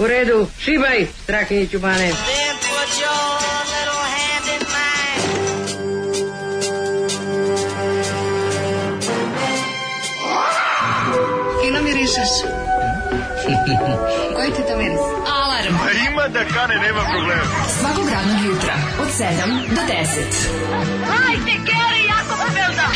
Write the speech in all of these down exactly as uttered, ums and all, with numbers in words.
U redu, šibaj, Strahinjiću bane. Fino mirišeš. Koji ti to miris? Alarm. A ima da kane, nema problema. Svakog radnog jutra, od sedam do deset. Hajde, Geri, jako se velda.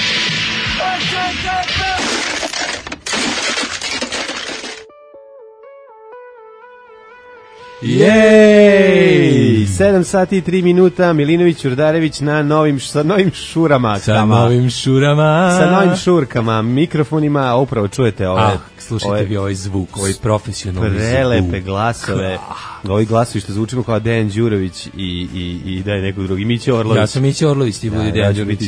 Jej! sedam sati i tri minuta, Milinović Ćurdarević na novim, sa novim šurama. Sa kama. novim šurama. Sa novim šurkama, mikrofonima, upravo čujete ove... Ah, slušajte ove, vi ovaj zvuk, ovaj profesionalni zvuk. Prelepe glasove. Ovi glasovi što zvučimo kao Dejan Đurović i, i, i da je neko drugi. Mića Orlović. Ja sam Mića Orlović, ti budi Dejan Đurović.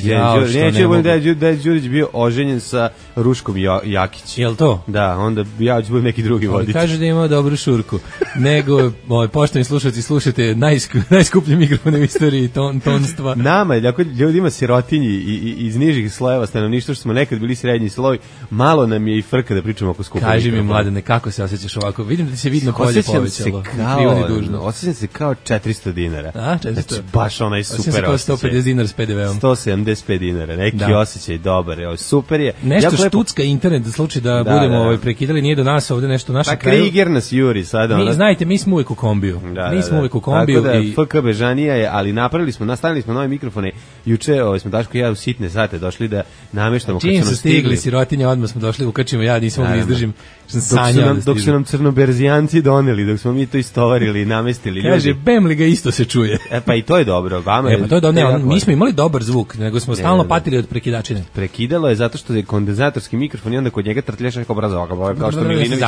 Neće da budem Dejan Đurović bio oženjen sa Ruškom Jakić. Jel to? Da, onda ja ću budem neki drugi voditelj. Kaže da ima dobru šurku. Nego, ovaj, poštovani slušalci, slušate najsku, najskuplji mikrofon u istoriji ton, tonstva. Nama, jako ljudima sirotinji i, i, iz nižih slojeva stanovništva, što smo nekad bili srednji sloj, malo nam je i frka da pričamo oko skupog Kaži mikrofona. mi, Mladene, kako se osjećaš ovako? Vidim da se vidno polje povećalo. Osjećam se kao četiristo dinara. A, četiristo. Znači, baš onaj super osjećaj. Osjećam se kao sto pedeset dinara s pe de veom. sto sedamdeset pet dinara, neki da. Osjećaj dobar. Evo, super je. Nešto jako štucka lepo... internet, da slučaj da, da budemo da, da. Ovaj, prekidali, nije do nas ovde nešto naše pa, kraju. Pa Kriger nas juri sada. Mi, ona... znajte, mi smo uvijek u kombiju. Da, mi da, smo da. uvijek u kombiju. Tako da, i... F K Bežanija je, ali napravili smo, nastavili smo nove mikrofone. Juče ovaj, smo Daško i ja u sitne sate došli da nameštamo. Čim su stigli, stigli sirotinja, odmah smo došli, ukačimo, ja nisam mogli izdržim. Dok su, nam, dok su nam crnoberzijanci doneli, dok smo mi to istovarili i namestili. Kaže, bem li ga isto se čuje. E pa i to je dobro. Vama e pa to je dobro, ne, on, mi smo imali dobar zvuk, nego smo stalno ne, patili od prekidačine. Prekidalo je zato što je kondenzatorski mikrofon i onda kod njega trtljaš neko obraza, kao što Milinović.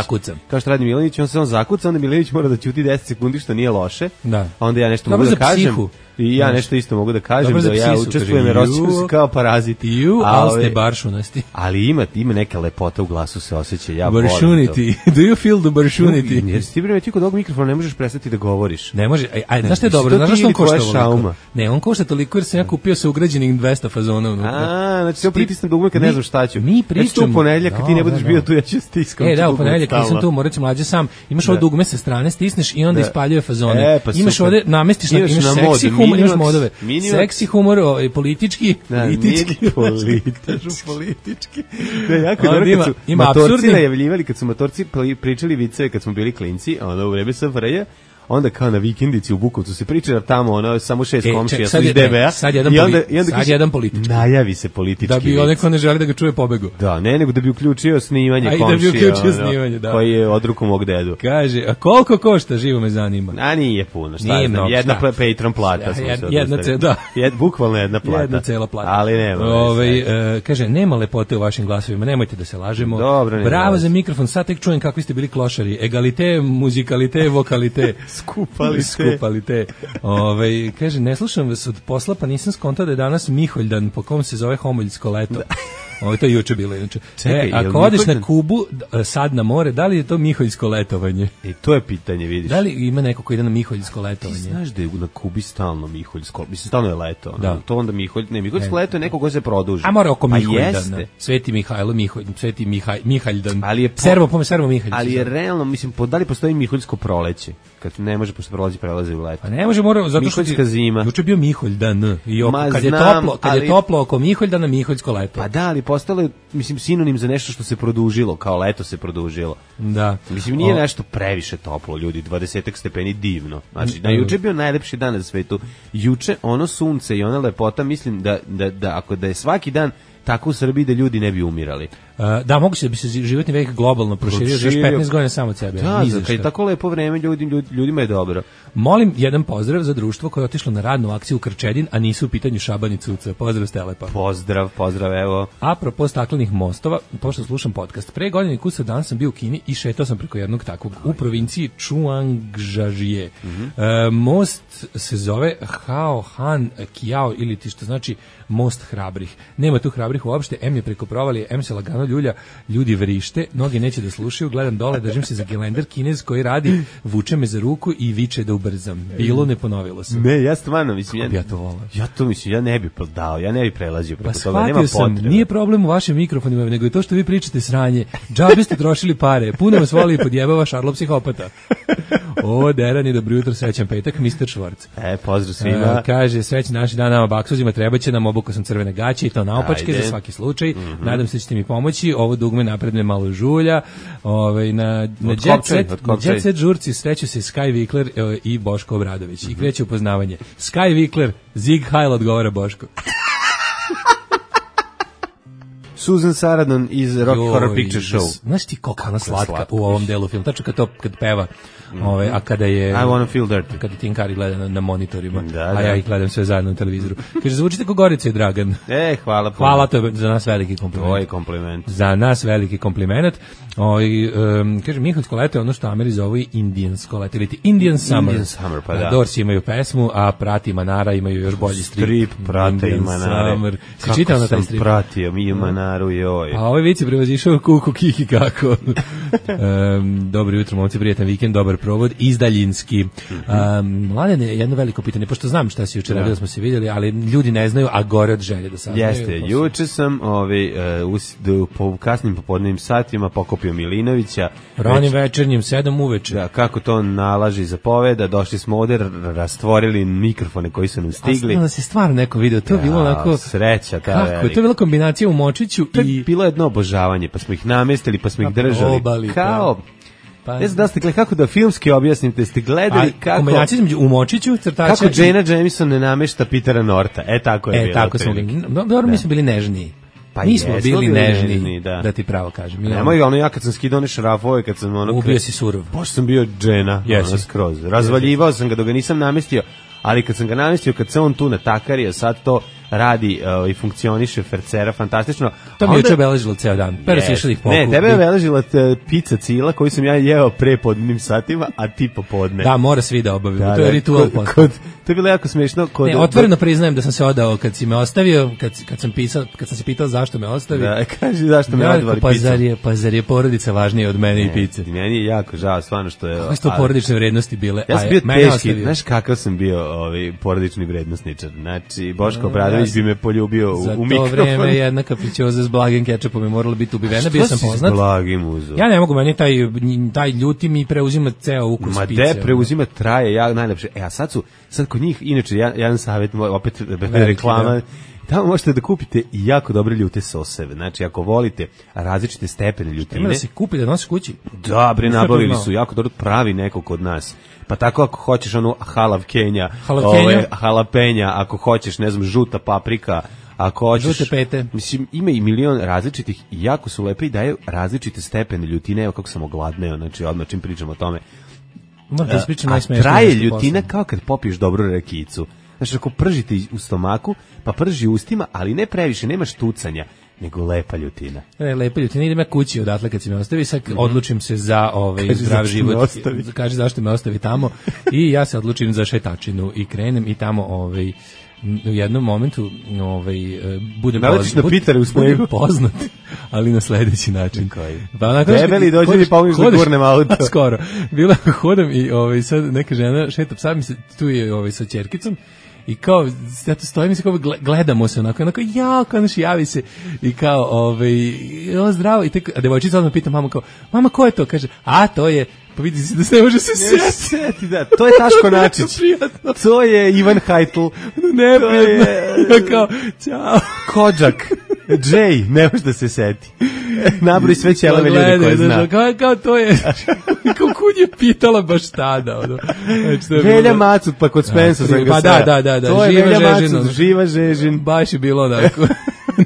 Kao što radi Milinović, on se on zakuca, onda Milinović mora da ćuti deset sekundi, što nije loše. Da. Onda ja nešto dobro mogu da kažem. Psihu. I ja nešto isto mogu da kažem, dobro da ja psisu, učestvujem jer osjećam se kao parazit. You, ali ste baršunasti. Ali ima, ima neka lepota u glasu, se osjeća, ja baršunity. Do you feel the baršunity? Jer si ti primeti kod ovog mikrofona ne možeš prestati da govoriš. Ne može, aj, aj, znaš što je dobro, znaš što on košta toliko? Ne, on košta toliko jer sam ja kupio sa ugrađenih dvesta fazona unutra. A, znači se pritisnem dugme kad ne znam šta ću. Mi pričamo. Znači u ponedeljak kad ti ne budeš bio tu, ja ću stiskam. E, da, u ponedeljak nisam tu, morat ću mlađe sam. Imaš ovo dugme sa strane, stisneš i onda ispaljuje fazone. Imaš ovde, namestiš, imaš seksi humor, imaš modove. Seksi humor, ovaj, politički, da, politički, politički, politički. Ne, jako dobro kad su ima motorci najavljivali, kad su motorci pričali viceve kad smo bili klinci, ono u vreme S F R J, onda kao na vikendici u Bukovcu se priča tamo ono samo šest e, komšija su iz D B A sad jedan i onda, i onda sad jedan politički najavi se politički da bi onaj ko ne želi da ga čuje pobegu da ne nego da bi uključio snimanje komšija da bi uključio ono, snimanje da koji je od ruku mog dedu kaže a koliko košta živo me zanima a nije puno šta nije znam, jedna šta? Patreon plata ja, jed, jedna ce, da Jed, bukvalno jedna plata jedna cela plata ali nema ovaj uh, kaže nema lepote u vašim glasovima nemojte da se lažemo dobro bravo za mikrofon sad tek čujem kakvi ste bili klošari egalite muzikalite vokalite skupali skupali te. Ove, kaže, ne slušam vas od posla, pa nisam skontao da je danas Miholjdan, po kom se zove Homoljsko leto. Ovo to je juče bilo inače. Čekaj, e, ako odeš na Kubu, sad na more, da li je to Miholjsko letovanje? E, to je pitanje, vidiš. Da li ima neko ko ide na Miholjsko letovanje? Ti znaš da je na Kubi stalno Miholjsko, mislim, stalno je leto. Da. To onda Miholj, ne, Miholjsko leto je neko ko se produži. A mora oko Miholjdan. Sveti Mihajlo, Miholj, Sveti Mihaj, Mihaljdan. Ali je po, servo, pome, servo Mihalj. Ali je realno, mislim, po, da li postoji Miholjsko proleće? Kad ne može, pošto prolazi, prelazi u leto. A ne može, mora, zato što Miholjska zima. Juče bio Miholjdan. I oko, Ma, kad je znam, toplo, kad ali, je toplo oko Miholjdana, Miholjsko leto. Pa da, ali postalo je, mislim, sinonim za nešto što se produžilo, kao leto se produžilo. Da. Mislim, nije o... nešto previše toplo, ljudi, dvadeset stepeni divno. Znači, da juče je bio najlepši dan na svetu. Juče ono sunce i ona lepota, mislim da, da, da ako da je svaki dan tako u Srbiji da ljudi ne bi umirali. Uh, da, moguće da bi se životni vek globalno proširio još petnaest godina samo od sebe. Da, da, kad je tako lepo vreme, ljudi, ljudi, ljudima je dobro. Molim jedan pozdrav za društvo koje je otišlo na radnu akciju u Krčedin, a nisu u pitanju Šaban i Cuca. Pozdrav Stelepa. Pozdrav, pozdrav, evo. Apropo staklenih mostova, pošto slušam podcast, pre godine i kusa dan sam bio u Kini i šetao sam preko jednog takvog u provinciji Čuangžažije. Mm-hmm. uh, most se zove Hao Han Kiao ili ti što znači most hrabrih. Nema tu hrabrih uopšte, em je preko provalije, em se lagano ljulja, ljudi vrište, noge neće da slušaju, gledam dole, držim se za gelender, Kinez koji radi, vuče me za ruku i viče da ubrzam. Bilo, ne ponovilo se. Ne, ja stvarno mislim, ja, ja to volim. Ja to mislim, ja ne bih dao, ja ne bih prelazio preko pa toga, nema sam, potrebe. Nije problem u vašim mikrofonima, nego je to što vi pričate sranje. Džabe ste trošili pare, puno vas voli i podjebava Šarlo psihopata. O, derani, dobro jutro, srećan petak, mister Švorc. E, pozdrav svima. Uh, kaže, srećan naši dan nama baksuzima, treba će nam, obukao sam crvene gaće i to naopačke Ajde. za svaki slučaj. Mm-hmm. Nadam se da ćete mi pomoći. Ovo dugme napred me malo žulja. Ove, na na Jet Set, na Jet Set žurci sreću se Sky Vikler e, i Boško Obradović. Mm-hmm. I kreće upoznavanje. Sky Vikler, Zig Heil odgovara Boško. Susan Sarandon iz Rocky Joj, Horror Picture Show. Znaš ti koliko ona slatka, slatka u ovom delu filma, tačno kad to kad peva, mm-hmm. ove, a kada je... I wanna feel dirty. Kada Tim Curry gleda na, na monitorima, da, a da. ja ih gledam sve zajedno na televizoru. Kaže, zvučite ko Gorica i Dragan. E, hvala. Hvala, to je za nas veliki kompliment. To je kompliment. Za nas veliki kompliment. Oj, um, kaže, Miholjsko leto je ono što Ameri zovu indijansko leto, ili ti Indian Summer. Indian Summer, pa da. Dorsi imaju pesmu, a Prati i Manara imaju još bolji strip. Strip, Prate i Manare. Si čitao na taj strip? Kako sam pratio, mi i Manaru, joj. Pa ovaj vici prevazišao kuku kiki kako. um, dobro jutro, momci, prijatan vikend, dobar provod, izdaljinski. Um, Mladen je jedno veliko pitanje, pošto znam šta si juče radio, da smo se vidjeli, ali ljudi ne znaju, a gore od želje da saznaju. Jeste, juče sam ovaj, uh, us, do, po kasnim popodnevnim satima pokopio Milinovića. Ranim Već, večernjim, sedam uveče. da, kako to nalaži zapoveda, došli smo ovde, r- rastvorili mikrofone koji su nam stigli. A da se stvarno neko video, to je bilo onako... Sreća, ta Kako je, velika. to je bila kombinacija u Močiću To je i... bilo jedno obožavanje, pa smo ih namestili, pa smo ih Pa držali. probali, Kao, Pa, ne znam da ste gledali, kako da filmski objasnim, te ste gledali a, kako... kombinacija između u Močiću, crtača... Kako Jana Jameson ne namešta Petera Norta. E, tako je E, bilo. tako smo bili. Dobro, mi smo bili nežniji. Pa mi smo jesmo bili bili nežni, nežni, da. da ti pravo kažem. Mi Nemoj, ono ja kad sam skidao one šrafove, kad sam ono... Ubio si surov. Pošto sam bio Jana, Jesi. ono skroz. Razvaljivao sam ga dok ga nisam namestio, ali kad sam ga namestio, kad se on tu natakario, sad to radi uh, i funkcioniše fercera fantastično. To mi Onda- je juče obeležilo ceo dan. Pero si Yes. išli ih pokupi. Ne, tebe je obeležila te pizza cila koju sam ja jeo pre podnim satima, a ti popodne. Da, mora svi da obavimo. Da, to je da, ritual kod, posle. kod, to je bilo jako smiješno. Kod, Ne, otvoreno priznajem da sam se odao kad si me ostavio, kad, kad sam pisao, kad sam se pitao zašto me ostavio. Da, kaži zašto me Ja, odvali pa pizza. zar je, pa zar je porodica važnija od mene i pice? Meni je jako žao, stvarno što je... Koje su to ali- porodične vrednosti bile? Ja A sam je- bio mene teški, ostavio. znaš kakav sam bio ovaj, porodični vrednosničar. Znači, Boško ja Obradović sam- bi me poljubio u, Za u to mikrofon. vreme jedna kapričioza s blagim kečapom je morala biti ubivena, bio Što sam si s poznat. blagim uzeo? Ja ne mogu, meni taj, taj ljuti mi preuzima ceo ukus Ma pice. de preuzima traje, ja najlepše. E, a sad su, sad kod njih, inače, jedan, jedan savjet, moj, opet reklama, da. tamo možete da kupite i jako dobre ljute soseve. Znači, ako volite različite stepene Ima ljutine, da se kupi da nosiš kući. da, bre, Nisam nabavili to znao. su jako dobro, pravi neko kod nas. Pa tako ako hoćeš onu halav Kenja, Halav Kenja? halapenja, ako hoćeš, ne znam, žuta paprika, ako hoćeš... Žute pete. Mislim, ima i milion različitih i jako su lepe i daju različite stepene ljutine, evo kako sam ogladneo, znači odmah čim pričam o tome. Moram da ispričam A najsmešnije. traje nešto ljutina posle. kao kad popiješ dobru rekicu. Znači, ako pržite u stomaku, pa prži u ustima, ali ne previše, nema štucanja, nego lepa ljutina. E, lepa ljutina, idem ja kući odatle kad si me ostavi, sad odlučim se za ovaj Kaži zdrav zašto me život. ostavi. Kaže zašto me ostavi tamo i ja se odlučim za šetačinu i krenem i tamo ovaj m, u jednom momentu ovaj e, budem Naletiš na bud- Pitere u snegu. budem poznat, ali na sledeći način. Koji? Pa onako Debeli, dođi mi pomoć da hodeš- gurnem auto. Skoro. Bila hodam i ovaj sad neka žena šeta psa, mi se tu je ovaj sa ćerkicom. I kao, ja tu stojim i se kao gle- gledamo se onako, onako, ja, kao naš javi se i kao, ovaj, o, zdravo, i tek, a devojčica odmah pita mamu kao, mama, ko je to? Kaže, a, to je, pa vidi se da se ne može se sjeti. Seti, da, to je Taško Načić. Prijatno, To je Ivan Hajtl. neprijatno. To je- Ja kao, ćao. Kodžak. Jay, ne može da se seti. Nabri sve ćelave ljude Gledaj, koje znaš, zna. Kao, kao to je, kao kud je pitala baš tada, ono. Znači, to je Velja bilo- Macut, pa kod Spensa sam ga Pa da, sreo. da, da, da, To je živa Velja Žežin, ono. Macut, živa Žežin. Baš je bilo onako.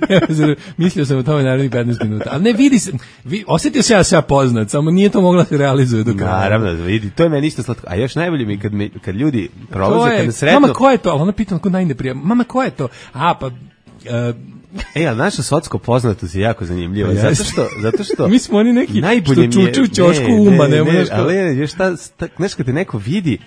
Ne, zar- mislio sam o tome narednih petnaest minuta. Ali ne, vidi se, vi, osjetio se ja se ja poznat, samo nije to mogla da se realizuje do kraja. Naravno, vidi, to je meni isto slatko. A još najbolje mi je kad, me, kad ljudi To prolaze, kad je, me sretnu... mama, ko je to? Ali ona pita onako najneprija, mama, ko je to? A, pa... Uh, E, ali naša socko poznatost je jako zanimljiva. Pa Zato jeste. što, zato što... Mi smo oni neki najbolje što mi je- čuču u ćošku ne, uma, ne, ne, ne, znaš kao- ali ne, još šta, sta- znaš kad te neko vidi,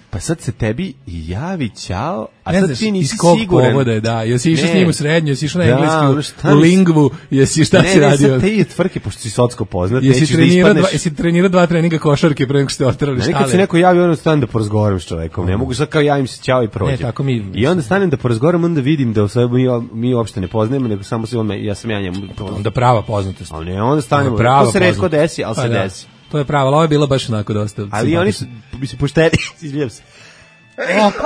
pa sad se tebi javi ćao, a ne sad znaš, ti nisi iz kog siguran. povoda je, da, jesi išao s Ne. njim u srednju, jesi išao na Da, engleski, ono u- šta u mi- lingvu, jesi šta ne, si ne, radio? sad te i tvrke, pošto si socko poznat, Jesi nećeš da trenirao dva, ispadneš... jesi trenirao dva treninga košarke pre nego što ste oterali Ne, štale? nekad se neko javi, onda stanem da porazgovaram s čovekom. Ne mogu sad kao javim se ćao i prođem. Ne, tako mi- I onda stanem da porazgovaram, onda vidim da u sebi mi, mi uopšte ne poznajemo, nego samo se on, me- ja sam ja njemu. Onda prava poznatost. Ali ne, onda stanemo. Prava To se retko poznatost. desi, ali Pa se da. desi. To je pravo, ali ovo je bilo baš onako dosta. Ali oni su, bi se pošteni, izvijem se.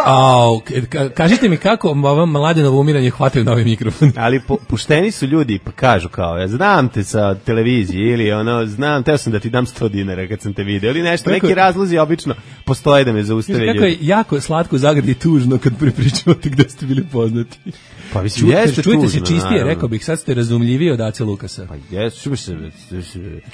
Au, ka, kažite mi kako ovo Mladenovo umiranje hvataju na ovaj mikrofon. Ali po, pušteni su ljudi, pa kažu kao, ja znam te sa televizije ili ono, znam, teo sam da ti dam sto dinara kad sam te video ili nešto, neki razlozi obično postoje da me zaustave ljudi. Kako je jako slatko zagradi tužno kad pripričavate gde ste bili poznati. Pa mislim, jeste čujete tužno, se čistije, naravno. Rekao bih, sad ste razumljiviji od Ace Lukasa. Pa jeste, što bi se...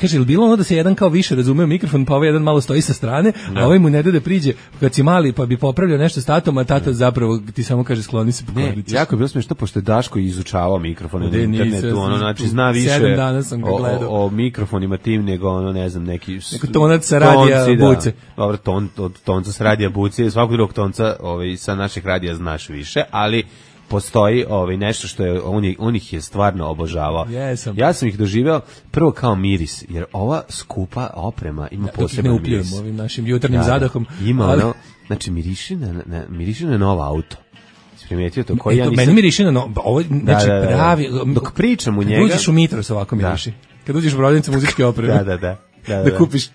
Kaže, ili bilo ono da se jedan kao više razumeo mikrofon, pa ovaj jedan malo stoji sa strane, da. A ovaj mu ne da da priđe kad si mali, pa bi popravljao nešto s tatom, a tata zapravo ti samo kaže skloni se po kornici. Ne, jako je bilo smiješno, pošto je Daško izučavao mikrofone na internetu, nisam, ono, znači, zna više sedam dana sam ga o, gledao. o, o mikrofonima tim, nego ono, ne znam, neki... Neko tonac sa radija tonci, buce. Da. Dobro, ton, od tonca sa radija buce, svakog drugog tonca ovaj, sa naših radija znaš više, ali postoji ovaj nešto što je on, je, on ih je stvarno obožavao. Jesam. Ja sam ih doživeo prvo kao miris, jer ova skupa oprema ima da, poseban ne miris. Ovim našim jutarnjim da, zadahom. Ima ali... ono, znači miriši na, na, miriši na novo auto. Primetio to koji e, ja nisam... Meni miriši na no, ovo, znači da, da, da. pravi... Dok pričam u njega... Kad uđeš u Mitros ovako miriši. Da. Kad uđeš u prodavnicu muzičke opreme. da, da, da. Da, da, da kupiš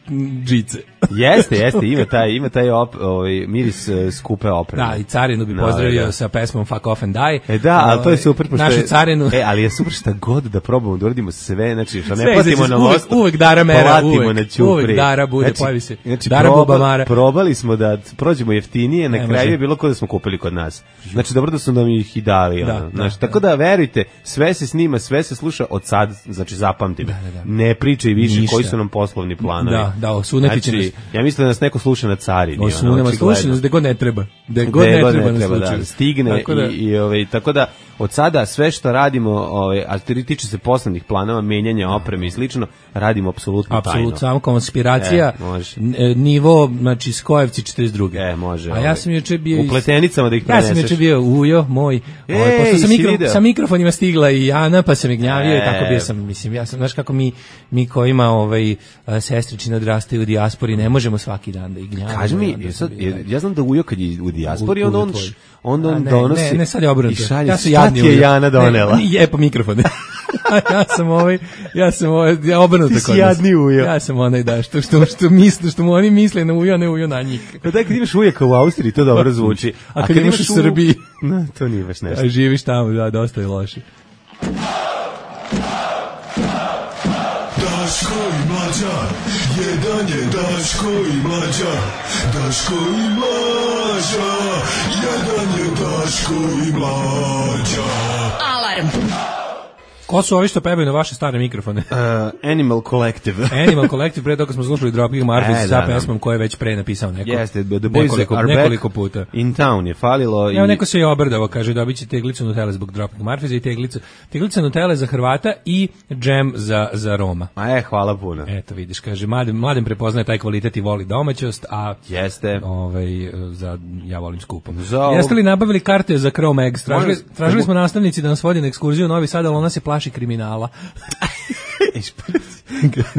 džice. Jeste, jeste, ima taj, ima taj op, ovaj, miris uh, skupe opreme. Da, i Carinu bi no, pozdravio da. sa pesmom Fuck Off and Die. E da, ali to je super. Pošto našu je, Carinu. E, ali je super šta god da probamo, da uradimo sve, znači, što ne sve platimo na uvek, mostu. uvek Dara mera, platimo uvek, na ćupri. uvek Dara bude, znači, pojavi se. Znači, Dara proba, Bubamara. probali smo da prođemo jeftinije, na ne kraju može. je bilo kao da smo kupili kod nas. Znači, dobro da su nam ih i dali. Da, ono. da, znači, da. tako da, verujte, sve se snima, sve se sluša od sad, znači, zapamtim. Da, da, da. Ne pričaj više Ništa. koji su nam poslovni planovi. Da, da, osuneti će znači, nas. ja mislim da nas neko sluša na Carini. Osunema, sluša nas gde god ne treba. Gde god Gde ne god treba, ne treba nas da stigne tako da, i, i ovaj, tako da od sada sve što radimo, ovaj, a tiče se poslovnih planova, menjanja opreme i slično, radimo apsolutno tajno. apsolutno, samo konspiracija, e, može. nivo, znači Skojevci četrdeset druge. E, može. A ja ovaj, sam juče bio... u pletenicama da ih preneseš. Ja sam juče bio ujo, moj, Ej, ovaj, pošto sam si mikro, video? sa mikrofonima stigla i Ana, pa sam je gnjavio E. i tako bio sam, mislim, ja sam, znaš kako mi, mi kojima ovaj, sestričine odrastaju u dijaspori, ne možemo svaki dan da ih gnjavimo. Kaži mi, onda je sam sad, bio, je, ja znam da Ujo kad je u dijaspori, U- onda on, Ujo tvoj. onda A on ne, donosi ne, ne, sad je obrnuto. i šalje, Ja sam šta jadni ti je Ujo. Jana donela? Ne, je po mikrofone. ja sam ovaj, ja sam ovaj, ja obrnuto Ti si kod nas. jadni Ujo. Ja sam onaj da što što što misle, što mu oni misle na Ujo, a ne Ujo na njih. Pa da kad imaš ujaka u Austriji, to dobro zvuči. A kad imaš u Srbiji, no, to nije baš nešto. a živiš tamo, da, dosta je loše. Daško i Mlađa, jedan je Daško i Mlađa, Daško i Mlađa, jedan je Daško i Mlađa. Alarm. Ko su ovi što pevaju na vaše stare mikrofone? Uh, Animal Collective. Animal Collective, pre toga smo slušali Dropkick Murphys E, sa da, da. pesmom koju je već pre napisao neko. Jeste, the boys nekoliko, are nekoliko back puta. in town je falilo. Evo i... neko se je obrdavo, kaže dobit će teglicu Nutelle zbog Dropkick Murphys i teglicu, teglica Nutelle za Hrvata i džem za, za Roma. Ma je, hvala puno. Eto vidiš, kaže, mladen, mladen prepoznaje taj kvalitet i voli domaćost, a Jeste. ovaj, za, ja volim skupo. Za ovog- Jeste li nabavili karte za Chrome Eggs? Tražili, Molim- tražili smo nastavnici da nas vodi na ekskurziju u Novi Sad, ali ona se plaši kriminala.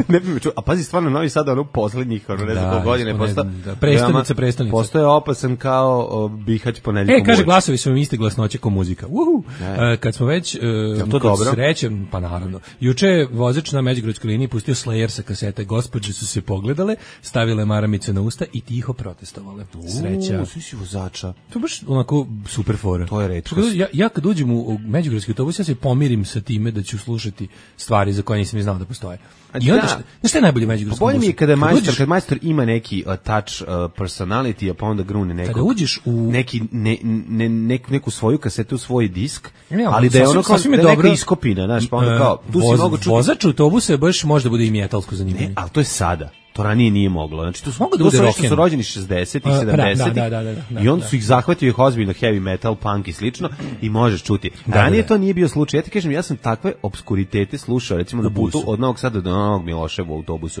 ne bi me čuo. A pazi, stvarno Novi Sad, ono poslednjih, ono ne znam Da, koliko godine ispod, postao. ne znam, da, prestonica, prestonica. Postoje opasan kao o, Bihać ponedjeljkom. E, kaže, uveče. glasovi su mi iste glasnoće ko muzika. Uhu. Ne. E, kad smo već, e, to kod dobro? sreće, pa naravno. Juče je vozač na Međugradskoj liniji pustio Slayer sa kasete. Gospođe su se pogledale, stavile maramice na usta i tiho protestovale. Sreća. U, svi si vozača. To je baš onako super fora. To je retkost. Ja, ja kad uđem u, u Međugradski autobus, ja se pomirim sa time da ću slušati stvari za koje nisam ni znao da postoje. I onda, da. šta, znaš šta je najbolje u Pa Međugradskom bolje mi je busu? kada Kad majstor, uđeš- kad majstor ima neki uh, touch uh, personality, a pa onda grune nekog, Kada uđeš u- neki, ne, ne, nek, neku svoju kasetu, svoj disk, Ne, ali da je sasvim- ono kao sasvim je da je neka dobro. iskopina, znaš, pa onda kao, tu si Voz- mogu čuti. Vozač autobusa je baš možda bude i metalsko zanimanje. Ne, ali to je sada. To ranije nije moglo. Znači, tu su, Mogu da to bude su nešto rock'n'roll. su rođeni šezdesetih, A, pa da, sedamdesetih da, da, da, da, i onda da. su ih zahvatio ih ozbiljno heavy metal, punk i slično i možeš čuti. Ranije da, da. to nije bio slučaj. Ja ti kažem, ja sam takve obskuritete slušao, recimo na putu busu. od Novog Sada do Novog Miloševa u autobusu.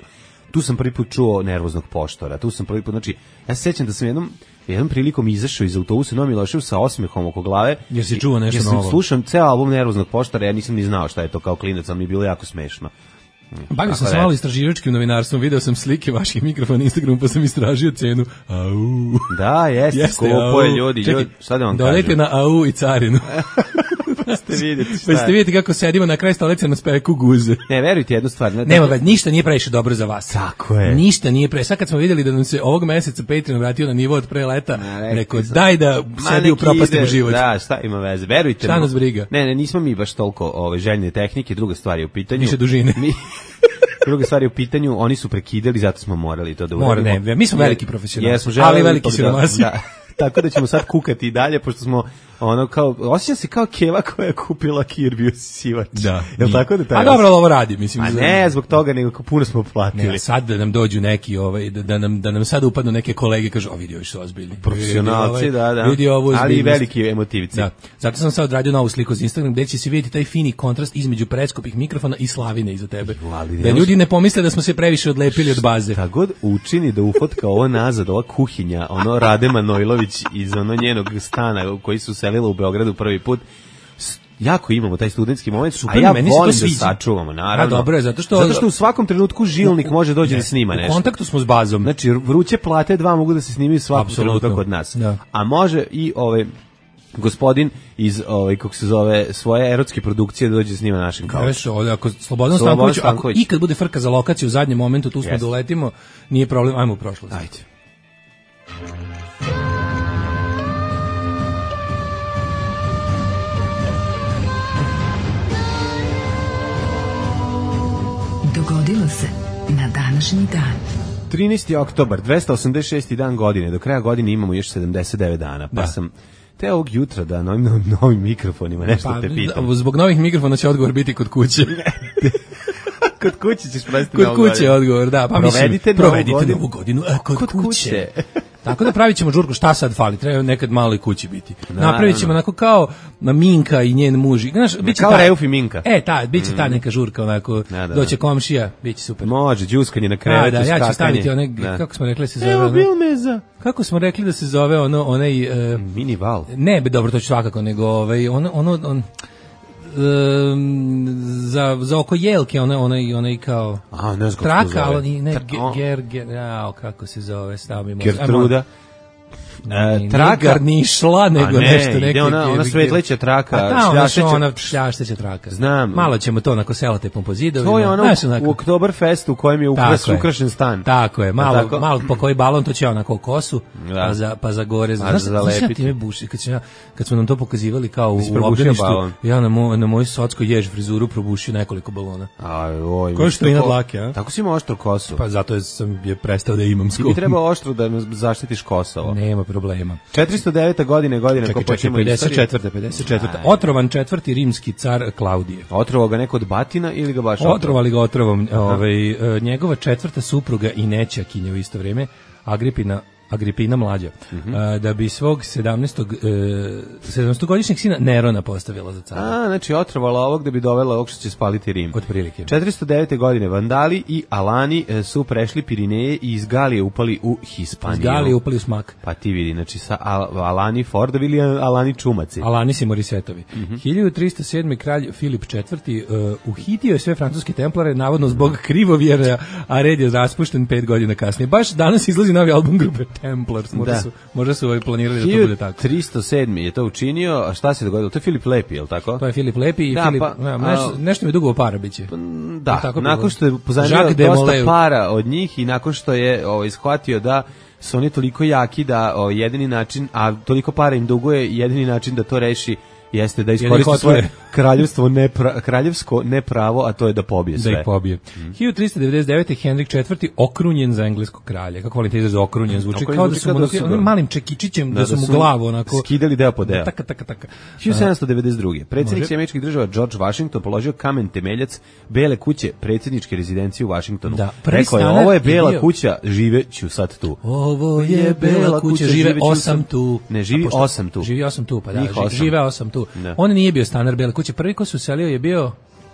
Tu sam prvi put čuo Nervoznog poštora, tu sam prvi put, znači, ja se sećam da sam jednom, jednom prilikom izašao iz autobusa Novi Milošev sa osmehom oko glave. Jer si čuo nešto jer sam novo. slušam ceo album Nervoznog poštora, ja nisam ni znao šta je to kao klinac, ali mi je bilo jako smešno. Bavio sam Tako se da, malo istraživačkim novinarstvom, video sam slike vaših mikrofona na Instagramu, pa sam istražio cenu. Au. Da, jeste, Jeste, skupo je au. ljudi, Čekaj, ljudi, šta da vam dodajte kažem? na au i carinu. ste vidjeti šta Pa ste je. vidjeti kako sedimo na kraju stolice na speku guze. Ne, verujte jednu stvar. Ne, Nema veze, ništa nije previše dobro za vas. Tako je. Ništa nije pre. Sad kad smo vidjeli da nam se ovog meseca Patreon vratio na nivo od pre leta, rekli rekao sam. daj da sebi nek upropastimo ide, život. Da, šta ima veze, verujte. Šta mi. nas briga? Ne, ne, nismo mi baš toliko ove, željne tehnike, druga stvar je u pitanju. Više dužine. Mi, druga stvar je u pitanju, oni su prekidali, zato smo morali to da Mora, uradimo. ne, mi smo veliki profesionalci, Jesmo želeli ali veliki ipak da- siromasi. Da. Tako da ćemo sad kukati i dalje, pošto smo ono kao, osjećam se kao keva koja je kupila Kirby sivač. Da. Jel tako da taj A dobro, ali ovo radi, mislim. A ne, zbog toga, nego kao puno smo platili. Ne, sad da nam dođu neki, ovaj, da, da, nam, da nam sad upadnu neke kolege i kažu, o vidi, ovi su ozbiljni. Profesionalci, Vidi, ovaj, da, da. Vidi ovu ali i ozbiljnost. veliki emotivci. Da. Zato sam sad odradio novu sliku za Instagram gde će se vidjeti taj fini kontrast između preskupih mikrofona i slavine iza tebe. Ali Da ljudi ne pomisle da smo se previše odlepili od baze. Šta god učini da ufotka ovo nazad, ova kuhinja, ono Rade Manojlović iz ono njenog stana u koji su selila u Beogradu prvi put, s- jako imamo taj studentski moment, Super, a ja meni se to volim da sviđa. sačuvamo, naravno. A dobro je, zato što- zato što u svakom trenutku žilnik može doći da snima U nešto. kontaktu smo s bazom. Znači, vruće plate dva mogu da se snimaju svakog Apsolutno. trenutka kod nas. Da. A može i ovaj gospodin iz ovaj kako se zove svoje erotske produkcije da dođe da snima našim kao. Znaš, ovdje, ako Slobodan Slobodan Stanković, ako Stanković. ikad bude frka za lokaciju u zadnjem momentu, tu smo Jeste. doletimo, nije problem, ajmo u prošlost. Ajde. Dogodilo se na današnji dan. trinaesti oktobar, dvesta osamdeset šesti dan godine. Do kraja godine imamo još sedamdeset devet dana. Pa Da. sam te ovog jutra da novim, novim, novim mikrofonima nešto Pa, te pitam. zbog novih mikrofona će odgovor biti kod kuće. Kod kuće ćeš provesti Kod novu kuće je godinu. odgovor, da. Pa Provedite mislim, novu provedite godinu. novu godinu a, kod, Kod kuće. kuće. Tako da pravit ćemo žurku, šta sad fali, treba nekad malo i kući biti. Naravno. Napravit ćemo onako kao na Minka i njen muž. Znaš, biće Kao ta- Reuf i Minka. E, ta, biće ta neka žurka, onako, Da, da, doće da. komšija, biće super. Može, džuskanje na Da, krevetu, da, ja ću skakanje. staviti one, Da. kako smo rekli da se zove, Evo ono- bil meza. kako smo rekli da se zove ono, onaj, e, Mini val. ne, be, dobro, to ću svakako, nego ovaj, ono, ono, on, em, za, za oko jelke, onaj, onaj, onaj kao, A, ne znam kako se traka, zove. ali ne, Tra- ge- o. ger, ger, jao, kako se zove, stav mi možda. Gertruda. Ajmo, E, ne, traka. garnišla, nego A ne, nešto, ide neki. ona- ona svetleća traka, A ta, ona, što šljašteća- ona šljašteća traka. Znam. Malo ćemo to onako selotepom po zidovima. To je ono znaš, u, onako. u Oktoberfestu u kojem je ukras, Tako je. ukrašen stan. Tako je, malo, tako? malo po koji balon to će onako kosu, Da. pa za pa za gore, A znaš, za znaš ja zalepiti. time buši, kad, sam ja, kad smo nam to pokazivali kao u, si u probušio obdaništu, balon? ja na moj na moj socko jež frizuru probušio nekoliko balona. Aj, oj. Ko je što inad lake, a? Tako si ima oštru kosu. Pa zato je sam je prestao da imam Ti skop. bi trebao oštro da nam zaštitiš Kosovo. Nema problema. četiristo deveta godine, godine Čekaj, ko čekaj, počnemo pedeset četvrta. istoriju. pedeset četvrta. Aj. Otrovan četvrti rimski car Klaudije. Otrovao ga neko od batina ili ga baš otrovao? Otrovali ga otrovom. Ovaj, e, njegova četvrta supruga i nećakinja u isto vrijeme, Agripina Agripina mlađa, Mhm. a, da bi svog sedamnaestog sedamnaestogodišnjeg sina Nerona postavila za cara. A, znači otrovala ovog da bi dovela ovog što će spaliti Rim. Otprilike. četiristo devete godine Vandali i Alani e, su prešli Pirineje i iz Galije upali u Hispaniju. Gali upali u smak. Pa ti vidi, znači sa Al Alani Fordovi ili Alani Čumaci. Alanis i Morisetovi. Mhm. hiljadu tristo sedmi kralj Filip četvrti uh, uhitio je sve francuske templare, navodno zbog krivovjera, a red je raspušten pet godina kasnije. Baš danas izlazi novi album grupe Templars. Možda Da. su, možda su ovaj planirali da to bude tako. hiljadu tristo sedmi je to učinio, a šta se dogodilo? To je Filip Lepi, je li tako? To je Filip Lepi i Da, Filip, pa, ne, a- nešto, nešto mi je dugo para biće. Da, Tako bi nakon bilo. što je pozajmio Jacques dosta Desmoulins. para od njih i nakon što je ovaj, shvatio da su oni toliko jaki da o, jedini način, a toliko para im duguje, jedini način da to reši jeste da iskoristi otvore. svoje kraljevstvo nepra, kraljevsko nepravo, a to je da pobije sve. Da ih pobije. Mhm. hiljadu tristo devedeset devete. Henrik četvrti okrunjen za engleskog kralja. Kako volim te izraz okrunjen zvuči Okrunjen kao da zvuči su mu kao da onako- su onim ga- malim čekičićem da, Da, su da mu su glavu onako skidali deo po deo. Taka taka taka. hiljadu sedamsto devedeset druge. Predsjednik Može. američkih država George Washington položio kamen temeljac Bele kuće, predsjedničke rezidencije u Washingtonu. Da, prvi Rekao je, stanar ovo je je Bela bio- kuća, živeću sad tu. Ovo je bela kuća, žive živeću osam sam- tu. Ne, živi A pošto- osam tu. Živi osam tu, pa da, Njih ži- osam. žive osam tu. Da. On nije bio stanar bele kuće, prvi ko se uselio je bio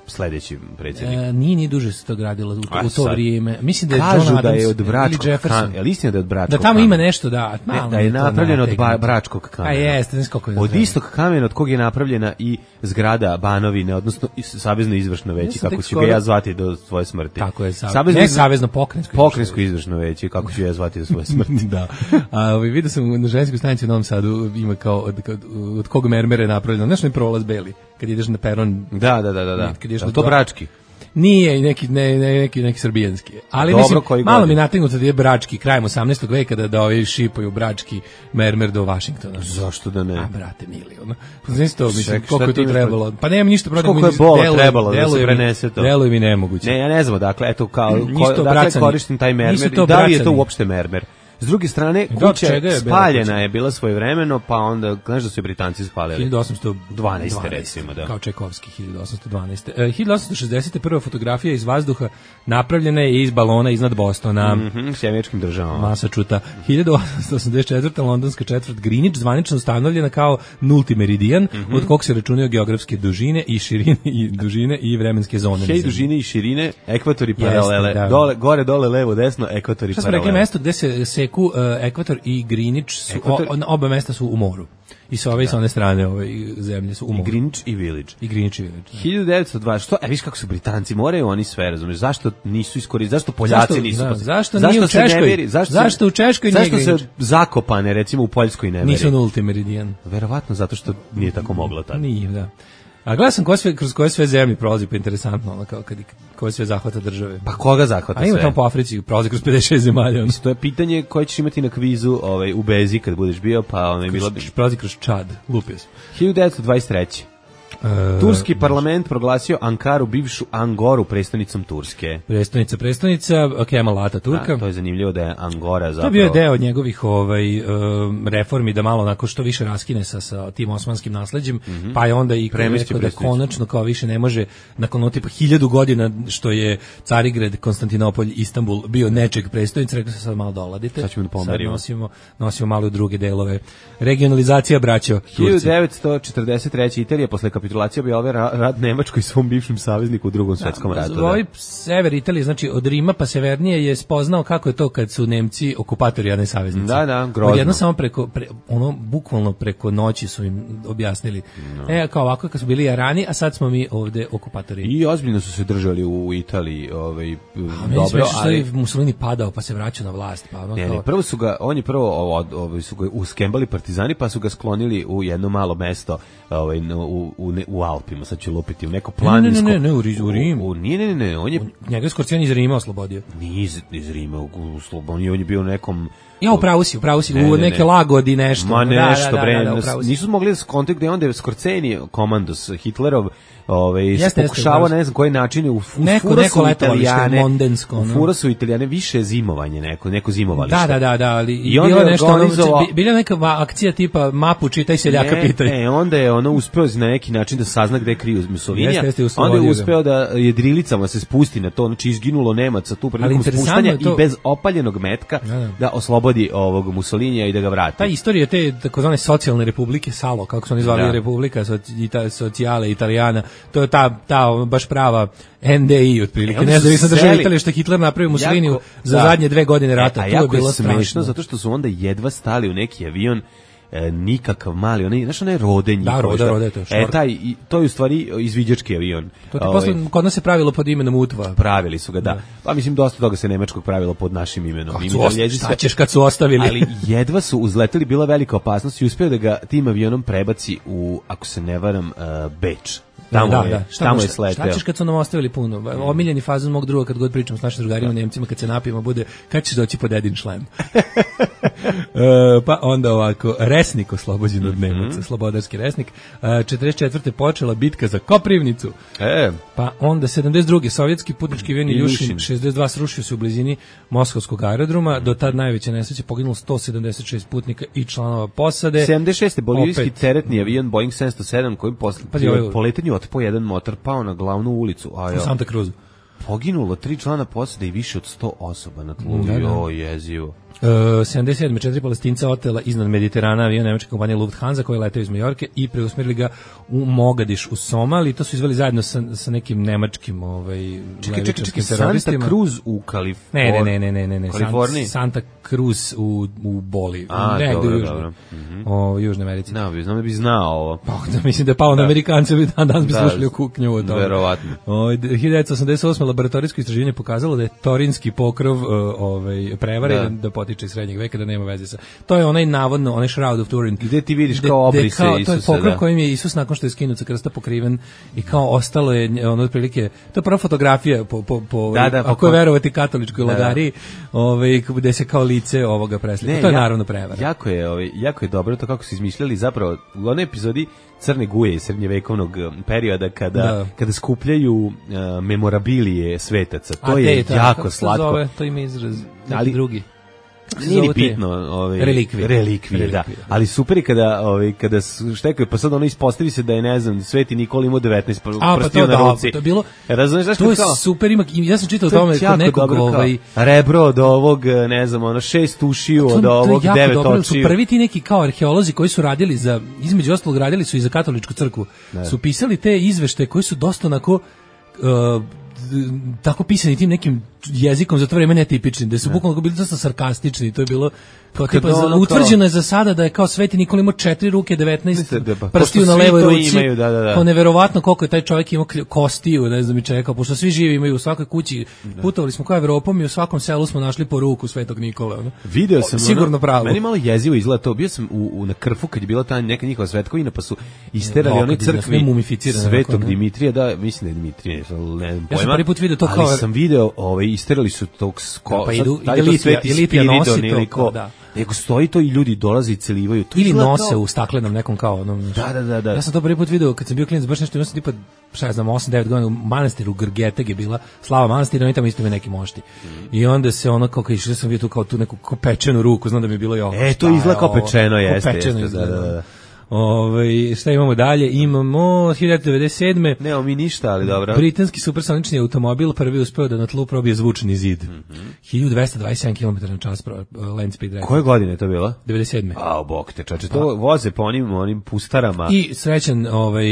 Sledeći predsjednik. e, nije ni duže se to gradilo u, A u to sad? vrijeme. Mislim da je Kažu John da Adams je od ili Bračkog Jefferson. kamena. Je li istina da je od Bračkog Da tamo kamena? ima nešto, da. Ne, malo da je mi to napravljeno od ba, nategnuto. Bračkog kamena. A jeste, znaš koliko je Od znam. istog kamena od kog je napravljena i zgrada Banovine, odnosno i savezno izvršno Ja veće, sam kako tek ću ga skoro- ja zvati do svoje smrti. Tako je, sav... Savezno ne izv- savezno pokrenjsko. Pokrenjsko izvršno veće, kako ću ja zvati do svoje smrti. Da. A ovaj vidio sam na ženskoj stanici u Novom Sadu ima kao od, od, od kog mermere je napravljeno, znaš ne prolaz beli. kad ideš na peron. Da, da, da, da. da. Kad ideš je na to dva- brački? Nije neki ne, ne, neki neki srbijanski. Ali Dobro, mislim koji malo godin? mi nategnuto da je brački krajem osamnaestog veka da da ovi šipaju brački mermer do Vašingtona. Zašto da ne? A brate mili, ono. Znači to mislim Ček, šta koliko je ti to imaš trebalo. Pa nemam ništa protiv. Koliko je mi bola deluje- trebalo da se deluje mi- prenese to? Deluje mi nemoguće. Ne, ja ne znam, dakle, eto, kao, ko, Nisu to dakle, bracani. koristim taj mermer Nisu i to da li je to bracani. uopšte mermer? S druge strane, Da, od kuća čega je bila spaljena kuća? je bila svojevremeno, pa onda, znaš da su je Britanci spalili? hiljadu osamsto dvanaeste recimo, da. Kao Čajkovski, hiljadu osamsto dvanaeste. E, hiljadu osamsto šezdesete prva fotografija iz vazduha napravljena je iz balona iznad Bostona. Mhm, s američkim državama. Masa čuta. hiljadu osamsto osamdeset četvrte londonska četvrt Greenwich zvanično ustanovljena kao nulti meridijan, Mhm. od kog se računaju geografske dužine i širine i dužine i vremenske zone. na Hej, zemlji. dužine i širine, ekvatori paralele. da. Dole, gore, dole, levo, desno, ekvatori Šta smo rekli, paralele. mesto gde se seku uh, ekvator i Greenwich su, Ekvator- o, oba mesta su u moru. I sa ove i sa one strane ove zemlje su u I moru. Greenwich i Village. I Greenwich i Village. da. hiljadu devetsto dvadeset. Što? E, viš kako su Britanci, moraju oni sve, razumiješ? Zašto nisu iskoristili? Zašto Poljaci Zašto- nisu? da, pa- zašto nije u se ne Češkoj? meri- Zašto, Zašto se- u Češkoj nije Zašto se Greenwich? Zakopane, recimo, u Poljskoj ne meri? Nisu nulti meridijan. Verovatno zato što nije tako moglo tad. Nije, da. A gledam sam ko sve, kroz koje sve zemlje prolazi, pa interesantno, ono, kao kad, koje sve zahvata države. Pa koga zahvata A ima sve? tamo po Africi, prolazi kroz pedeset šest zemalja. Ono. To je pitanje koje ćeš imati na kvizu ovaj, u Bezi kad budeš bio, pa ono je bilo... Kroz, prolazi kroz Čad, lupio sam. hiljadu devetsto dvadeset treće. E, Turski parlament proglasio Ankaru, bivšu Angoru, predstavnicom Turske. Prestonica, prestonica, Kemal Ataturka. A, to je zanimljivo da je Angora zapravo... To je bio deo od njegovih ovaj, um, reformi da malo onako što više raskine sa, sa tim osmanskim nasleđem, Mhm. pa je onda i Premestio rekao da prestonicu. konačno kao više ne može nakon ono tipa hiljadu godina što je Carigrad, Konstantinopolj, Istanbul bio nečeg prestonica, rekao se sad malo doladite. Sad ćemo da Sad pomerimo. nosimo, nosimo malo u druge delove. Regionalizacija, braćo, hiljadu Turci. devetsto četrdeset treće. Italija posle kapitulacije objavila ra- rat Nemačkoj i svom bivšem savezniku u drugom svetskom ratu. Da. Ovaj sever Italije, znači od Rima pa severnije je spoznao kako je to kad su Nemci okupatori, a ne saveznici. Da, da, grozno. Odjedno samo preko, pre, ono, bukvalno preko noći su im objasnili. No. E, kao ovako, kad su bili Jarani, a sad smo mi ovde okupatori. I ozbiljno su se držali u Italiji, ovaj, A meni dobro, smiješno što ali... je Mussolini padao pa se vraćao na vlast. Pa ono Ne, kao, ne, prvo su ga, oni prvo ovo, ovo, su ga uskembali partizani, pa su ga sklonili u jedno malo mesto ovaj, u, u, u, ne- u Alpima, sad ću lupiti, u neko planinsko... Ne, ne, ne, ne, u Ri- u Rim. U, nije, ne, ne, ne, on je njega je Skorcijan iz Rima oslobodio. nije iz, iz Rima, u, u Sloboni, on je bio u nekom... Ja, upravo si, upravo si, Ne, u ne, neke ne. lagodi nešto. Ma Da, nešto, da, da, bre, da, da, upravo si. nisu mogli da skontakte gde onda je Skorceni, komandos, Hitlerov, ovaj, se Jeste, jeste, pokušavao upravo si. na ne znam koji način, u, u Neko- furo neko su letovalište, Italijane, mondensko, u ono. furo su Italijane, više zimovanje neko, neko zimovalište. Da, da, da, da, ali I onda bila je nešto, ono, organizovao- bila neka va- akcija tipa mapu čitaj seljaka Ne, pitaj. E, onda je ono uspeo na neki način da sazna gde je kriju Mussolinija. Jeste, jeste, onda oslobodio je ga. uspeo da jedrilicama se spusti na to, znači izginulo Nemaca tu prilikom interesantno spuštanja je to- i bez opaljenog metka Da, da. da oslobodi ovog Mussolinija i da ga vrati. Ta istorija te takozvane socijalne republike Salo, kako su oni zvali Da. Republika soci- ita, Socijale Italijana, to je ta, ta baš prava N D I otprilike, E, oni su nezavisna država seli- Italije što je Hitler napravio Mussoliniju Jako- za da. zadnje dve godine rata, E, a to je jako bilo smešno strašno. zato što su onda jedva stali u neki avion e, nikakav mali, onaj, znaš onaj rode njihov. Da, Rode, što- Rode, to je E, šork. taj, i- to je u stvari izviđački avion. To ti Ovaj, posle, kod nas se pravilo pod imenom Utva. pravili su ga, da. Pa mislim, dosta toga se nemačkog pravilo pod našim imenom. Kad I su mi osta- Daljezi šta sve- ćeš kad su ostavili? Ali jedva su uzleteli, bila velika opasnost i uspeo da ga tim avionom prebaci u, ako se ne varam, uh, Beč. Tamo da, je, da. Šta, tamo je šta, sleteo. šta ćeš kad su nam ostavili puno? Omiljeni fazon mog druga kad god pričam s našim drugarima Nemcima, kad se napijemo, bude kad ćeš doći po dedin šlem. E, pa onda ovako, Resnik oslobođen od Nemaca, slobodarski Resnik. E, četrdeset četvrte počela bitka za Koprivnicu. E, Pa onda sedamdeset druge sovjetski putnički avion Iljušin. Iljušin šezdeset dva srušio se u blizini Moskovskog aerodroma. Do tad najveće nesreće poginulo sto sedamdeset šest putnika i članova posade. sedamdeset šeste bolivijski Opet. teretni avion Boeing sedamsto sedam koji posle Pazi, ovo je- po letanju otpao jedan motor, pao na glavnu ulicu. A U jo, Santa Cruzu. poginulo tri člana posade i više od sto osoba na tlu. Da, da. Jo, jezivo. E, sedamdeset sedme četiri Palestinca otela iznad Mediterana avion nemačke kompanije Lufthansa koji je leteo iz Majorke i preusmerili ga u Mogadiš u Somali. To su izveli zajedno sa, sa nekim nemačkim ovaj, Čekaj, čekaj, levičarskim čekaj, Santa teroristima. Cruz u Kaliforniji. Ne, ne, ne, ne, ne, ne, Kaliforniji? San- Santa Cruz u, u Boli. A, negde dobro, u Južnoj, dobro. o, u Južnoj Americi. Ne, bi, znam da bi znao ovo. Pa, da, mislim da je palo na Amerikance, bi dan danas bi Da, slušali u kuknju od toga. verovatno. O, hiljadu devetsto osamdeset osme laboratorijsko istraživanje pokazalo da je torinski pokrov uh, ovaj, prevaren, da. da potiče iz srednjeg veka, da nema veze sa... To je onaj navodno, onaj Shroud of Turin. Gde ti vidiš kao obrise kao, Isusa, to je pokrov da. kojim je Isus nakon što je skinut sa krsta pokriven i kao ostalo je ono otprilike, to je prva fotografija po, po, po da, da, ako je verovati katoličkoj da, lagariji, ovaj, gde se kao lice ovoga preslika. Ne, to je ja, naravno prevara. Jako je, ovaj, jako je dobro to kako su izmišljali zapravo u onoj epizodi Crne guje iz srednjevekovnog perioda kada, da. kada skupljaju uh, memorabilije svetaca. To A je te, jako kako slatko. Zove, to ima izraz ali, drugi. Nije ni bitno, ovaj relikvije. Relikvije, da. Ali super je kada ovaj kada štekaju, pa sad ono ispostavi se da je, ne znam, Sveti Nikola imao devetnaest prstiju na ruci. To je bilo. Razumeš zašto to je kao? Super, ima, ja sam čitao o tome kod nekog ovaj rebro od ovog, ne znam, ono šest ušiju od ovog, devet očiju. Su prvi ti neki kao arheolozi koji su radili za, između ostalog radili su i za katoličku crkvu. Ne. Su pisali te izveštaje koji su dosta onako uh, tako pisani tim nekim jezikom za to vreme netipični, da su bukvalno bili dosta sarkastični, to je bilo kao tipa, za, utvrđeno je za sada da je kao Sveti Nikola imao četiri ruke, devetnaest prstiju na levoj ruci, imaju, da, da, da. kao neverovatno koliko je taj čovjek imao kostiju, ne znam i čekao, pošto svi živi imaju u svakoj kući, da. Putovali smo kao Evropom i u svakom selu smo našli po ruku Svetog Nikole. Ono. Video sam, sigurno pravo. Meni malo jezivo izgleda to, bio sam u, u na Krfu kad je bila ta neka njihova svetkovina, pa su isterali one crkvi Svetog Dimitrija, da, mislim da je Dimitrije, ne znam pojma. Ja sam prvi put video to kao... Ali sam video, ovaj, isterali su tog sko... Pa idu, ide Litija, i Litija nosi to, da. Nego stoji to i ljudi dolaze i celivaju. To ili nose kao u staklenom nekom kao onom. Da, da, da, da. Ja sam to prvi put video kad sam bio klinac, baš nešto, imao sam tipa, šta ja znam, osam devet godina u manastiru Grgeteg je bila, slava manastira, oni tamo isto imaju neki mošti. Mm. I onda se ono kao kad išao sam vidio tu kao tu neku kao pečenu ruku, znam da mi je bilo i oko. E, to izgleda kao pečeno, jeste, pečeno jeste, da, da, da. Ove, šta imamo dalje? Imamo hiljadu devetsto devedeset sedme. Nemamo mi ništa, ali dobro. Britanski supersonični automobil prvi uspeo da na tlu probije zvučni zid. Mm-hmm. hiljadu dvesta dvadeset sedam kilometara na čas land speed record. Koje godine je to bilo? devedeset sedme. A, bok te čače, to voze po onim, onim pustarama. I srećan ovaj,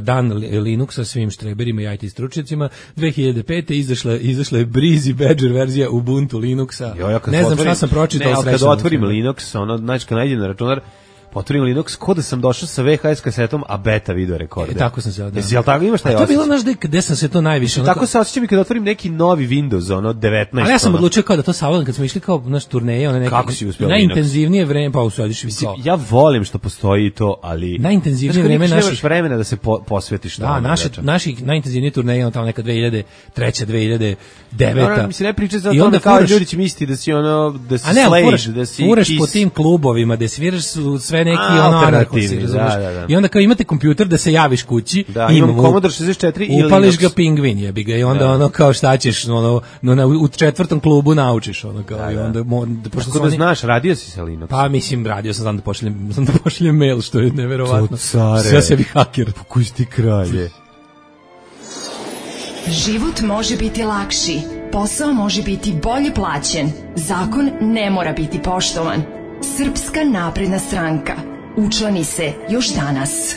dan Linuxa svim štreberima i I T stručnjacima. dve hiljade pete izašla, izašla je Breezy Badger verzija Ubuntu Linuxa. Jo, ja ne znam šta sam pročitao. Ne, kad otvorim Linux, ono, znači kad nađem na računar, otvorim Linux, ko da sam došao sa V H S kasetom, a beta video rekorde. E, tako sam se odao. Jesi, jel tako imaš taj osjećaj? To je bilo, znaš, gde sam se to najviše... Tako se osjećam i kad otvorim neki novi Windows, ono, devetnaest. Ali ja sam odlučio kao da to savladam, kad smo išli kao naš turneje, one neke... Kako si uspio najintenzivnije vreme, pa usadiš i kao... Ja volim što postoji to, ali... Najintenzivnije vreme naših... Nemaš vremena da se po, posvetiš to. Da, naši, naši najintenzivnije turneje, ono tamo neka dve hiljade treće, dve hiljade devete. No, mislim, ne pričaj za to kao ljudi će misliti da si ono, da si slave, da si... Furaš po tim klubovima, da sviraš sve neki ono Da, da, da. I onda kao imate kompjuter da se javiš kući, da, imam Commodore šezdeset četiri i upališ ga pingvin, jebi ga, i onda da. Ono kao šta ćeš, ono, no, na, u četvrtom klubu naučiš, ono kao, da, i onda... Da, pošto Tako da oni, znaš, radio si sa Linux? Pa mislim, radio sam, znam da pošaljem, znam da pošaljem mail, što je neverovatno. Sve sebi haker. Pokuj ti kralje. Život može biti lakši, posao može biti bolje plaćen, zakon ne mora biti poštovan. Srpska napredna stranka. Učlani se još danas.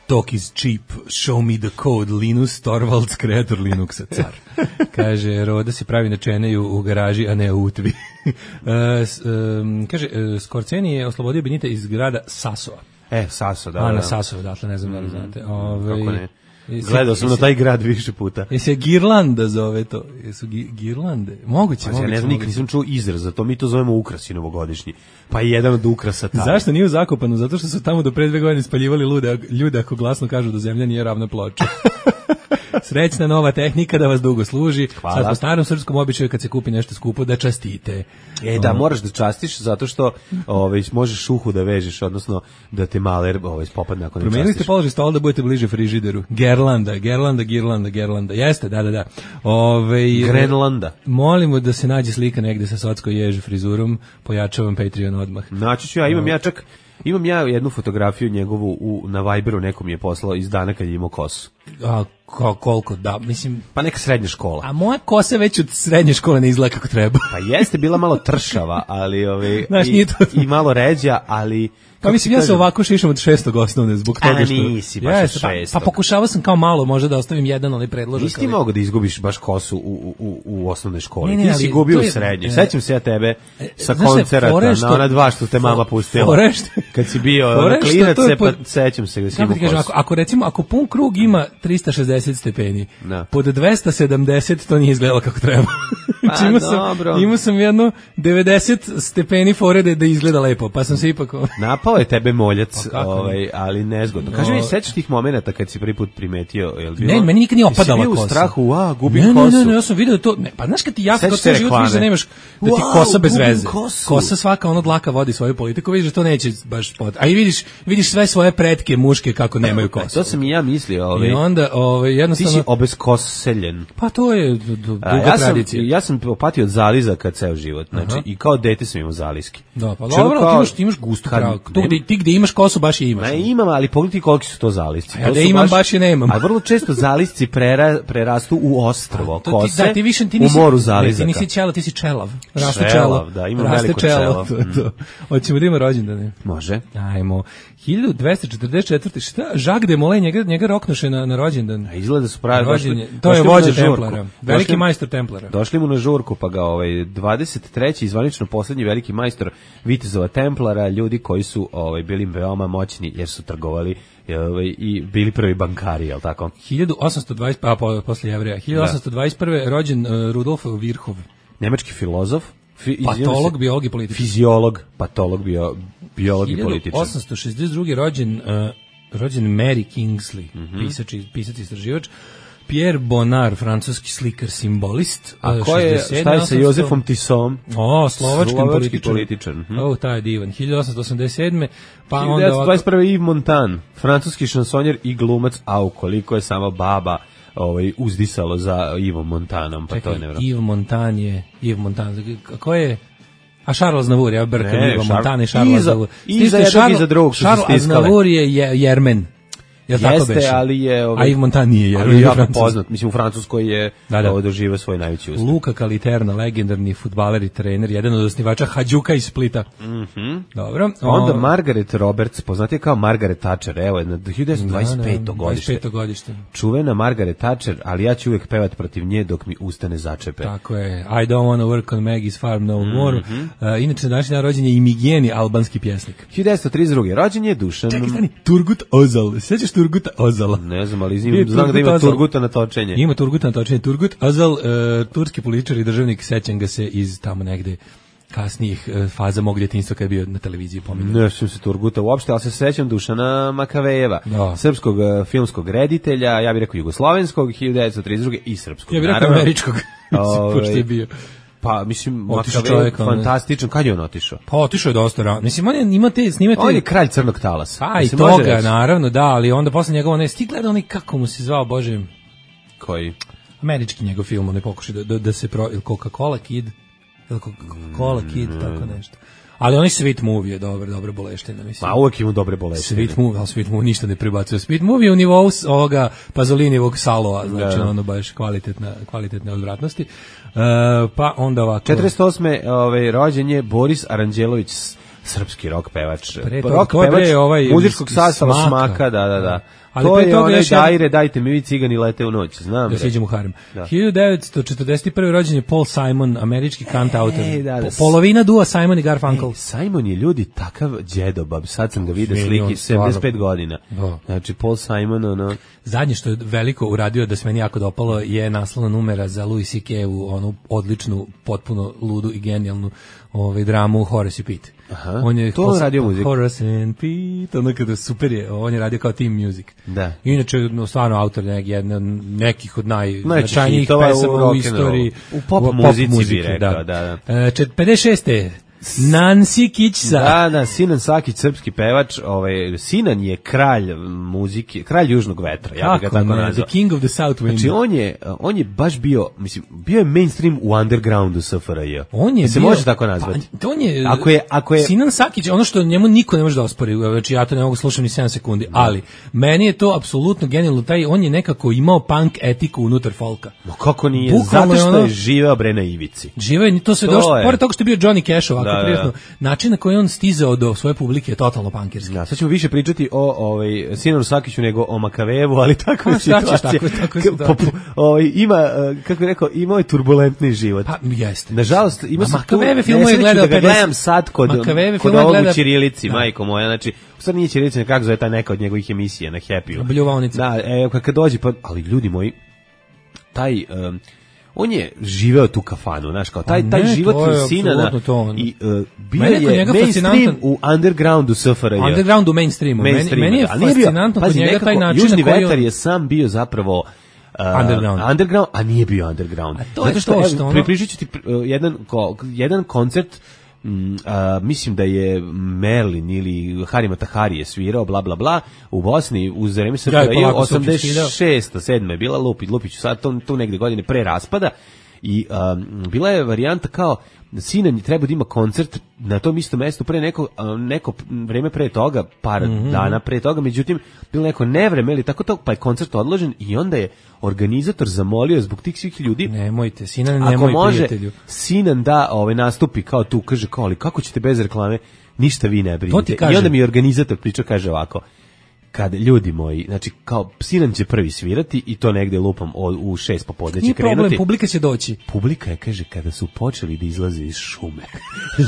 Talk is cheap, show me the code, Linus Torvalds, kreator Linuxa, car. Kaže, Roda se pravi na čeneju u garaži, a ne u utvi. uh, um, kaže, uh, Skorceni je oslobodio Benita iz grada Sasova. E, Saso, da. A, da. na Sasova, dakle, ne znam da li znate. Ove, kako ne? Gledao sam na taj grad više puta. Je se Girlanda zove to? Jesu gi, Girlande? Moguće, pa, moguće. Ja ne znam, nikad nisam čuo izraz, za to mi to zovemo ukrasi novogodišnji. Pa je jedan od ukrasa taj. Zašto nije u Zakopanu? Zato što su tamo do pre dve godine spaljivali ljude, ljude ako glasno kažu da zemlja nije ravna ploča. Srećna nova tehnika da vas dugo služi. Hvala. Sad po starom srpskom običaju kad se kupi nešto skupo da častite. E da, moraš da častiš zato što ovaj možeš uhu da vežeš, odnosno da te maler ovaj popadne ako ne častiš. Promenili ste položaj stola da budete bliže frižideru. Gerlanda, Gerlanda, Girlanda, Gerlanda. Jeste, da, da, da. Ovaj Grenlanda. Molimo da se nađe slika negde sa socko jež frizurom, pojačavam Patreon odmah. Naći ću ja, imam ja čak Imam ja jednu fotografiju njegovu u, na Viberu, nekom je poslao iz dana kad je imao kosu. A ko, koliko, da, mislim... Pa neka srednja škola. A moja kosa već od srednje škole ne izgleda kako treba. Pa jeste, bila malo tršava, ali ove, Znaš, i, to... i malo ređa, ali... Pa mislim, ja se ovako šišam od šestog osnovne, zbog toga što... A nisi baš od šestog. Pa, pa pokušavao sam kao malo, možda da ostavim jedan, ali predložak. Nisi ti ali... mogo da izgubiš baš kosu u, u, u osnovnoj školi. Ne, ne, ti si gubio je, u srednjoj. Sećam se ja tebe sa znaš koncerata, što, na ona dva što te mama pustila. Forešt, kad si bio na klinac, pa sećam se da si imao kosu. Ako, ako recimo, ako pun krug ima trista šezdeset šezdeset stepeni. Da. Pod dvesta sedamdeset to nije izgledalo kako treba. Pa, imao sam, dobro. imao sam jedno devedeset stepeni fore da, da izgleda lepo, pa sam se ipak... Napao je tebe moljac, Pa kako? ovaj, ali nezgodno. Kaži mi, sećaš tih momenata kad si prvi put primetio? Jel bilo, Ne, meni nikad nije opadala jesi bio kosa. u strahu, a, gubim ne, kosu. Ne, ne, ne, ja sam vidio to, ne, pa znaš kad ti jasno, Sećaš kao se ceo život reklame? vidiš da nemaš, da ti Wow, kosa bez gubim veze. kosu. Kosa svaka, ono dlaka vodi svoju politiku, vidiš da to neće baš pot. A i vidiš, vidiš sve svoje pretke muške kako nemaju kosu. To sam i ja mislio, ovaj. I onda, ovaj, Ti jednostavno... si obeskoseljen. Pa to je d- d- duga A, ja sam, tradicija. ja sam opatio od zalizaka ceo život, znači, Aha. i kao dete sam imao zaliski. Da, pa Čemu dobro, kao- ti imaš, ti imaš gustu kad- pravu. Tu ne- gde, ti gde imaš kosu baš je imaš. Ma imam, ali pogledaj koliki su to zalisci. A ja To da su imam, baš je nemam. A vrlo često zalisci prera, prerastu u ostrvo, To kose, da, ti više, ti nisi, u moru ne, zalizaka. ti nisi čelav, ti si čelav. Raste Čelav, čelo. da, imam Raste veliko čelo, čelo. to je to. Hoćemo da ima rođendane. Može. Ajmo. hiljadu dvesta četrdeset četvrte. Šta? Jacques de Molay, njega, njega roknuše na, na rođendan. A izgleda su pravi Rođen došli. je- to je došli mu vođa na žurku. Templara. Veliki Došli- majstor Templara. Došli mu na žurku, pa ga ovaj dvadeset treći zvanično poslednji veliki majstor vitezova Templara, ljudi koji su ovaj bili veoma moćni jer su trgovali ovaj, i bili prvi bankari, je l' tako? hiljadu osamsto dvadeset a po, posle Jevreja. hiljadu osamsto dvadeset prve. rođen uh, Rudolf Virchow. Nemački filozof, fi, izvinjavam se, Patolog, biolog i političar. fiziolog, patolog, bio, biolog i hiljadu političar. osamsto šezdeset druge. rođen uh, rođen Mary Kingsley, Mhm. pisač, i- pisac i istraživač. Pierre Bonnard, francuski slikar, simbolist. A uh, ko je, šezdeset sedme. šta je sa osamsto Jozefom Tisom? O, slovački Slovački političar. političar, mhm. O, taj je divan. hiljadu osamsto osamdeset sedme. Pa onda ovako... hiljadu devetsto dvadeset prve. Yves Montand, francuski šansonjer i glumac, a koliko je sama baba ovaj, uzdisalo za Ivom Montanom, pa to Čekaj, je nevjerojatno. Yves Montand je... Yves Montand, ko je... A Charles Aznavour, ja brkam Ne, Yves Šar- Montand i Charles Iza- Aznavour. iza Stište, jednog, Charles- iza drugog su se Charles stiskale. Aznavour je, je Jermen. Jel tako Jeste, beše? ali je... A Yves Montand nije Jermen. ali je je jako Francuz. poznat. Mislim, u Francuskoj je Da, da. ovo doživio svoj najveći uspeh. Luka Kaliterna, legendarni fudbaler i trener, jedan od osnivača Hadjuka iz Splita. Dobro. Onda o- Margaret Roberts, poznatija kao Margaret Thatcher, evo, na hiljadu devetsto dvadeset peto. Da, da, godište. dvadeset peto godište. Čuvena Margaret Thatcher, ali ja ću uvijek pevati protiv nje dok mi ustane začepe. Tako je. I don't want to work on Maggie's farm no Mhm. more. Uh, inače, današnji dan rođen je i Migeni, albanski pjesnik. hiljadu devetsto trideset druge. rođen je Dušan... Čekaj, stani, Turgut Ozal. Sjećaš Turguta Ozala? Ne znam, ali Bio je znam, znam da Turgut ima Özal. Turguta na točenje. Ima Turgut na točenje. Turgut Ozal, uh, turski političar i državnik, sećam ga se iz tamo negde kasnijih uh, faza mog djetinjstva kad je bio na televiziji pominjan. Ne sjećam se Turguta uopšte, ali se sećam Dušana Makavejeva, Da. srpskog uh, filmskog reditelja, ja bih rekao jugoslovenskog, hiljadu devetsto trideset druge. i srpskog. Ja bih rekao naravno. američkog, Ovaj, pošto je bio. Pa, mislim, Otišao Makavejev, čovjek, ono- fantastičan. Kad je on otišao? Pa otišao je dosta rano. Mislim, on je, ima te, snimate... On je kralj crnog talasa. Pa i Se može toga, reći? naravno, da, ali onda posle njega, on je sti gleda onaj, kako mu se zvao, bože, Koji? američki njegov film, on je pokušao da, da, da se pro... ili Coca-Cola Kid, ili Coca-Cola Kid, tako nešto. Ali onaj Sweet Movie je dobar, dobra boleština, mislim. Ma uvek ima dobre bolesti. Sweet Movie, ali Sweet Movie ništa ne prebacuje. Sweet Movie je u nivou s- ovoga Pazolinijevog Salova, znači Da. ono baš kvalitetna, kvalitetne odvratnosti. Uh, pa onda ovako... četrdeset osme. Ovaj, rođen je Boris Aranđelović, s- srpski rock pevač. Pre toga, Rock to je pevač bre ovaj muzičkog iz sastava Smaka. Smaka, da, da, da. Ali to pre je toga onaj još jedan- Dajre, dajte mi vi cigani lete u noć, znam. Da bre. siđem u harem. Da. hiljadu devetsto četrdeset prve. rođen je Paul Simon, američki kantautor. Ej, da, da. Po- Polovina dua Simon i Garfunkel. Ej, Simon je ljudi takav džedobab, sad sam ga vidio Izvini, on sliki, stvarno- sedamdeset pet godina. Da. Znači, Paul Simon, ono... Zadnje što je veliko uradio da se meni jako dopalo je naslovna numera za Louis C K-u, onu odličnu, potpuno ludu i genijalnu ovaj, dramu Horace i Pete. Aha, On je to on radio muziku. Horace and Pete, ono kada super je, on je radio kao team music. Da. Inače, no, stvarno autor nek, jedne, nekih od najznačajnijih hitova u pesama u, rock'n'rollu. istoriji. U pop muzici bi rekao, da, da. E, čet- pedeset šeste. Nancy Kićsa. Da, da, Sinan Sakić, srpski pevač, ovaj, Sinan je kralj muzike, kralj južnog vetra, ja bih ga Kako tako ne, nazvao. The King of the South Wind. Znači, on je, on je baš bio, mislim, bio je mainstream u undergroundu S F R J. On je se bio, može tako nazvati. Pa, on je, Ako je- ako je- Sinan Sakić, ono što njemu niko ne može da ospori, znači ja to ne mogu slušati ni sedam sekundi, ali meni je to apsolutno genijalno, taj, on je nekako imao punk etiku unutar folka. No kako nije? Bukvalno Zato je što ono- je živeo bre na ivici. Živo je, to se To došlo, je. pored toga što je bio Johnny Cash ovako jako da, prijatno. da. Način na koji on stizao do svoje publike je totalno pankirski. Da, sad ćemo više pričati o ovaj Sinanu Sakiću nego o Makavejevu, ali tako je šta ćeš, situacija. tako- tako je situacija. Po- po- ovaj, ima, eh, kako bih rekao, imao je turbulentni život. Pa jeste. Nažalost, ima A sam tu Makavejeve filmove je nesreću gledao da ga pedeset gledam sad kod, Makavejeve kod filmove ovog gleda- u ćirilici, Da. majko moja, znači, u stvari nije ćirilica, kako zove ta neka od njegovih emisija na Happy-u. Bljuvaonica. Da, e, kad, kad dođe, pa, ali ljudi moji, taj, um, on je živeo tu kafanu, znaš, kao taj, Pa taj ne, život to je Sinana apsolutno to on. i uh, bio Meni je kod je njega mainstream fascinantan- u undergroundu S F R J. Underground u mainstreamu. Meni, Mainstream, meni je ali nije bio- fascinantno kod pazi, njega nekako, taj način Južni na koji vetar on- je sam bio zapravo uh, Underground. underground, a nije bio underground. A to je Zato što, to evo, što ono- pripričat ću ti uh, jedan, ko, jedan koncert, mm, a, mislim da je Merlin ili Harima Tahari je svirao, bla, bla, bla, u Bosni, uz vreme S F Ja i R J, polako se osamdeset šesta sedma je bila, lupi, lupiću, sad to, tu negde godine pre raspada, i um, bila je varijanta kao Sinan treba da ima koncert na tom istom mestu pre neko, um, neko vreme pre toga, par Mhm. dana pre toga, međutim bilo neko nevreme ili tako to, pa je koncert odložen i onda je organizator zamolio zbog tih svih ljudi, Nemojte, Sinan, ako nemoj može prijatelju. Sinan da ovaj nastupi kao tu, kaže kao, ali kako ćete bez reklame, ništa vi ne To ti brinite. I kažem. onda mi je organizator priča, kaže ovako, kad ljudi moji, znači kao Sinan će prvi svirati i to negde lupam o, u šest popodne će Nije problem, krenuti. publika će doći. Publika je, kaže, kada su počeli da izlaze iz šume,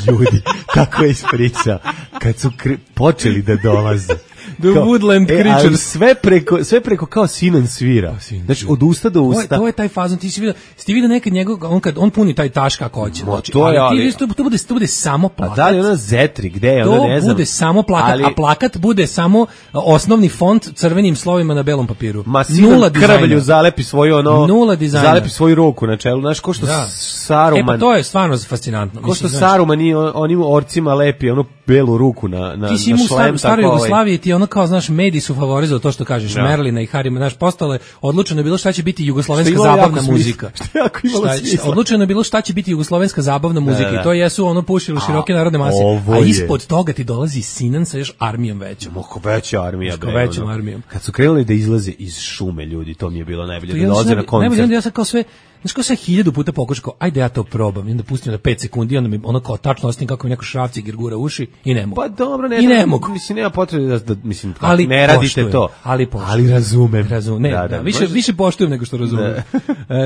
ljudi, tako je ispričao, kad su kre, počeli da dolaze. The Woodland e, ali Creatures. sve preko, sve preko kao Sinan svira. Sinan Znači, svira. od usta do To je, usta. to je taj fazon, ti si vidio, ti vidio nekad njegov, on kad on puni taj taš kako hoće. Ma, Znači, to je, ali ti ali- vidiš, to, to bude to bude samo A plakat. da li ona Zetri, gde je, To ona ne znam. bude samo plakat, ali, a plakat bude samo osnovni font crvenim slovima na belom papiru. Ma Sinan Nula dizajna. krvlju zalepi svoju ono, Nula dizajna. zalepi svoju ruku na čelu, znaš, ko što Da. Saruman, E pa to je stvarno fascinantno. ko što Mislim, znaš, Saruman i on- onim orcima lepi onu belu ruku na, na, ti si na imao u šlem, star, staroj tako, ovaj, Jugoslaviji, ti je ono kao, znaš, mediji su favorizovali to što kažeš, Da. Merlina i Harima, znaš, postalo je, odlučeno je bilo šta će biti jugoslovenska Što je imalo jako zabavna smisla. muzika. Što je jako imalo Šta- smisla. Odlučeno je bilo šta će biti jugoslovenska zabavna muzika da. i to jesu ono pušilo široke narodne mase. ovo A je- ispod toga ti dolazi Sinan sa još armijom većom. Moko veća armija, Moko bre, većom ono. armijom. Kad su krenuli da izlaze iz šume, ljudi, to mi je bilo najbolje, To da ja dolaze sam- na koncert. najbolje, onda ja sam kao sve, znaš kao sve hiljadu puta pokušao, kao, ajde ja to probam, i onda pustim na pet sekundi, i onda mi ono kao tačno ostim kako mi neko šrafci girgura uši i ne mogu. Pa dobro, ne, I ne da- mogu. Mislim, nema potrebe da, da mislim, Ali ne radite poštujem, to. ali poštujem. Ali razumem. Razumem, ne, Da, da, da, više, može- više poštujem nego što razumem. E,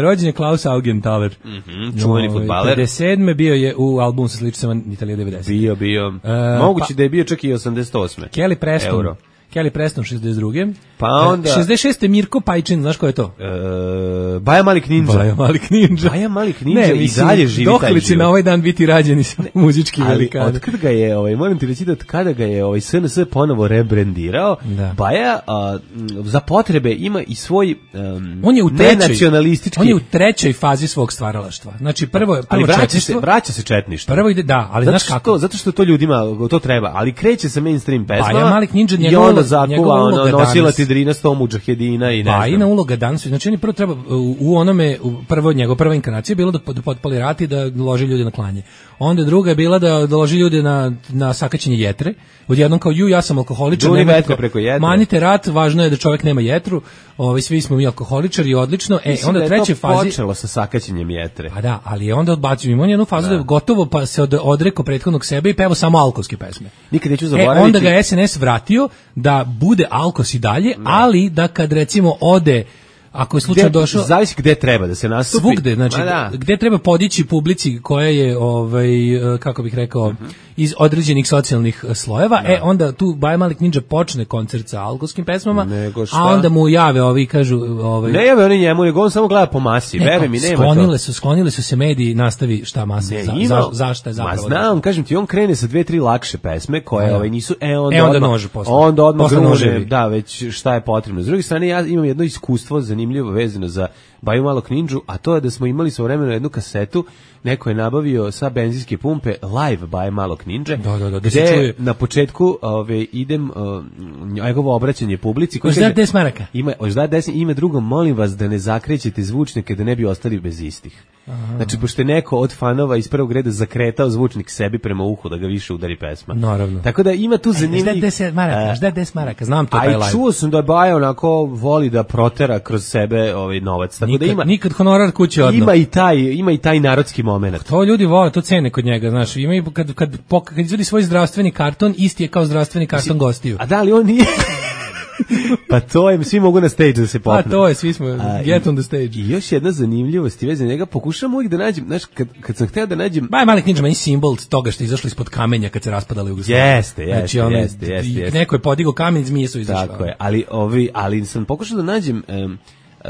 rođen je Klaus Augenthaler. Mhm, čuveni Ovaj, fudbaler. pedeset sedme bio je u albumu sa sličicama Italija devedeset. Bio, bio. E, Moguće pa- da je bio čak i osamdeset osme. Kelly Preston. Euro. Kelly Preston šezdeset druge. Pa E, onda- šezdeset šeste Mirko Pajčin, znaš ko je to? E, Baja Malik Ninja. Baja Malik Ninja. Baja Malik Ninja i dalje živi taj dokle će život. na ovaj dan biti rađeni sa muzički Ali velikani. otkad ga je, ovaj, moram ti reći da od kada ga je ovaj S N S ponovo rebrendirao, Da. Baja a, m, za potrebe ima i svoj um, On je u trećoj, nenacionalistički, on je u trećoj fazi svog stvaralaštva. Znači prvo je prvo ali vraća se, četništvo, vraća se četništvo. prvo ide da, ali Zato znaš što, kako? zato što to ljudima to treba, ali kreće sa mainstream pesmama. Baja Malik Ninja, i njegova onda uloga- zakuva njegova ono, uloga nosila danas- ti drina sto mudžahedina i ne Pa i na znam. uloga danas, znači on je prvo treba u, u onome u prvo njegova prva inkarnacija je bilo da, da potpali rat i da loži ljude na klanje. Onda druga je bila da, da loži ljude na na sakaćenje jetre. Odjednom kao ju ja sam alkoholičar, Duni nemojte- vetra preko jetre. Manite rat, važno je da čovjek nema jetru. Ovaj svi smo mi alkoholičari, odlično. E, Mislim onda da u je trećoj to fazi počelo sa sakaćenjem jetre. pa da, ali je onda odbacio ima on jednu fazu da je gotovo pa se od, odrekao prethodnog sebe i pevao samo alkoholske pesme. Nikad neću E, zaboraviti. onda ga je S N S vratio da bude alkos i dalje, ali da kad recimo ode, ako je slučajno Gde- došao, zavisi gde treba da se nastupi. svugde, znači Ma da. gde treba podići publici koja je ovaj e, kako bih rekao iz određenih socijalnih e, slojeva, e onda tu Baja Malik Ninja počne koncert sa alkoholskim pesmama, Nego šta? a onda mu jave ovi i kažu ovaj Ne jave oni njemu, nego on samo gleda po masi. ne, Veruj mi, nema sklonile to. su, sklonile su se mediji, nastavi šta masa, Ne, za, ima- za, zašto je Ma zapravo. znam, kažem ti, on krene sa dve, tri lakše pesme koje Da. ovaj nisu, e onda, E, onda odmah, nož posle. onda odmah Posle grune, noževi. da, već šta je potrebno. S druge strane, ja imam jedno iskustvo zanimljivo vezano za Baju Malog Ninđu, a to je da smo imali svojevremeno jednu kasetu, neko je nabavio sa benzinske pumpe live Baje Malog Ninđe, Da, da, da, da se gde čuje. na početku ove, idem uh, njegovo obraćanje publici. koji Hoćeš da kaže- deset maraka? Ima, hoćeš da deset, ime drugo, molim vas da ne zakrećete zvučnike da ne bi ostali bez istih. Aha. Znači, pošto je neko od fanova iz prvog reda zakretao zvučnik sebi prema uhu da ga više udari pesma. Naravno. Tako da ima tu zanimljiv... Žda deset maraka, žda deset maraka, znam to taj live. A i čuo sam da Baja onako voli da protera kroz sebe ovaj novac. Tako nikad, da ima, nikad honorar kuće odno. Ima i taj, ima i taj narodski moment. To ljudi vole, to cene kod njega, znaš. Ima i kad, kad, kad izvodi svoj zdravstveni karton, isti je kao zdravstveni karton gostiju. A da li on nije... Pa to je, svi mogu na stage da se popnu. Pa to je, svi smo, a, get on the stage. I još jedna zanimljivost i veze njega, pokušam uvijek da nađem, znaš, kad, kad sam hteo da nađem... Baj Malik Ninja meni simbol toga što je izašlo ispod kamenja kad se raspadala Jugoslavija. Jeste, jeste, znači, ono, jeste, jeste, jeste. Neko je podigao kamen i zmije su izašle. Tako je, ali, ovi, ali sam pokušao da nađem... Um,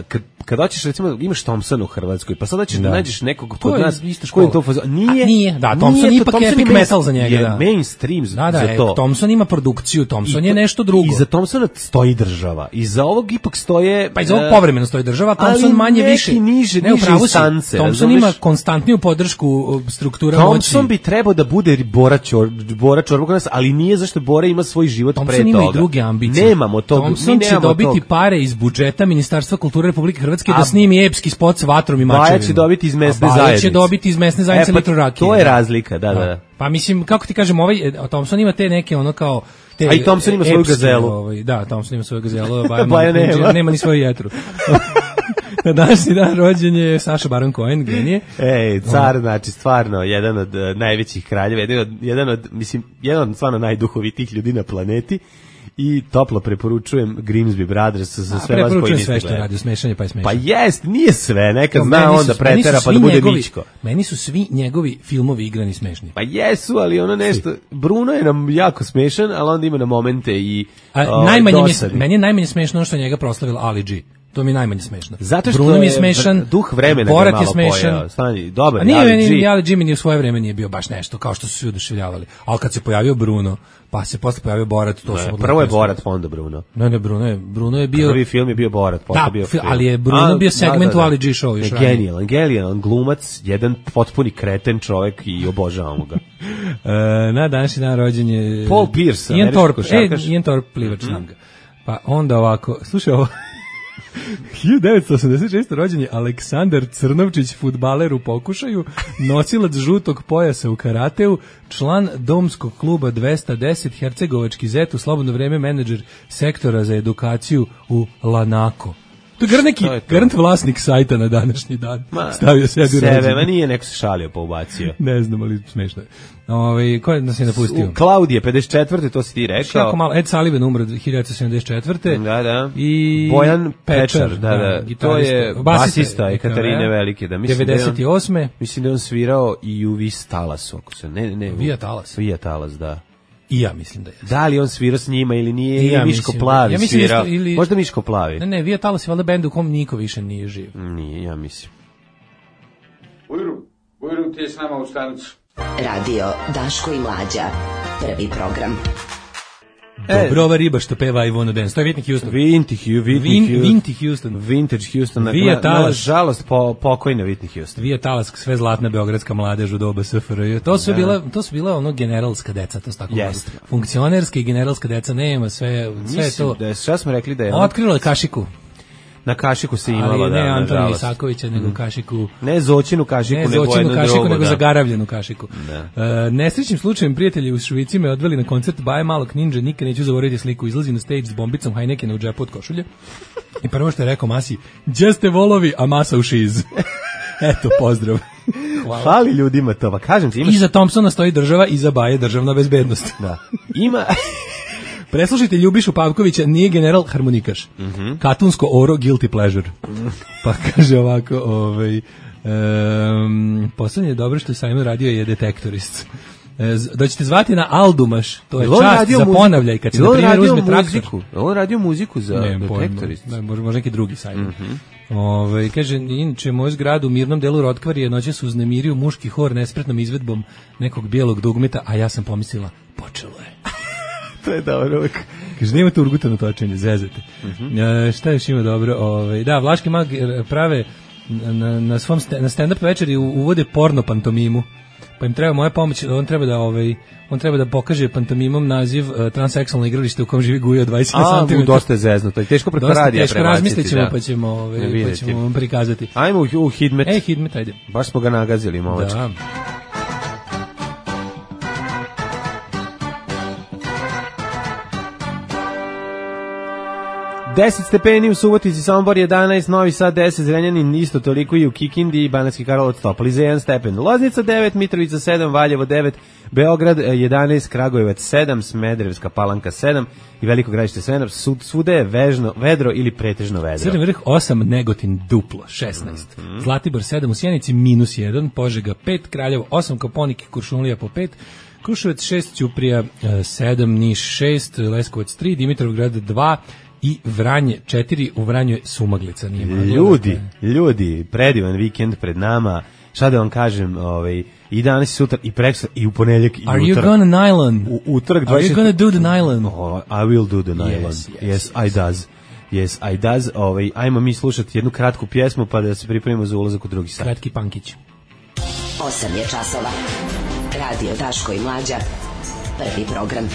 kad kad hoćeš recimo imaš Thompsona u Hrvatskoj, pa sad hoćeš da, da nađeš nekog kod nas koji to fazo nije A, nije, da Thompson nije, ipak Thompson epic metal za njega, je da. Mainstream da, da, za to. Thompson ima produkciju, Thompson I, je nešto drugo. I za Thompsona stoji država. I za ovog ipak stoje pa i za ovog povremeno stoji država, Thompson manje više niže, ne niže instance. Thompson ima konstantniju podršku struktura moći. Thompson bi trebao da bude Bora Čor, Bora Čorba kod nas, ali nije zašto Bora ima svoj život Thompson pre toga. Thompson ima i druge ambicije. Nemamo to. Thompson će dobiti pare iz budžeta Ministarstva kulture Republike Hrvatske da snimi epski spot s vatrom i mačevima. Baja će dobiti iz mesne zajednice. Baja će dobiti iz mesne zajednice e, pa, litru rakije. To je razlika, da, da, da. Pa mislim, kako ti kažem, ovaj, Thompson ima te neke ono kao... Te, a i Thompson ima svoju gazelu. Ovaj, da, Thompson ima svoju gazelu, Baja, Baja nema. nema ni svoju jetru. Na današnji dan rođen je Saša Baron Cohen, genije. Ej, car, znači, stvarno, jedan od uh, najvećih kraljeva, jedan od, jedan od, mislim, jedan od stvarno najduhovitih ljudi na planeti. I toplo preporučujem Grimsby Brothers za sve vas koji niste sve što radi, smešanje pa je smešanje. Pa jest, nije sve, nekad no, zna on da pretera pa da bude njegovi, Mičko. Meni su svi njegovi filmovi igrani smešni. Pa jesu, ali ono nešto, svi. Bruno je nam jako smešan, ali onda ima na momente i A, o, najmanje mi, meni je najmanje smešno ono što njega proslavila Ali G. To mi je najmanje smešno. Zato što Bruno mi je smešan, duh vremena Borat je malo smešan. pojao. Stani, dobar, a nije meni, Ali G mi ni u svoje vreme nije bio baš nešto, kao što su svi oduševljavali. Ali kad se pojavio Bruno, pa se posle pojavio Borat, to su... Prvo je Borat, pa onda Bruno. Ne, ne, Bruno je, Bruno je bio... Prvi film je bio Borat, posle da, bio film. ali je Bruno a, bio segment da, da, da. u Ali G show još ranije. Genijalan, genijalan glumac, jedan potpuni kreten čovek i obožavamo ga. e, na današnji dan rođen je... Paul Pierce, Ian Thorpe, e, Ian Thorpe, plivač mm-hmm. znam ga. Pa onda ovako, slušaj ovo... hiljadu devetsto osamdeset šeste. rođen je Aleksandar Crnovčić, fudbaler u pokušaju, nosilac žutog pojasa u karateu, član domskog kluba dvesta deset, hercegovački zet, u slobodno vreme menadžer sektora za edukaciju u Lanako. To je garant neki, garant vlasnik sajta na današnji dan. Ma, stavio sebi u rođendan. Sebe, ma nije, neko se šalio pa ubacio. Ne znam, ali smešno je. Ove, ko je nas je napustio? Klaudije, pedeset četvrte to si ti rekao. Jako malo, Ed Sullivan umro hiljadu devetsto sedamdeset četvrte. Da, da. I Bojan Pečar, da, da. da to je basista Ekaterine Velike. Da, mislim devedeset osme. Da on, mislim da on svirao i u Vis Talasu. Ako se, ne, ne, Vija Talas. Vija Talas, da. I ja mislim da je. Da li on svirao s njima ili nije, ja Miško mislim, Plavi ja svirao. Da ili... Možda Miško Plavi. Ne, ne, Vija Talas je valjda bend u kom niko više nije živ. Nije, ja mislim. Ujru, Ujru ti je s nama u stanicu. Radio Daško i Mlađa, prvi program. E, dobro, ova riba što peva I Wanna Dance, to je Whitney Houston. Whitney, Whitney, Vin, Vinty Houston. Vintage Houston. Vija Talas. Na žalost, po, pokojna Whitney Houston. Vija Talas, sve zlatna beogradska mladež u doba S F R J. To su da. bila, to su bila ono generalska deca, to su tako yes. funkcionerska i generalska deca, nema sve, sve Mislim to. Da je, šta smo rekli da je... Otkrilo je Kašiku. Na Kašiku se imalo, ali da, ne Antonija nažalost. Isakovića, nego Kašiku. Ne Zoćinu Kašiku, ne nego Zoćinu jednu Kašiku, drugu, nego da. zagaravljenu Kašiku. Da. Uh, nesrećnim slučajem prijatelji u Švici me odveli na koncert Baje Malog Ninja, nikad neću zaboraviti sliku, izlazi na stage s bombicom Heinekena u džepu od košulje. I prvo što je rekao Masi, gdje ste volovi, a masa u šiz. Eto, pozdrav. Hvala. Hvali ljudima to, pa kažem ti. Imaš... Iza Thompsona stoji država, iza Baje državna bezbednost. Da. Ima... Preslušajte Ljubišu Pavkovića, nije general harmonikaš. Mm-hmm. Katunsko oro, guilty pleasure. Pa kaže ovako, ovaj, um, poslednje je dobro što je Simon radio je detektorist. Da ćete zvati na Aldumaš, to je čast za ponavljaj, kad se na primjer uzme traktor. On radio muziku za ne, detektorist. Ne, može, može neki drugi Simon. Mm-hmm. Ove, kaže, inače, moj zgrad u mirnom delu Rotkvar je noće su uznemirio muški hor nespretnom izvedbom nekog bijelog dugmeta, a ja sam pomislila, počelo je. To je dobro uvijek. Kaže, nema tu urgutano točenje, zezate. Mm-hmm. E, šta još ima dobro? Ove, da, Vlaški mag prave na, na, svom st- na stand-up večeri uvode porno pantomimu. pa im treba moja pomoć, on treba da ovaj on treba da pokaže pantomimom naziv uh, transseksualno igralište u kom živi Guja od dvadeset santimetara. A, dosta je zeznuto. I teško preko radija teško razmislit ćemo, da. pa ćemo, ovaj, pa ćemo vam prikazati. Ajmo u, u Hidmet. Ej, Hidmet, ajde. Baš smo ga nagazili, momački. Da. deset stepeni u Subotici, Sombor jedanaest, Novi Sad deset, Zrenjanin isto toliko i u Kikindi i Banatski Karlovac Toplice jedan stepen. Loznica devet, Mitrovica sedam, Valjevo devet, Beograd jedanaest, Kragujevac sedam, Smederevska Palanka sedam i Veliko Gradište sedam. Svuda je vežno, vedro ili pretežno vedro. Crni vrh osam, Negotin duplo šesnaest, mm-hmm. Zlatibor sedam, u Sjenici minus jedan, Požega pet, Kraljevo osam, Koponik i Kuršumlija po pet, Kruševac šest, Ćuprija sedam, Niš šest, Leskovac tri, Dimitrovgrad dva i Vranje četiri, u Vranju je sumaglica. Nije ljudi, ljudi, predivan vikend pred nama, šta da vam kažem, ovaj, i danas i sutra, i prekstra, i u ponedjeljak, i Are utorak. you gonna nylon? U, utorak Are you gonna do the nylon? Oh, I will do the nylon. Yes, yes, yes, yes. I does. Yes, I does. Ovaj, ajmo mi slušati jednu kratku pjesmu pa da se pripremimo za ulazak u drugi sat. Kratki pankić. osam je časova. Radio Daško i Mlađa. Prvi program.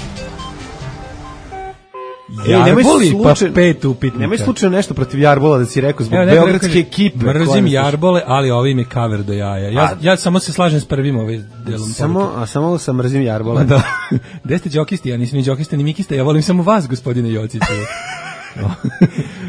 Ej, nemoj pa pet upitnika. Nemoj slučajno nešto protiv Jarbola da si rekao zbog Evo, beogradske kaže, ekipe. Mrzim Jarbole, ali ovim je cover do jaja. Ja, A, ja samo se slažem s prvim ovaj delom. Samo, a samo sam mrzim Jarbola. Da. Gde ste džokisti? Ja nisam ni džokista ni mikista. Ja volim samo vas, gospodine Jociću.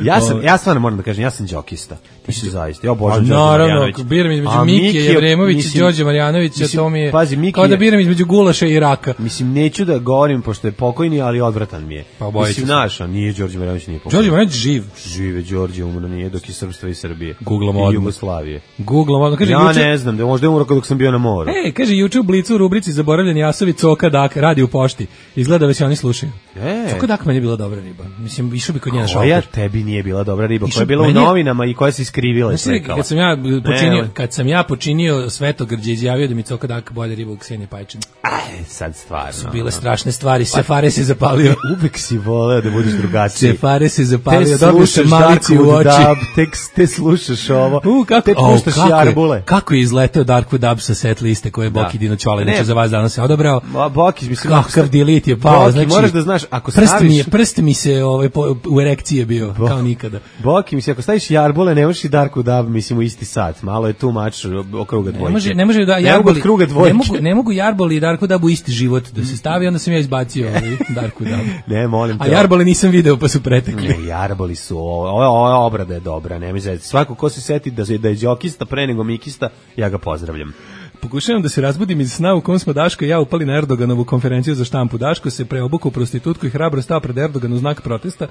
ja sam, ja stvarno moram da kažem, ja sam džokista. Ti si zaista. Ja obožavam Đorđe Marjanovića. Naravno, biram između Mikije Jevremovića i Đorđe Marjanovića, to mi je pazi, Mikije, kao da biram između gulaša i raka. Mislim, neću da govorim, pošto je pokojni, ali odvratan mi je. Pa mislim, naša, nije Đorđe Marjanović, nije pokojni. Đorđe Marjanović živ. Žive Đorđe, umro nije, dok je Srpstva i Srbije. Googlom I odmah. Jugoslavije. Googlom odmah. Kaže, ja juče, ne znam, da možda je umro dok sam bio na moru. E, kaže, juče u Blicu u rubrici Zaboravljeni jasovi Coka Dak radi u pošti. Izgleda da se oni slušaju. E. Coka Dak meni je bila dobra riba. Mislim, išao bi kod njena šalter. Koja tebi nije bila dobra riba, koja je bila meni, u novinama i koja se iskrivila i slikala. Kad sam ja počinio, kad sam ja počinio Svetogrđe, izjavio da mi Coka Dak bolje riba u Ksenije Pajčin. Aj, sad stvarno. Su bile strašne stvari, Sefare se zapalio. Uvek si voleo da budeš drugačiji. Sefare se zapalio, dobio sam malici u oči. Dab, tek te slušaš ovo, U, kako, te puštaš kako Jarbule. Je, kako je izleteo Darkwood Dub sa set liste koje je Boki Dino Ćole, znači za vas danas se odabrao. Boki, mislim, kakav delete je pao, Boki, znači. moraš da znaš, ako prst staviš... mi je, prst mi se ovaj, po, u erekcije bio, Bo, kao nikada. Boki, mislim, ako staviš Jarbule, ne možeš i Darkwood Dub, mislim, u isti sat. Malo je tu mač okruga dvojke. Ne može, ne može da Jarboli, ne mogu, ne mogu Jarboli i Darkwood Dub u isti život da se stavi, onda sam ja izbacio ovaj Darkwood Dub. Ne, molim te. A Jarbole nisam video, pa su pretekli. Ne, Jarboli su, ova ova obrada je dobra, nema zezati. Svako ko se seti da, da je džokista pre nego mikista, ja ga pozdravljam. Pokušavam da se razbudim iz sna u kom smo Daško i ja upali na Erdoganovu konferenciju za štampu. Daško se preobukao u prostitutku i hrabro stao pred Erdogan u znak protesta,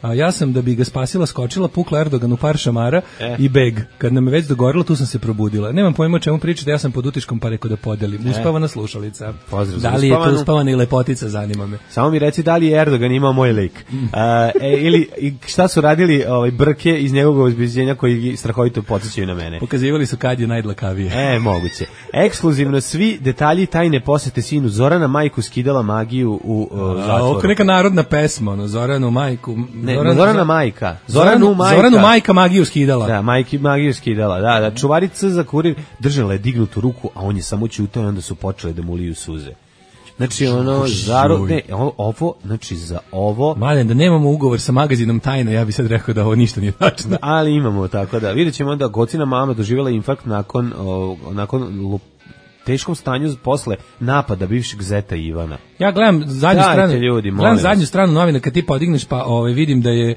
a ja sam, da bi ga spasila, skočila, pukla Erdogan u par šamara eh. i beg. Kad nam je već dogorilo, tu sam se probudila. Nemam pojma o čemu pričate, ja sam pod utiškom, pa reko da podelim. Uspavana slušalica. Pozdrav, da li je to uspavana i lepotica, zanima me. Samo mi reci da li je Erdogan imao moj lik. Uh, e, ili šta su radili ovaj, brke iz njegovog obezbeđenja koji strahovito podsjećaju na mene. Pokazivali su kad je najdlakavije. E, moguće. Ekskluzivno svi detalji tajne posete sinu Zorana, majku skidala magiju u uh, zatvoru. Ovo je neka narodna pesma, ono, Zoranu majku. Ne, Zoran, Zorana majka. Zoranu, Zoranu majka. Zoranu majka magiju skidala. Da, majki magiju skidala. Da, da, čuvarica za kurir držala je dignutu ruku, a on je samo ćutao i onda su počele da mu liju suze. Znači ono zaro, ne, ovo, znači za ovo. Mladen, da nemamo ugovor sa magazinom Tajna, ja bih sad rekao da ovo ništa nije tačno. Ali imamo, tako da. Vidjet ćemo da Gocina mama doživjela infarkt nakon, o, nakon lup, teškom stanju posle napada bivšeg zeta Ivana. Ja gledam zadnju Dajte, stranu, ljudi, gledam zadnju stranu novina kad ti podigneš, pa ovaj, vidim da je,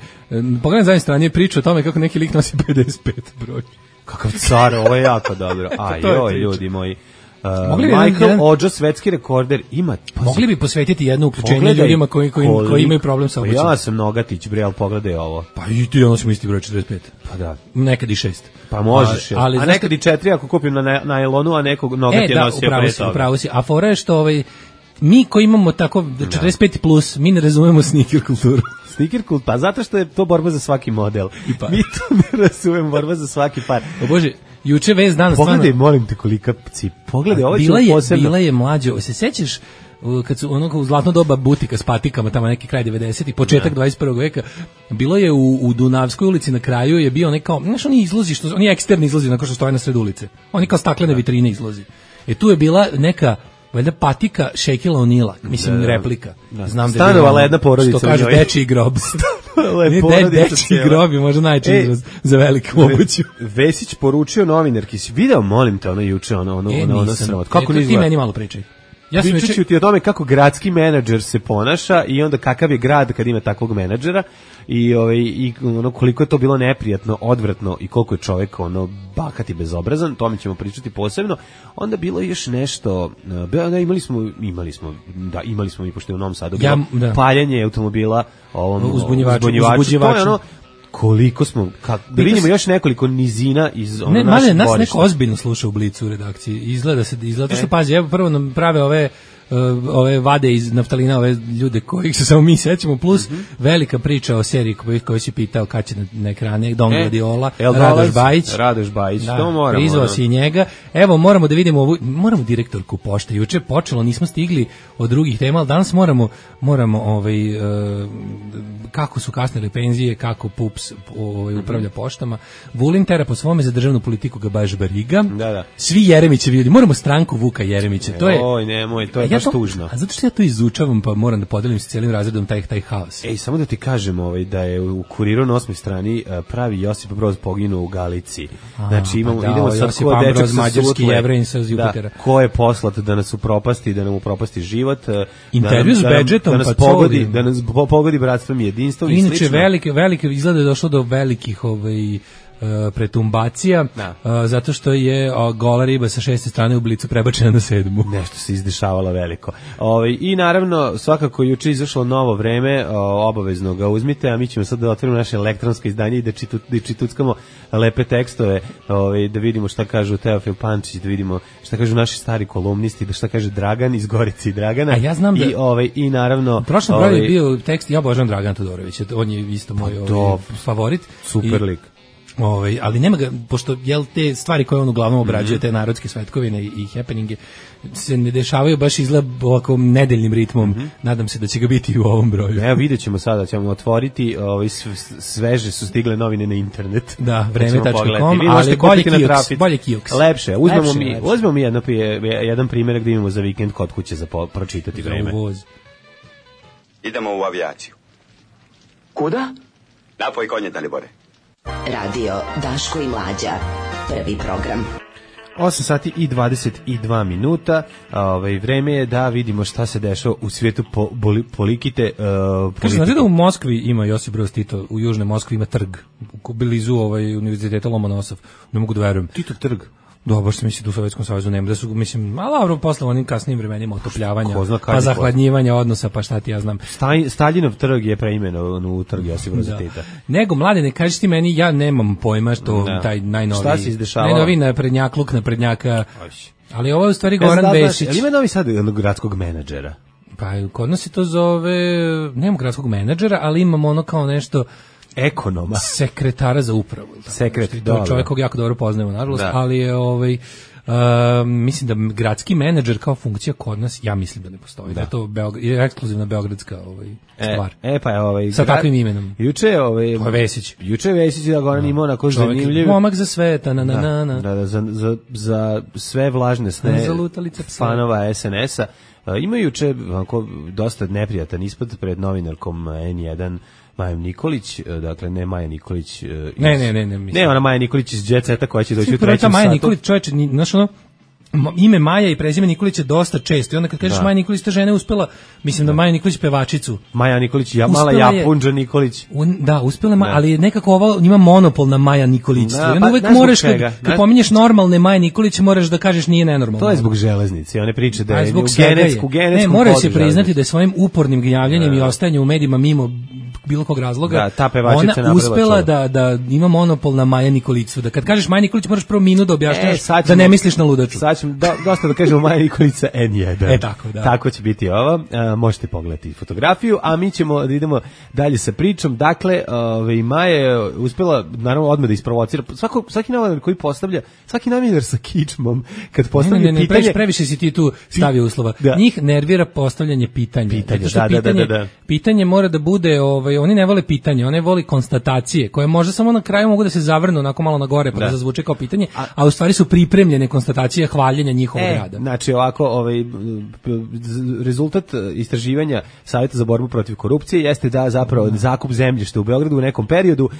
pogledam zadnju stranu je priča o tome kako neki lik nosi pedeset pet broj. Kakav car, ovo je jako dobro. Aj, joj, ljudi moji. Uh, Michael jedan, Ođo, svetski rekorder, ima... Pa, mogli bi posvetiti jedno uključenje ljudima koji, koji, koliko, koji imaju problem sa obućem. Ja sam Nogatić, bre, ali pogledaj ovo. Pa i ti ono smo isti broj četrdeset pet. Pa da. Nekad i šest. Pa možeš, a, ali, a nekad i četiri ako kupim na najlonu, a nekog Nogat je e, nosio pre toga. Upravo si, a fora je što ovaj, mi koji imamo tako četrdeset pet plus, mi ne razumemo sneaker kulturu. Sneaker kult, pa zato što je to borba za svaki model. Mi to ne razumemo, borba za svaki par. O Bože, juče vez danas stvarno... Pogledaj, molim te, kolika cip. Pogledaj, ovo ću posebno... Bila je mlađo, se sećaš kad su ono u zlatno doba butika s patikama, tamo neki kraj devedesetih, početak dvadeset prvog veka, bilo je u, u Dunavskoj ulici na kraju je bio onaj kao, znaš, oni izlozi, što, oni eksterni izlozi, onako što stoje na sred ulice. Oni kao staklene vitrine izlozi. E tu je bila neka valjda patika Shaquilla O'Neala, mislim da, replika. Da. Znam da je stanovala jedna porodica. Što kaže dečiji grob. Ne, de, dečiji grob je možda najčešći e, izraz za veliku obuću. Vesić poručio novinarki, si video, molim te, ono juče, ono, ono, e, ono, ono sramot. Kako e, ti meni malo pričaj. Ja sam Pričat ću ti o tome kako gradski menadžer se ponaša i onda kakav je grad kad ima takvog menadžera i ovaj i ono koliko je to bilo neprijatno, odvratno i koliko je čovjek ono bahat i bezobrazan, tome ćemo pričati posebno. Onda bilo još nešto, da imali smo imali smo da imali smo i pošto je u Novom Sadu bilo ja, da. paljanje automobila ovom uzbunjivaču, uzbunjivaču. To je ono koliko smo kako da vidimo još nekoliko nizina iz ono ne, našeg nas godišta. Neko ozbiljno sluša u Blicu u redakciji. Izgleda se izgleda što e. pazi, evo prvo nam prave ove uh, ove vade iz naftalina, ove ljude kojih se samo mi sećamo, plus mm -hmm. velika priča o seriji koju koji si pitao kad će na, na ekrane Don e. Gladiola, Radoš Bajić. Radoš Bajić, da, to moramo. Prizvao si njega. Evo moramo da vidimo ovu, moramo direktorku pošte. Juče počelo, nismo stigli od drugih tema, ali danas moramo moramo ovaj uh, kako su kasnile penzije, kako Pups ovaj, upravlja poštama. Vulin tera po svome za državnu politiku ga baš bariga. Da, da. Svi Jeremićevi ljudi, moramo stranku Vuka Jeremića. To je, oj, nemoj, to je ja baš to, tužno. A zato što ja to izučavam, pa moram da podelim sa cijelim razredom taj, taj haos. Ej, samo da ti kažem ovaj, da je u Kuriru na osmoj strani pravi Josip Broz poginuo u Galici. Znači imamo, pa da, idemo sad ko dečak sa mađarski Jevrejin sa Jupitera. Da, ko je poslat da nas upropasti, da nam upropasti život. Intervju s Bedžetom, da nas pa pogodi, da nas pogodi bratstvom i jedinstvom i inače velike velike izgleda je došlo do velikih ovaj uh, pretumbacija uh, zato što je uh, gola riba sa šeste strane u Blicu prebačena na sedmu. Nešto se izdešavalo veliko. Ovaj i naravno svakako juče izašlo Novo vreme, uh, obavezno ga uzmite, a mi ćemo sad da otvorimo naše elektronsko izdanje i da čitu, da čituckamo lepe tekstove, ovaj da vidimo šta kažu Teofil Pančić, da vidimo šta kažu naši stari kolumnisti, da šta kaže Dragan iz Gorice i Dragana. A ja znam da i ovaj i naravno prošlom broju je bio tekst, ja obožavam Dragana Todorovića, on je isto moj ovaj, favorit. Super lik. Ovaj, ali nema ga, pošto jel te stvari koje on uglavnom obrađuje, te narodske svetkovine i, i happeninge, se ne dešavaju baš izgleda ovako nedeljnim ritmom. Mm-hmm. Nadam se da će ga biti u ovom broju. Evo vidjet ćemo sada, ćemo otvoriti, ovaj, sveže su stigle novine na internet. Da, vreme tačka com, ali bolje Kijoks, bolje Kijoks. Lepše, uzmemo lepše, mi, lepše. uzmemo mi jedno, jedan primjerak da imamo za vikend kod kuće za po, pročitati za vreme. Uvoz. Idemo u avijaciju. Kuda? Napoj konje, Dalibore. Radio Daško i Mlađa, prvi program. osam sati i dvadeset dva minuta. Ovaj vreme je da vidimo šta se dešava u svijetu po, boli, polikite uh, politike. Znate da u Moskvi ima Josip Broz Tito, u južnoj Moskvi ima trg, u blizu ovaj univerziteta Lomonosov. Ne mogu da verujem. Tito trg. Da, baš se misli da u Sovjetskom savezu nema, da su, mislim, a dobro, posle onim kasnim vremenima otopljavanja, pa zahladnjivanja odnosa, pa šta ti ja znam. Staj, Staljinov trg je preimenovan u trg Josipa Broza Tita. Nego, mladine, kažeš ti meni, ja nemam pojma što da. taj najnoviji, šta se izdešavalo? Najnoviji naprednjakluk, naprednjaka, ali ovo je u stvari Goran Vesić. Ali ima novi sad jednog gradskog menadžera? Pa, kod nas se to zove, nemam gradskog menadžera, ali imamo ono kao nešto, ekonoma, sekretara za upravu. Sekret, to je čovjek kog jako dobro poznajemo, nažalost, da. ali je ovaj Uh, mislim da gradski menadžer kao funkcija kod nas, ja mislim da ne postoji. Da, da je to Beograd, je ekskluzivna beogradska ovaj stvar. E, e pa je ovaj sa takvim imenom. Juče ovaj to je Vesić. Juče Vesić da Goran imao onako zanimljiv momak za sve, na na na na. Da, da, za, za, za sve vlažne sne fanova es en es-a. Uh, ima juče onako dosta neprijatan ispad pred novinarkom en jedan Majom Nikolić, dakle ne Maja Nikolić iz, ne, ne, ne, ne, mislim. Ne, ona Maja Nikolić iz Jet Seta koja će doći u trećem satu. Maja Nikolić, čoveče, znaš ono, ime Maja i prezime Nikolić je dosta često. I onda kad kažeš da. Maja Nikolić, ta žena je uspela, mislim da, da Maja Nikolić pevačicu. Maja Nikolić, ja, mala Japunđa Nikolić. Un, da, uspela je, ali nekako ova ima monopol na Maja Nikolić. Da, pa, uvek moraš, kad, kad pominješ normalne Maja Nikolić, moraš da kažeš nije nenormalno. To je zbog železnice, one priče da je u genetsku, genetsku. Ne, mora se priznati da je svojim upornim gnjavljanjem i ostajanjem u medijima mimo bilo kog razloga, da, ta pevačica ona uspela da, da ima monopol na Maja Nikoliću. Da kad kažeš Maja Nikolić moraš prvo minut da objašnjaš e, da ne misliš na ludaču. Sad ćemo do, dosta da kažemo Maja Nikolića en jedan. E tako, da. Tako će biti ovo. E, možete pogledati fotografiju, a mi ćemo da idemo dalje sa pričom. Dakle, ovaj Maja je uspela naravno odmah da isprovocira. Svako, svaki novinar koji postavlja, svaki novinar sa kičmom, kad postavlja ne, ne, ne, pitanje... Ne, previše si ti tu stavio uslova. Da. Njih nervira postavljanje pitanja. Pitanje, da, pitanje, da, da, da. Pitanje mora da bude ovaj, ovaj, oni ne vole pitanje, oni vole konstatacije, koje možda samo na kraju mogu da se zavrnu onako malo na gore, pa da, da zazvuče kao pitanje, a, a u stvari su pripremljene konstatacije hvaljenja njihovog e, rada. Znači, ovako, ovaj, rezultat istraživanja Savjeta za borbu protiv korupcije jeste da zapravo zakup zemljišta u Beogradu u nekom periodu,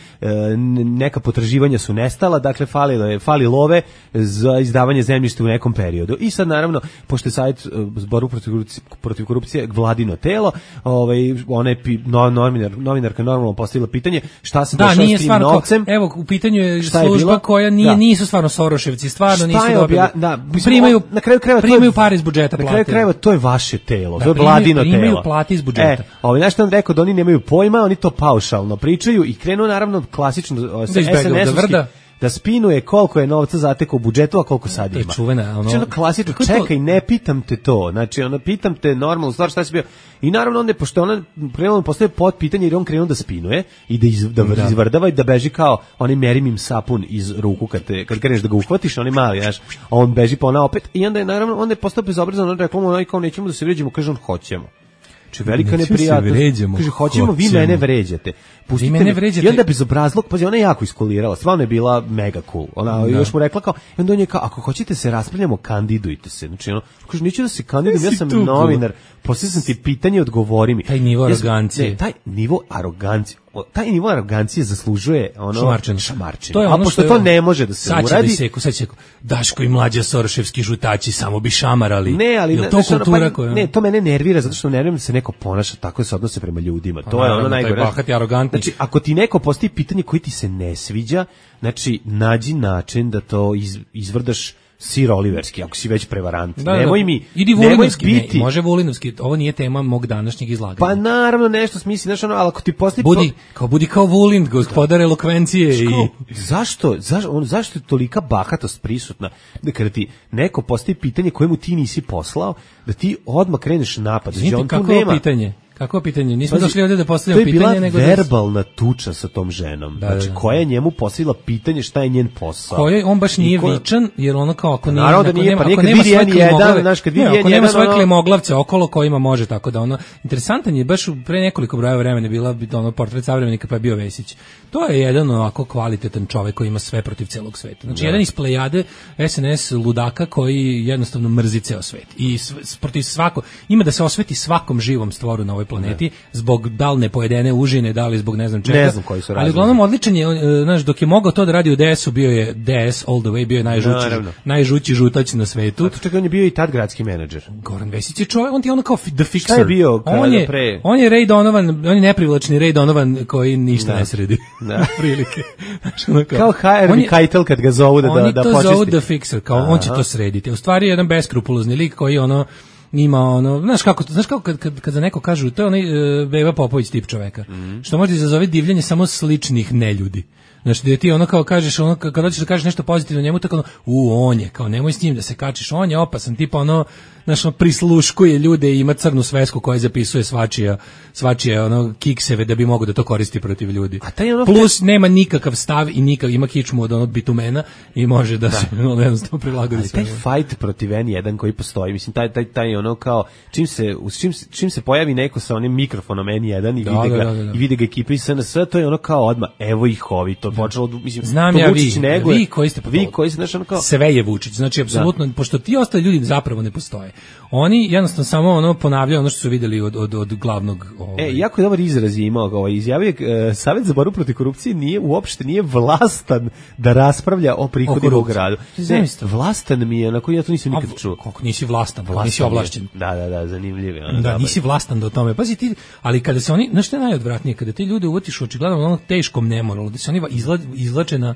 neka potraživanja su nestala, dakle, falilo je, fali love za izdavanje zemljišta u nekom periodu. I sad, naravno, pošto je Savjet za borbu protiv korupcije, protiv korupcije vladino telo, ovaj, ona je no, novinar, novinarka normalno postavila pitanje šta se da, dešava s tim novcem. Ko, evo, u pitanju je služba je koja nije, da. nisu stvarno Soroševci, stvarno šta nisu dobili. Obja, da, mislim, primaju, na kraju krajeva, primaju pare iz budžeta. Na kraju krajeva to je vaše telo, da, to je vladino telo. Primaju plati iz budžeta. E, ovaj, znaš što on rekao da oni nemaju pojma, oni to paušalno pričaju i krenu naravno klasično sa es en es-ovski da spinuje koliko je novca zatekao u budžetu, a koliko sad ima. To je čuvena, ono... Znači, ono klasično, čekaj, to... ne pitam te to. Znači, ono, pitam te normalnu stvar šta si bio. I naravno, onda, pošto ona krenuo postoje pod pitanje, jer on krenuo da spinuje i da, iz, da, da. izvrdava i da beži kao onaj merim im sapun iz ruku kad, te, kad kreneš da ga uhvatiš, on je mali, znaš, a on beži pa ona opet. I onda je, naravno, onda je postao bezobrazan, on rekao, ono, kao nećemo da se vređamo, kaže on, hoćemo. Či velika neprijatnost. Kaže, hoćemo, vi mene vređate. Pustite mene vređate. I onda bezobrazluk, pazi, ona je jako iskulirala, stvarno je bila mega cool. Ona da. još mu rekla kao, i onda on je kao, ako hoćete se raspravljamo, kandidujte se. Znači, ono, kaže, neću da se kandidujem, ja sam novinar, poslije sam ti pitanje, odgovori mi. Taj nivo arogancije. Ne, taj nivo arogancije. Taj nivo arogancije zaslužuje ono šamarčinu. šamarčinu. To je ono a pošto to ne može da se sad uradi. Sad će da seku, Daško i Mlađa Soroševski žutači samo bi šamarali. Ne, ali ne, to kultura pa, koja... ne, to mene nervira zato što nerviram se neko ponaša tako se odnose prema ljudima. To a, je ono najgore. Bahati, arogantni. Znači, ako ti neko postavi pitanje koje ti se ne sviđa, znači nađi način da to iz, izvrdaš Sir Oliverski, ako si već prevarant. Da, nemoj da, mi, idi Vulinovski, biti. Ne, može Vulinovski, ovo nije tema mog današnjeg izlaganja. Pa naravno nešto smisli, znaš ono, ali ako ti postoji... Budi, kao, budi kao Vulin, gospodar elokvencije. Ško, i... Zašto, zašto, on, zašto je tolika bahatost prisutna? Da kada ti neko postoji pitanje kojemu ti nisi poslao, da ti odmah kreneš napad. Znači, on kako tu nema... pitanje? Kako pitanje? Nismo Pazi, došli ovdje da postavljamo pitanje, nego to je bila verbalna tuča sa tom ženom. Da, znači, da, da. koja je njemu postavila pitanje šta je njen posao. Koja on baš nije ko... vičan, jer ono kao ako nije, naravno da nije, nema, pa ako nema svoje klimoglavce, znaš, kad vidi ne, ako nema svoje ono... klimoglavce okolo kojima može, tako da ono, interesantan je, baš pre nekoliko brojeva vremena bila ono portret savremenika pa je bio Vesić. To je jedan ovako kvalitetan čovek koji ima sve protiv celog sveta. Znači, da. jedan iz plejade es en es ludaka koji jednostavno mrzi ceo svet. I protiv svako, ima da se osveti svakom živom stvoru na ovoj planeti, da. zbog dalne pojedene užine, da li zbog ne znam čega. Ne znam koji su razlozi. Ali uglavnom odličan je, znaš, dok je mogao to da radi u de esu, bio je de es all the way, bio je najžući, no, najžući žutač na svetu. A to čekaj, on je bio i tad gradski menadžer. Goran Vesić je čovjek, on ti je ono kao the fixer. Šta je bio on je, pre? On je Ray Donovan, on je neprivlačni Ray Donovan koji ništa da. ne sredi. Da. Prilike. Kao, kao Harvey Keitel kad ga zovu da, da, da počisti. Oni to zovu the fixer, kao Aha. on će to srediti. U stvari je jedan beskrupulozni lik koji ono ima ono, znaš kako, znaš kako kad, kad, kad za neko kažu, to je onaj uh, Beba Popović tip čoveka, mm-hmm. što može izazove divljenje samo sličnih neljudi. Znači da ti ono kao kažeš, ono, kad hoćeš da kažeš nešto pozitivno njemu, tako ono, u, on je, kao nemoj s njim da se kačiš, on je opasan, tipa ono, znaš, ono, prisluškuje ljude i ima crnu svesku koja zapisuje svačija, svačije ono, kikseve da bi mogo da to koristi protiv ljudi. A taj ono plus nema nikakav stav i nikakav, ima kičmu od onog bitumena i može da, da. se ono, jednostavno prilagodi sve. Taj fight protiv en jedan koji postoji, mislim, taj, taj, taj ono kao, čim se, čim, čim se pojavi neko sa onim mikrofonom en jedan i da, vide ga, da, da, da. i vide ga ekipa iz es en es, to je ono kao odmah, evo ih ovi, to počelo, mislim, znam ja vi, nego, vi koji ste, vi koji ste, znaš, ono kao, sve je Vučić, znači, apsolutno, da. pošto ti ostali ljudi zapravo ne postoje. Oni jednostavno samo ono ponavljaju ono što su videli od od od glavnog ovaj. E, jako je dobar izraz je imao, ovaj izjavio uh, Savjet za borbu protiv korupcije nije uopšte nije vlastan da raspravlja o prihodima u gradu. Ne, vlastan mi je, na koji ja to nisam nikad čuo. Kako nisi vlastan, vlastan nisi ovlašćen. Da, da, da, zanimljivo. Ono, da, nisi vlastan do tome. Pazi ti, ali kada se oni, znaš šta je najodvratnije, kada te ljude uvatiš očigledno onom teškom nemoralu, da se oni izla, izlače na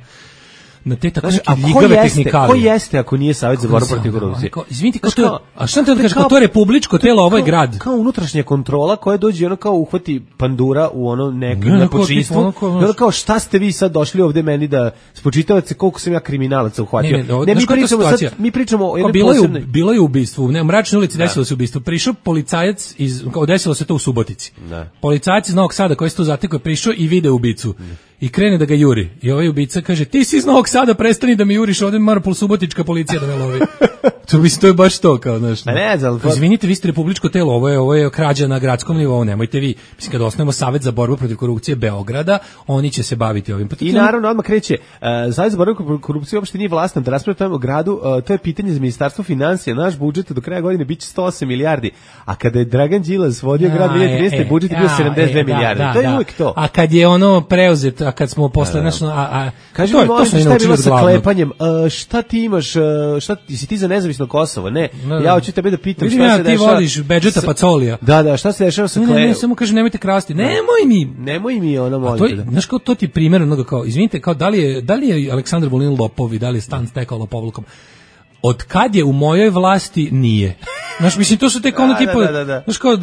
na te tako neke ljigave tehnikalije. Ko jeste ako nije Savjet za borbu protiv korupcije? Izvinite, kao to, a šta te kažeš, kao to je republičko telo, ovo je grad. Kao unutrašnja kontrola koja dođe ono kao uhvati pandura u ono neko nepočinstvo. I ono kao šta ste vi sad došli ovde meni da spočitavate koliko sam ja kriminalaca uhvatio. Ne, ne, ne mi pričamo sad, mi pričamo o jednoj bilo je bilo je ubistvo, u Mračnoj ulici desilo se ubistvo. Prišao policajac iz, desilo se to u Subotici. Policajac iz Novog Sada koji se tu zatekao, prišao i video ubicu. i krene da ga juri. I ovaj ubica kaže, ti si iz Novog Sada, prestani da me juriš, ovde Marpol Subotička policija da me lovi. To mislim, to je baš to, kao, znaš. Pa ne znam. Izvinite, vi ste republičko telo, ovo je, ovo je krađa na gradskom nivou, nemojte vi. Mislim, kad osnovimo Savet za borbu protiv korupcije Beograda, oni će se baviti ovim. I naravno, odmah kreće, uh, Savjet za borbu protiv korupcije uopšte nije vlastan da raspravlja o gradu, uh, to je pitanje za ministarstvo finansija, naš budžet do kraja godine biće sto osam milijardi, a kada je Dragan Đilas vodio ja, grad dvije hiljade trinaeste. E, budžet je bio sedamdeset dve e, milijarde, da, to je da. Uvijek to. A kad je ono preuzet, a kad smo posle, da, da. a, a, kaži mi, molim, šta je bilo sa klepanjem, uh, šta ti imaš, uh, šta, si ti za nezavisno Kosovo, ne, no, ja hoću tebe da pitam vidim, šta ja, se ti dešava. Ti voliš Bedžeta Pacolija. Da, da, šta se dešava sa klepanjem? Ne, ne, samo kaže nemojte krasti, nemoj mi. Nemoj mi, ono, molim te. Znaš, kao to ti primjer onoga kao, izvinite, kao da li je, da li je Aleksandar Vulin lopov i da li je stan stekao lopovlukom? Od kad je u mojoj vlasti nije. Znaš, mislim, to su tek ono tipa, da, da, da. znaš, kao,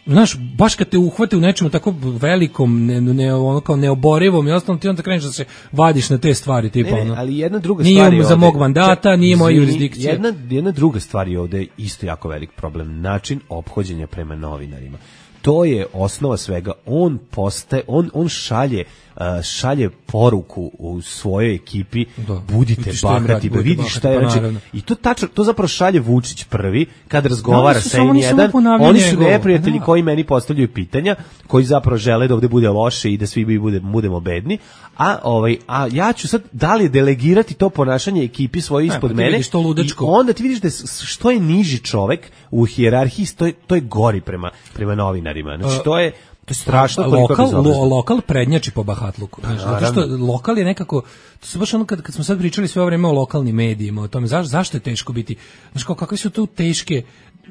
znaš, baš kad te uhvate u nečemu tako velikom, ne, ne, ono kao neoborivom i ostalo, ti onda kreneš da se vadiš na te stvari, tipa, ne, ne, ono. ali jedna druga nije stvar je za mog mandata, nije moja jurisdikcija. Jedna, jedna druga stvar je ovde isto jako velik problem, način ophođenja prema novinarima. To je osnova svega. On postaje, on, on šalje Uh, šalje poruku u svojoj ekipi, da, budite bahati, da vidiš šta je, znači, i to tačno, to zapravo šalje Vučić prvi kad razgovara sa N jedan, oni su neprijatelji, da, koji meni postavljaju pitanja, koji zapravo žele da ovde bude loše i da svi bude, budemo bedni, a ovaj a ja ću sad da li delegirati to ponašanje ekipi svoje ispod ne, mene, i onda ti vidiš da što je niži čovek u hijerarhiji, to je, to je gori prema, prema novinarima, znači to je to je strašno. Lokal, lo, lokal prednjači po bahatluku. Znači, zato što lokal je nekako, to su baš ono kad, kad smo sad pričali sve ovo vreme o lokalnim medijima, o tome zaš, zašto je teško biti, znači kao kakve su tu teške,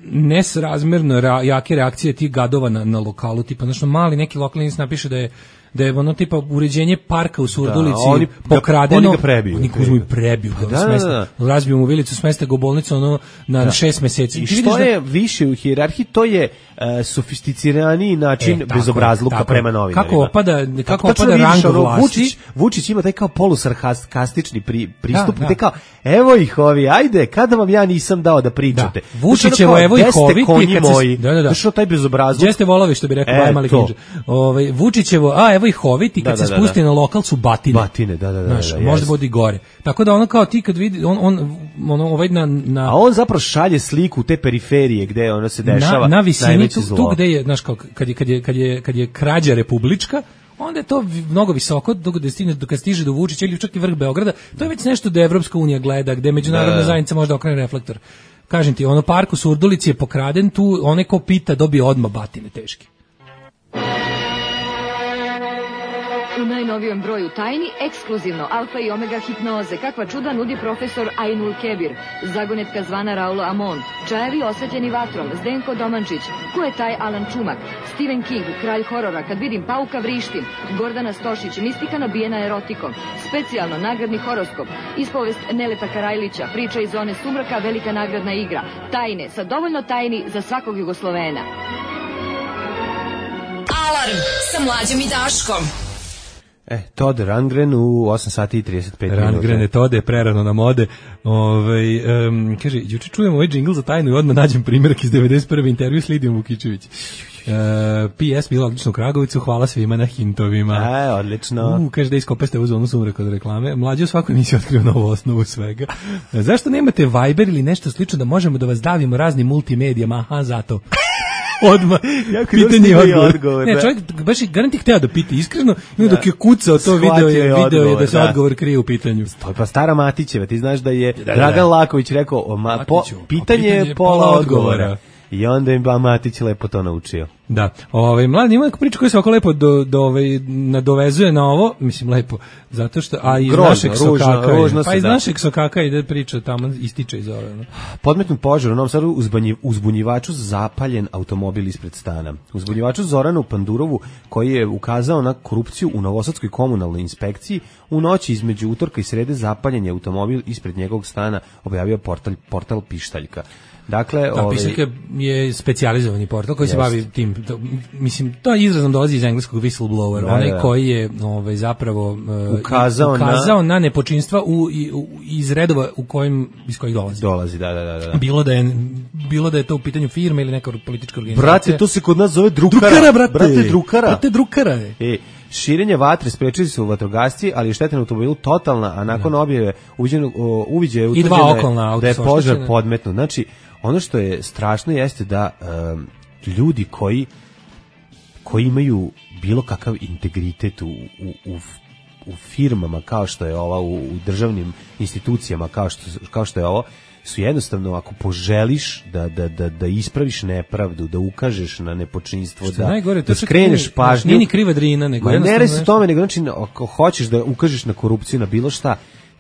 nesrazmerno ra, jake reakcije tih gadova na, na lokalu, tipa, znači mali neki lokalni napiše da je da je ono tipa uređenje parka u Surdulici da, oni, pokradeno, oni ga prebiju. Oni uzmu i prebiju, pa da, da, da. razbiju mu vilicu, smeste ga u bolnicu ono, na da. šest meseci. I što je da, više u hijerarhiji, to je uh, sofisticiraniji način e, bezobrazluka prema novinarima. Kako opada, kako opada rang vlasti. Vučić, Vučić ima taj kao polusarkastični pri, pristup, da, da. gde kao, evo ih ovi, ajde, kada vam ja nisam dao da pričate. Da. Vučićevo, evo ih ovi, konji moji, da, da, da. Što taj bezobrazluk. Jeste volovi, što bi rekao e, Bajmali Kinđe. Ovaj, Vučićevo, a evo ih hoviti, kad da, se da, spusti da. na lokal su batine. Batine, da, da, da. Znaš, da, možda yes. bude gore. Tako da ono kao ti kad vidi, on, on, on ovaj na, na... A on zapravo šalje sliku te periferije gde ono se dešava. Na, na visini, tu, tu gde je, znaš, kao, kad je, kad je, kad je, kad je krađa republička, onda je to mnogo visoko, dok da stigne, dok stiže do Vučića ili čak i vrh Beograda, to je već nešto da Evropska unija gleda, gde međunarodna da. zajednica možda okrene reflektor. Kažem ti, ono park u Surdulici je pokraden, tu onaj ko pita dobije odmah batine teške. U najnovijem broju tajni, ekskluzivno alfa i omega hipnoze, kakva čuda nudi profesor Ainul Kebir, zagonetka zvana Raulo Amon, čajevi osvetljeni vatrom, Zdenko Domančić, ko je taj Alan Čumak, Stephen King, kralj horora, kad vidim pauka vrištim, Gordana Stošić, mistika nabijena erotikom, specijalno nagradni horoskop, ispovest Neleta Karajlića, priča iz zone sumraka, velika nagradna igra, tajne, sa dovoljno tajni za svakog Jugoslovena. Alarm sa Mlađom i Daškom. E, Todd Rundgren u osam sati i trideset pet minuta. Rundgren je Tode, prerano na mode. Ove, um, kaže, juče čujemo ovaj džingl za tajnu i odmah nađem primjerak iz devedeset prve intervju s Lidijom Vukičević. Uh, P S bila odlično u Kragovicu, hvala svima na hintovima. E, odlično. U, kaže da iskopeste u zonu sumraka od reklame. Mlađe u svakoj emisiji otkrio novu osnovu svega. Zašto nemate Viber ili nešto slično da možemo da vas davimo raznim multimedijama? Aha, zato. Odmah, pitanje i odgovor. odgovor ne, čovjek baš je garanti hteo da pita iskreno, i onda dok je kucao to video je, video odgovor, je da se da. odgovor krije u pitanju. To je pa stara Matićeva, ti znaš da je da, da, Dragan da. Laković rekao, ma, po, pitanje je pola odgovora. odgovora. I onda im ba Matić lepo to naučio. Da, ovaj mladi ima neku priču koja se oko lepo do, do ovaj nadovezuje na ovo, mislim lepo, zato što a iz Grožno, našeg sokaka, ružno, pa iz da. našeg sokaka ide priča tamo ističe iz ove. No? Podmetnut požar u Novom Sadu, uzbunjivaču zapaljen automobil ispred stana. Uzbunjivaču Zoranu Pandurovu, koji je ukazao na korupciju u Novosadskoj komunalnoj inspekciji, u noći između utorka i srede zapaljen je automobil ispred njegovog stana, objavio portal portal Pištaljka. Dakle, da, ovaj Pištaljka je specijalizovani portal koji jest. se bavi tim, to, mislim, to izrazom dolazi iz engleskog whistleblower, da, onaj da. koji je ovaj, zapravo uh, ukazao, ukazao na, na nepočinstva u, u, iz redova u kojim, iz kojih dolazi. Dolazi, da, da, da, da. Bilo da je, bilo da je to u pitanju firme ili neka politička organizacija. Brate, to se kod nas zove drukara. Drukara, brate. Brate, drukara. Brate, drukara je. E, širenje vatre sprečili su vatrogasci, ali je šteta na automobilu totalna, a nakon Da. objave uviđeno uviđaje I utvrđeno dva je okolna auta da je su požar oštećene. podmetnut. Znači, ono što je strašno jeste da um, ljudi koji koji imaju bilo kakav integritet u, u, u, u firmama kao što je ova, u, u državnim institucijama kao što, kao što je ovo, su jednostavno, ako poželiš da, da, da, da ispraviš nepravdu, da ukažeš na nepočinstvo, da, najgore, to da čak skreneš nije- pažnju. nije ni kriva Drina, nego Ma ne jednostavno radi se o nešto- tome, nego znači, ako hoćeš da ukažeš na korupciju, na bilo šta,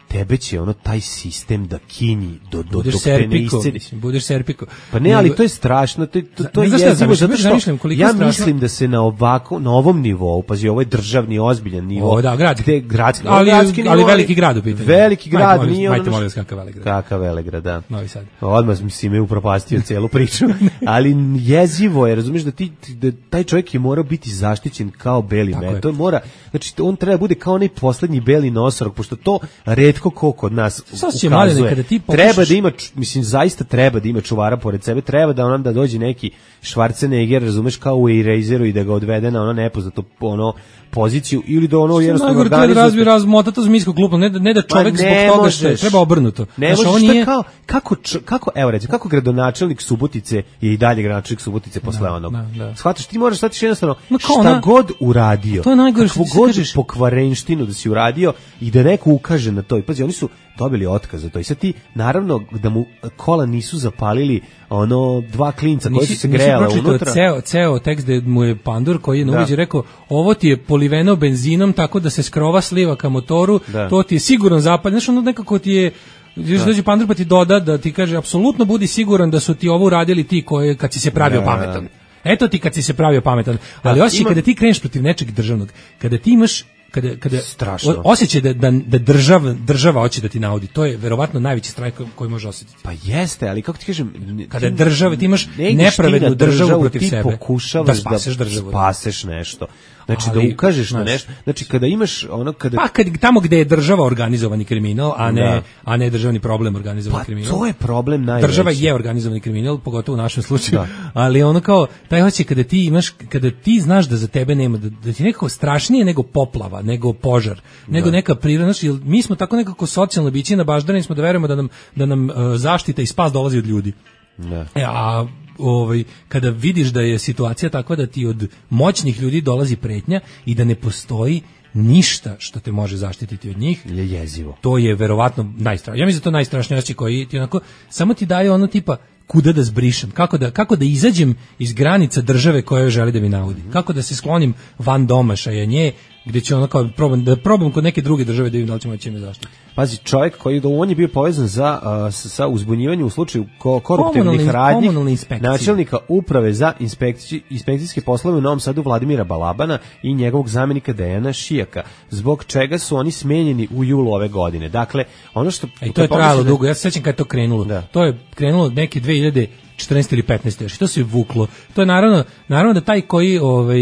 tebe će ono taj sistem da kinji do, do, budeš dok te ne serpiko, iscedi. mislim, budeš serpiko. Pa ne, ali Nego- to je strašno, to, to, to Ne je znaš šta jezivo, zamišljam, zato zamišljam što koliko je ja strašno. mislim da se na ovako, na ovom nivou, pazi, ovo je državni, ozbiljan nivo. O, da, gradski. Gde, gradski, Ali- gradski ali nivo, veliki grad u pitanju. Veliki Majte, grad, molim vas, nije majte, ono... molim vas, kakav Velegrad. Kakav Velegrad, da. Novi Sad. Odmah si me upropastio celu priču. Ali jezivo je, razumiješ, da, ti, da taj čovjek je morao biti zaštićen kao beli Tako je. med. To mora, znači, on treba da bude kao onaj poslednji beli nosorog, pošto to retko ko kod nas Sad će, ukazuje. Mladene, kada ti pokušaš- Treba da ima, ču- mislim, zaista treba da ima čuvara pored sebe, treba da on da dođe neki Schwarzenegger, razumeš, kao u Eraseru i da ga odvede na ono nepoznato ono poziciju ili da ono jednostavno Najgore to je da organizuje- razvije razmota to zmijsko klupno, ne da, ne da čovjek Ma zbog ne toga što je, možeš. treba obrnuto. Ne Znaš, možeš, ovo to je nije- kao, kako, č- kako, evo recimo, kako gradonačelnik Subotice je i dalje gradonačelnik Subotice posle Da, onog. da, da. Shvataš, ti moraš shvatiš jednostavno Ma kao šta ona- god uradio, To je najgore što kakvu ti se god kažeš. pokvarenštinu da si uradio i da neko ukaže na to. I pazi, oni su dobili otkaz za to. I sad ti, naravno, da mu kola nisu zapalili ono dva klinca koji su se nisi grejala pročitao unutra. Ceo, ceo tekst gde mu je Pandur koji je na Da. uviđaj rekao ovo ti je poliveno benzinom tako da se skrova sliva ka motoru, Da. to ti je sigurno zapalj. Znaš, ono nekako ti je još dođe Pandur pa ti doda da ti kaže apsolutno budi siguran da su ti ovo uradili ti koji kad si se pravio Da. pametan. Eto ti kad si se pravio pametan. Ali Da, osjećaj ima- kada ti kreneš protiv nečeg državnog, kada ti imaš kada kada Strašno. o- osjećaj da da da država država hoće da ti naudi, to je verovatno najveći strah koji može osetiti. Pa jeste, ali kako ti kažem, Kada ti država, ti imaš ne ideš ti nepravednu na državu protiv ti sebe. pokušavaš Da spaseš državu. spaseš nešto. Znači Ali, da ukažeš na znaš, nešto. Znači kada imaš ono kada Pa kad, tamo gde je država organizovani kriminal, a ne, Da. a ne državni problem organizovani Pa kriminal. to je problem najveći. Država je organizovani kriminal, pogotovo u našem slučaju, Da. ali ono kao, taj hoće kada ti imaš, kada ti znaš da za tebe nema, da, da ti je nekako strašnije nego poplava, nego požar, nego neka prirodna, znaš, jer mi smo tako nekako socijalno biće nabaždani smo da verujemo da nam, da nam uh, zaštita i spas dolazi od ljudi. Da. E, a ovaj, kada vidiš da je situacija takva da ti od moćnih ljudi dolazi pretnja i da ne postoji ništa što te može zaštititi od njih, Je jezivo. to je verovatno najstrašnije. Ja mislim da je to najstrašnije osjećaj koji ti onako samo ti daje ono tipa kuda da zbrišem, kako da kako da izađem iz granica države koja želi da mi naudi. Kako da se sklonim van domašaja nje, gde će ono kao probam da probam kod neke druge države da vidim da li će moći me zaštititi. Pazi, čovjek koji da on je bio povezan za uh, s- sa uzbunjivanjem u slučaju ko, koruptivnih Komunalne- radnji komunalne inspekcije. načelnika uprave za inspekciji, inspekcijske poslove u Novom Sadu Vladimira Balabana i njegovog zamjenika Dejana Šijaka, zbog čega su oni smenjeni u julu ove godine. Dakle, ono što... E, to je kad trajalo pomisliš da- dugo. Ja se sećam kad je to krenulo. Da. To je krenulo neke dve hiljade četrnaeste ili petnaeste još. To se je vuklo. To je naravno, naravno da taj koji ovaj,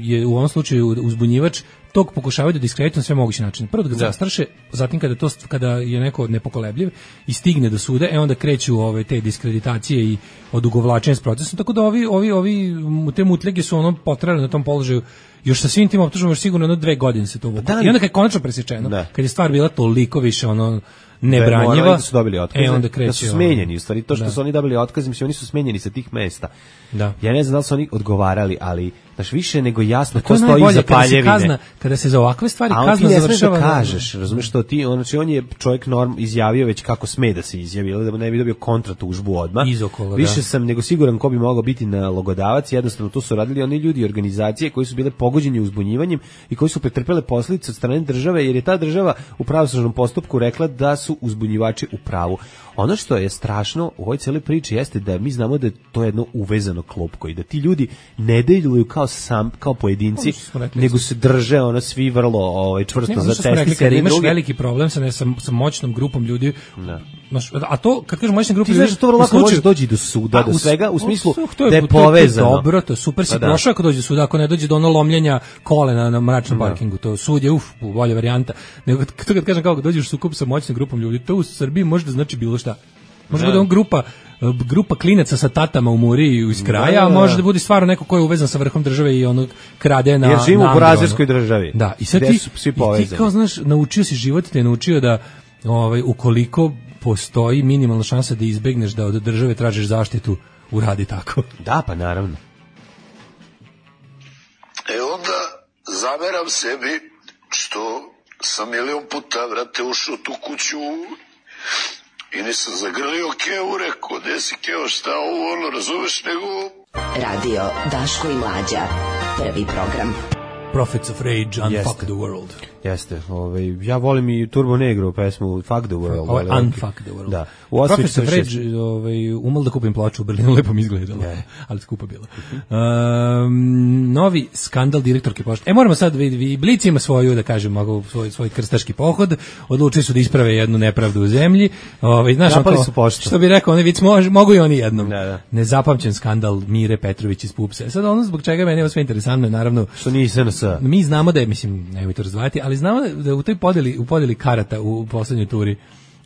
je u ovom slučaju uzbunjivač tog pokušavaju da diskredituju na sve moguće načine. Prvo da ga Da. zastraše, zatim kada to kada je neko nepokolebljiv i stigne do suda, e onda kreću ove te diskreditacije i odugovlačenje s procesom. Tako da ovi ovi ovi te mutljage su ono potrajali na tom položaju još sa svim tim optužbama još sigurno jedno dve godine se to vuklo. Da, I onda kad je konačno presečeno, Da. kad je stvar bila toliko više ono Da je nebranjiva, morali da su dobili otkaze, e onda kreće da su ono- smenjeni, u stvari to što Da. su oni dobili otkaze, mislim oni su smenjeni sa tih mesta. Da. Ja ne znam da li su oni odgovarali, ali znaš, više nego jasno To ko je stoji najbolje iza kada se paljevine. kazna, kada se za ovakve stvari A on ti kazna ne smiješ da završava. na- kažeš, razumiješ što ti, on, znači on je čovjek norm izjavio već kako sme da se izjavi, ili da mu ne bi dobio kontratužbu odmah. Izokola, Više da. sam nego siguran ko bi mogao biti nalogodavac, jednostavno to su radili oni ljudi i organizacije koji su bile pogođeni uzbunjivanjem i koji su pretrpele posljedice od strane države, jer je ta država u pravosnažnom postupku rekla da su uzbunjivači u pravu. Ono što je strašno u ovoj cijeloj priči jeste da mi znamo da je to jedno uvezano klopko i da ti ljudi ne deluju kao sam kao pojedinci, Ono što smo rekli, nego se drže ono svi vrlo ovaj čvrsto Ne, ono za što smo rekli, testice kada jedni imaš druge. veliki problem sa, ne, sa, sa moćnom grupom ljudi, Da. znaš, a to, kad kažem moćna grupa Ti ljudi, znaš da to vrlo u lako može slučaju- doći do suda, Pa, do svega, u smislu su- to da je to to povezano. dobro, to je super si Pa da. prošao ako dođe do suda, ako ne dođe do ono lomljenja kolena na mračnom parkingu, to sud je uf, bolja varijanta. Nego to kad kažem kako dođeš u sukob sa moćnom grupom ljudi, to u Srbiji može da znači bilo šta. Može Da. da on grupa grupa klinaca sa tatama u muri iz kraja, da, a da. može da bude stvarno neko ko je uvezan sa vrhom države i ono krade na... Jer živimo na u burazerskoj državi. Da, i sad gde ti, su svi i ti povezani. kao, znaš, naučio si život, te je naučio da ovaj, ukoliko postoji minimalna šansa da izbegneš da od države tražiš zaštitu, uradi tako. Da, pa naravno. E onda zameram sebi što sam milion puta, vrate, ušao tu kuću i nisam zagrlio Keo, rekao, gde si Keo, šta ovo, ono, razumeš, nego... Radio Daško i Mlađa, prvi program. Prophets of Rage, Unfuck Jeste. the World. Jeste, ovaj, ja volim i Turbo Negro pesmu Fuck the World. Ovo je ali, Unfuck the World. Da. U Prophets of Rage, ovaj, umal da kupim ploču u Berlinu, lepo mi izgledalo, Ne. ali skupa bilo. Um, novi skandal direktorke pošte. E, moramo sad, vi, Blic ima svoju, da kažem, mogu, svoj, svoj krstaški pohod, odlučili su da isprave jednu nepravdu u zemlji. Ovaj, znaš, Napali onako, su poštu. što bi rekao, oni vic, mož, mogu i oni jednom. Da, da. Nezapamćen skandal Mire Petrović iz Pupsa. Sad ono zbog čega meni je ovo sve interesantno, je naravno, Što nije S N S. mi znamo da je, mislim, nemoj to razdvajati, ali znamo da, da u toj podeli, u podeli karata u poslednjoj turi,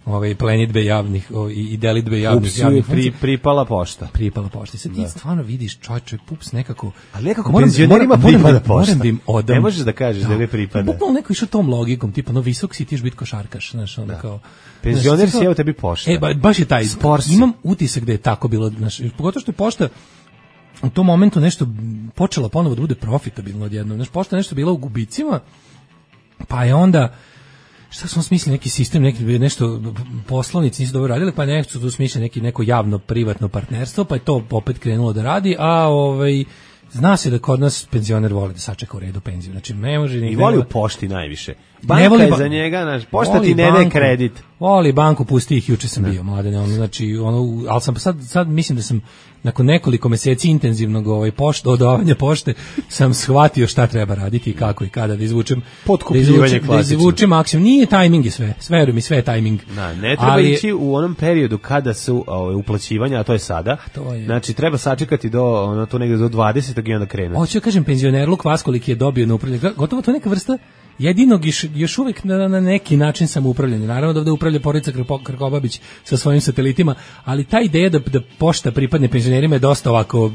ovaj plenidbe javnih o, i, i delitbe javnih Pupsu je javnih pri, funkcija, pripala pošta. pripala pošta. I sad ti stvarno vidiš, čovječe, Pups nekako... Ali nekako Moram- penzionerima moram- moram pripada da- pošta. moram da im odam. Ne možeš da kažeš da ne pripada. Bukvalno neko išao tom logikom, tipa, no visok si, ti još biti košarkaš, znaš, ono kao... Penzioner znaš, si, evo tebi pošta. E, ba, baš je taj, Spor si. imam utisak da je tako bilo, znaš, pogotovo što je pošta u tom momentu nešto počela ponovo da bude profitabilno odjednom. Znaš, pošta je nešto bila u gubicima, pa je onda šta smo smislili neki sistem, neki nešto poslovnici nisu dobro radili, pa je nešto tu smislili neki neko javno privatno partnerstvo, pa je to opet krenulo da radi, a ovaj zna se da kod nas penzioner voli da sačeka u redu penziju. Znači ne može ni I voli u pošti najviše. Banka voli je ba- za njega, znaš, pošta voli ti ne daje banku. kredit. Voli banku, pusti ih, juče sam bio mladen, ono, znači, ono, ali sam sad, sad mislim da sam nakon nekoliko meseci intenzivnog ovaj, pošte, odavanja pošte, sam shvatio šta treba raditi i kako i kada da izvučem, da Potkupljivanje izvučem, da klasično. izvučem maksimum. Nije tajming je sve, sve veruj mi, sve je tajming. Da, ne treba Ali- ići u onom periodu kada su ovaj, uplaćivanja, a to je sada. to je- Znači, treba sačekati do, ono, to negde do dvadesetog i onda krenuti. Hoću ja kažem, penzionerluk vas koliki je dobio na upravljanje, gotovo to neka vrsta jedinog još, još uvek na, na neki način samoupravljanja. Naravno da ovde upravlja porodica Krpo- Krkobabić sa svojim satelitima, ali ta ideja da, da pošta pripadne penzionerima je dosta ovako,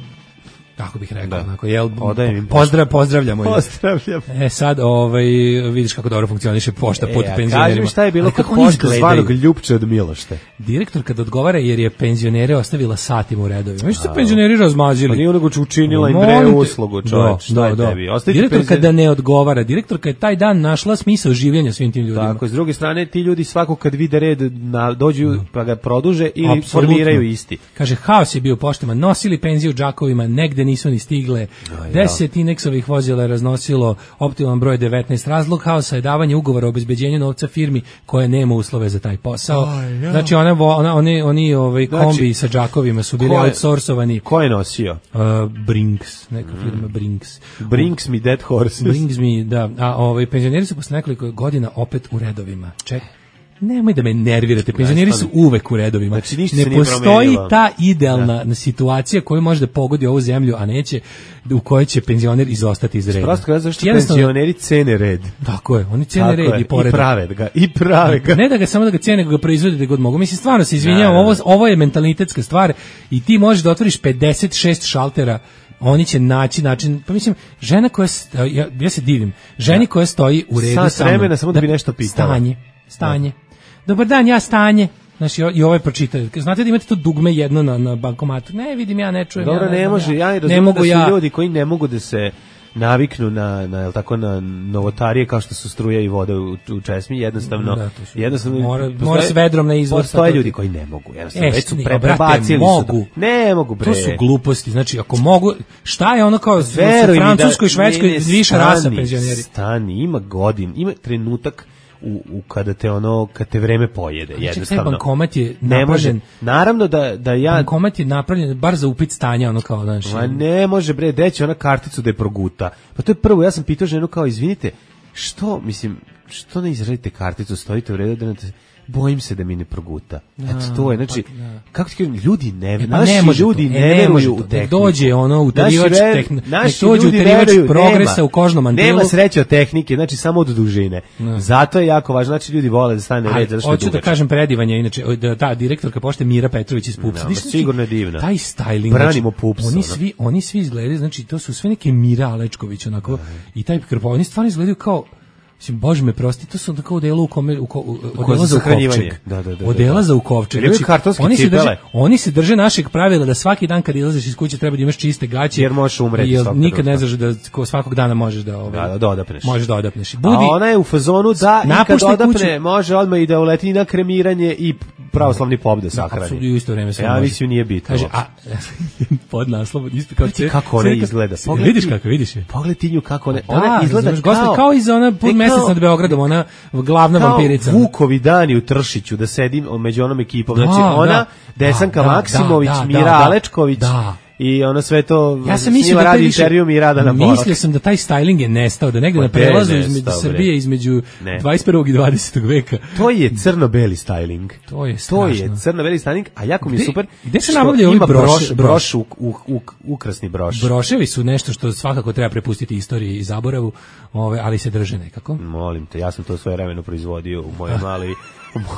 kako bih rekao, Da. onako, jel, Odajem im pozdrav, pozdravljamo. je. Pozdravljam. E sad, ovaj, vidiš kako dobro funkcioniše pošta pod E, a penzionerima. kaži mi šta je bilo Ali kod kako oni pošte izgledaju? zvanog Ljupče od Milošte. Direktor kad odgovara jer je penzionere ostavila satima u redovima. Viš se penzioneri razmazili. Pa nije onoga učinila im Molim bre te. uslugu, čoveč, šta je tebi? Ostavite Direktor penzioner- kada ne odgovara, direktor kada je taj dan našla smisao življenja svim tim ljudima. Tako, s druge strane, ti ljudi svako kad vide red na, dođu pa ga produže ili Apsolutno. formiraju isti. Kaže, haos je bio u poštama, nosili penziju u džakovima, negde nisu ni stigle, deset ineksovih vozila je raznosilo, optimalan broj devetnaest, razlog haosa je davanje ugovora o obezbeđenju novca firmi koja nema uslove za taj posao. Znači, one, vo- ona, oni, oni ovaj, Znači, kombi sa džakovima su bili ko je- outsourcovani. Ko je nosio? Uh, Brinks, neka firma Brinks. Brinks me dead horses. Brings me, da. A ovaj, penzioneri su posle nekoliko godina opet u redovima. Ček, nemoj da me nervirate, penzioneri su uvek u redovima. Znači, ništa se ne nije postoji promenilo. ta idealna situacija koja može da pogodi ovu zemlju, a neće, u kojoj će penzioner izostati iz reda. Prosto kada zašto Jednostavno- penzioneri cene red. Tako je, oni cene Tako red je, i poredak. I prave ga, i prave ga. Ne da ga samo da ga cene, nego ga proizvode da god mogu. Mislim, stvarno se izvinjavam, Ne, ne, ne. ovo, ovo je mentalitetska stvar i ti možeš da otvoriš pedeset šest šaltera, oni će naći način, pa mislim, žena koja, st- ja, ja se divim, ženi koja stoji u redu Sat sa mnom, vremena samo da bi nešto pitala. Stanje, stanje. Dobar dan, ja stanje. Znači, i ovaj pročita. Znate da imate to dugme jedno na, na bankomatu? Ne, vidim, ja ne čujem. Dobro, ja ne znam, može, ja i ne razumijem mogu da su ja. ljudi koji ne mogu da se naviknu na, na, jel tako, na novotarije kao što su struja i voda u, u česmi, jednostavno, Da, to su- jednostavno mora- postoje- mora s vedrom na izvor, Postoje sad to- ljudi koji ne mogu, jednostavno, E, već su ne, pre, brate, prebacili mogu. su to. Ne mogu, bre. To su gluposti. Znači, ako mogu, šta je ono kao u Veruj mi da- Francuskoj, Švedskoj, ne, ne, viša rasa stani, penzioneri? Stani, ima godin, ima trenutak u, u kada te ono, kad te vreme pojede, Čekaj, jednostavno. taj bankomat je ne može. napravljen- Naravno da, da ja... Bankomat je napravljen bar za upit stanja, ono kao, znaš. Ma ne može bre, deći ona karticu da je proguta. Pa to je prvo, ja sam pitao ženu kao, izvinite, što, mislim, što ne izradite karticu, stojite u redu da ne... bojim se da mi ne proguta. Da, Eto, to je, znači, pa, da. kako ti kažem, ljudi ne, E, pa naši ne može ljudi to, ne, e, ne može veruju to. u Nek tehniku. dođe ono utarivač Naši ver- tehn- nek naši dođe ljudi utarivač veruju, progresa nema. u kožnom mantilu. Nema sreće od tehnike, znači samo od dužine. Ne. Zato je jako važno, znači ljudi vole da stane Ali, red, zato što je hoću da dugačak. kažem predivanje, inače, da ta direktorka pošte Mira Petrović iz Pupsa. Da, Viš, ma znači, sigurno je divna. Taj styling. Branimo znači, Pupsa, Oni ono. svi, oni svi izgledaju, znači, to su sve neke Mira Alečković, onako, i taj krpo, oni stvarno izgledaju kao, mislim, bože me prosti, to su tako odelo u kome, u, ko, u, odela za ukovčeg. Da, da, da, odela da. za ukovčeg. Ili kartonske oni se cipele. drže, oni se drže našeg pravila da svaki dan kad izlaziš iz kuće treba da imaš čiste gaće. Jer možeš umreti jer svakog nikad ne trenutka. znaš da ko svakog dana možeš da ovaj, Da, da, da odapneš. Možeš da odapneš. A Budi, ona je u fazonu da i kad napuštaj odapne kuću. može odmah i da uleti na kremiranje i pravoslavni pop da sahrani. Apsolutno, i u isto vreme sve Ja može. mislim nije bitno. Kaže, a pod naslov ispred kao Pogledaj kako ona izgleda. Pogledaj Vidiš ti- kako, vidiš je. Pogledaj ti nju kako ona, Da, ona izgleda razumeš, kao, gospod, kao iz ona pun E, mesec kao- nad Beogradom, ona glavna kao vampirica. Vukovi dani u Tršiću da sedim među onom ekipom. Da, Znači ona, da. Desanka Da, da, Maksimović, da, da, Mira da. Alečković Da. i ono sve to Ja sam s mislio njima da taj radi više, intervju mi rada na Polak. mislio sam da taj styling je nestao, da negde Pa na gde je prelazu nestao, između bre? Srbije, između Ne. dvadeset prvog i dvadesetog veka. To je crno-beli styling. To je To je strašno. crno-beli styling, a jako mi je Gde- super. gde se što nabavljaju ovi ima broš- broš, broš? broš, u, u, u, ukrasni broš. Broševi su nešto što svakako treba prepustiti istoriji i zaboravu, ove, ali se drže nekako. Molim te, ja sam to svoje vremeno proizvodio u mojoj mali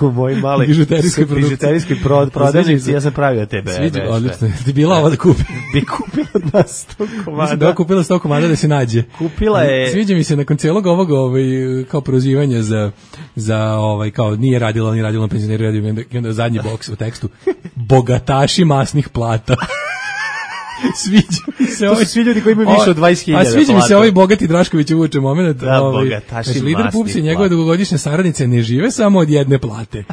u mojoj mali Bižuterijskoj produkciji. bižuterijskoj pro- prodavnici, ja sam pravio tebe. Sviđa, beš, odlično. Ti bila ova da kupi. Bi kupila od nas sto Mislim da komada. je kupila sto komada da se nađe. Kupila je- Sviđa mi se nakon celog ovog ovaj, kao prozivanja za, za ovaj, kao nije radila, nije radila na penzioneru, radio, i onda- i onda zadnji boks u tekstu. Bogataši masnih plata. Sviđa mi se To ovaj su svi ljudi koji imaju više od dvadeset hiljada A sviđa mi se plata. ovaj bogati Drašković uvuče moment. Da, ovaj, bogataši znači, lider masnih Pupsa i njegove plata. dugogodišnje saradnice ne žive samo od jedne plate.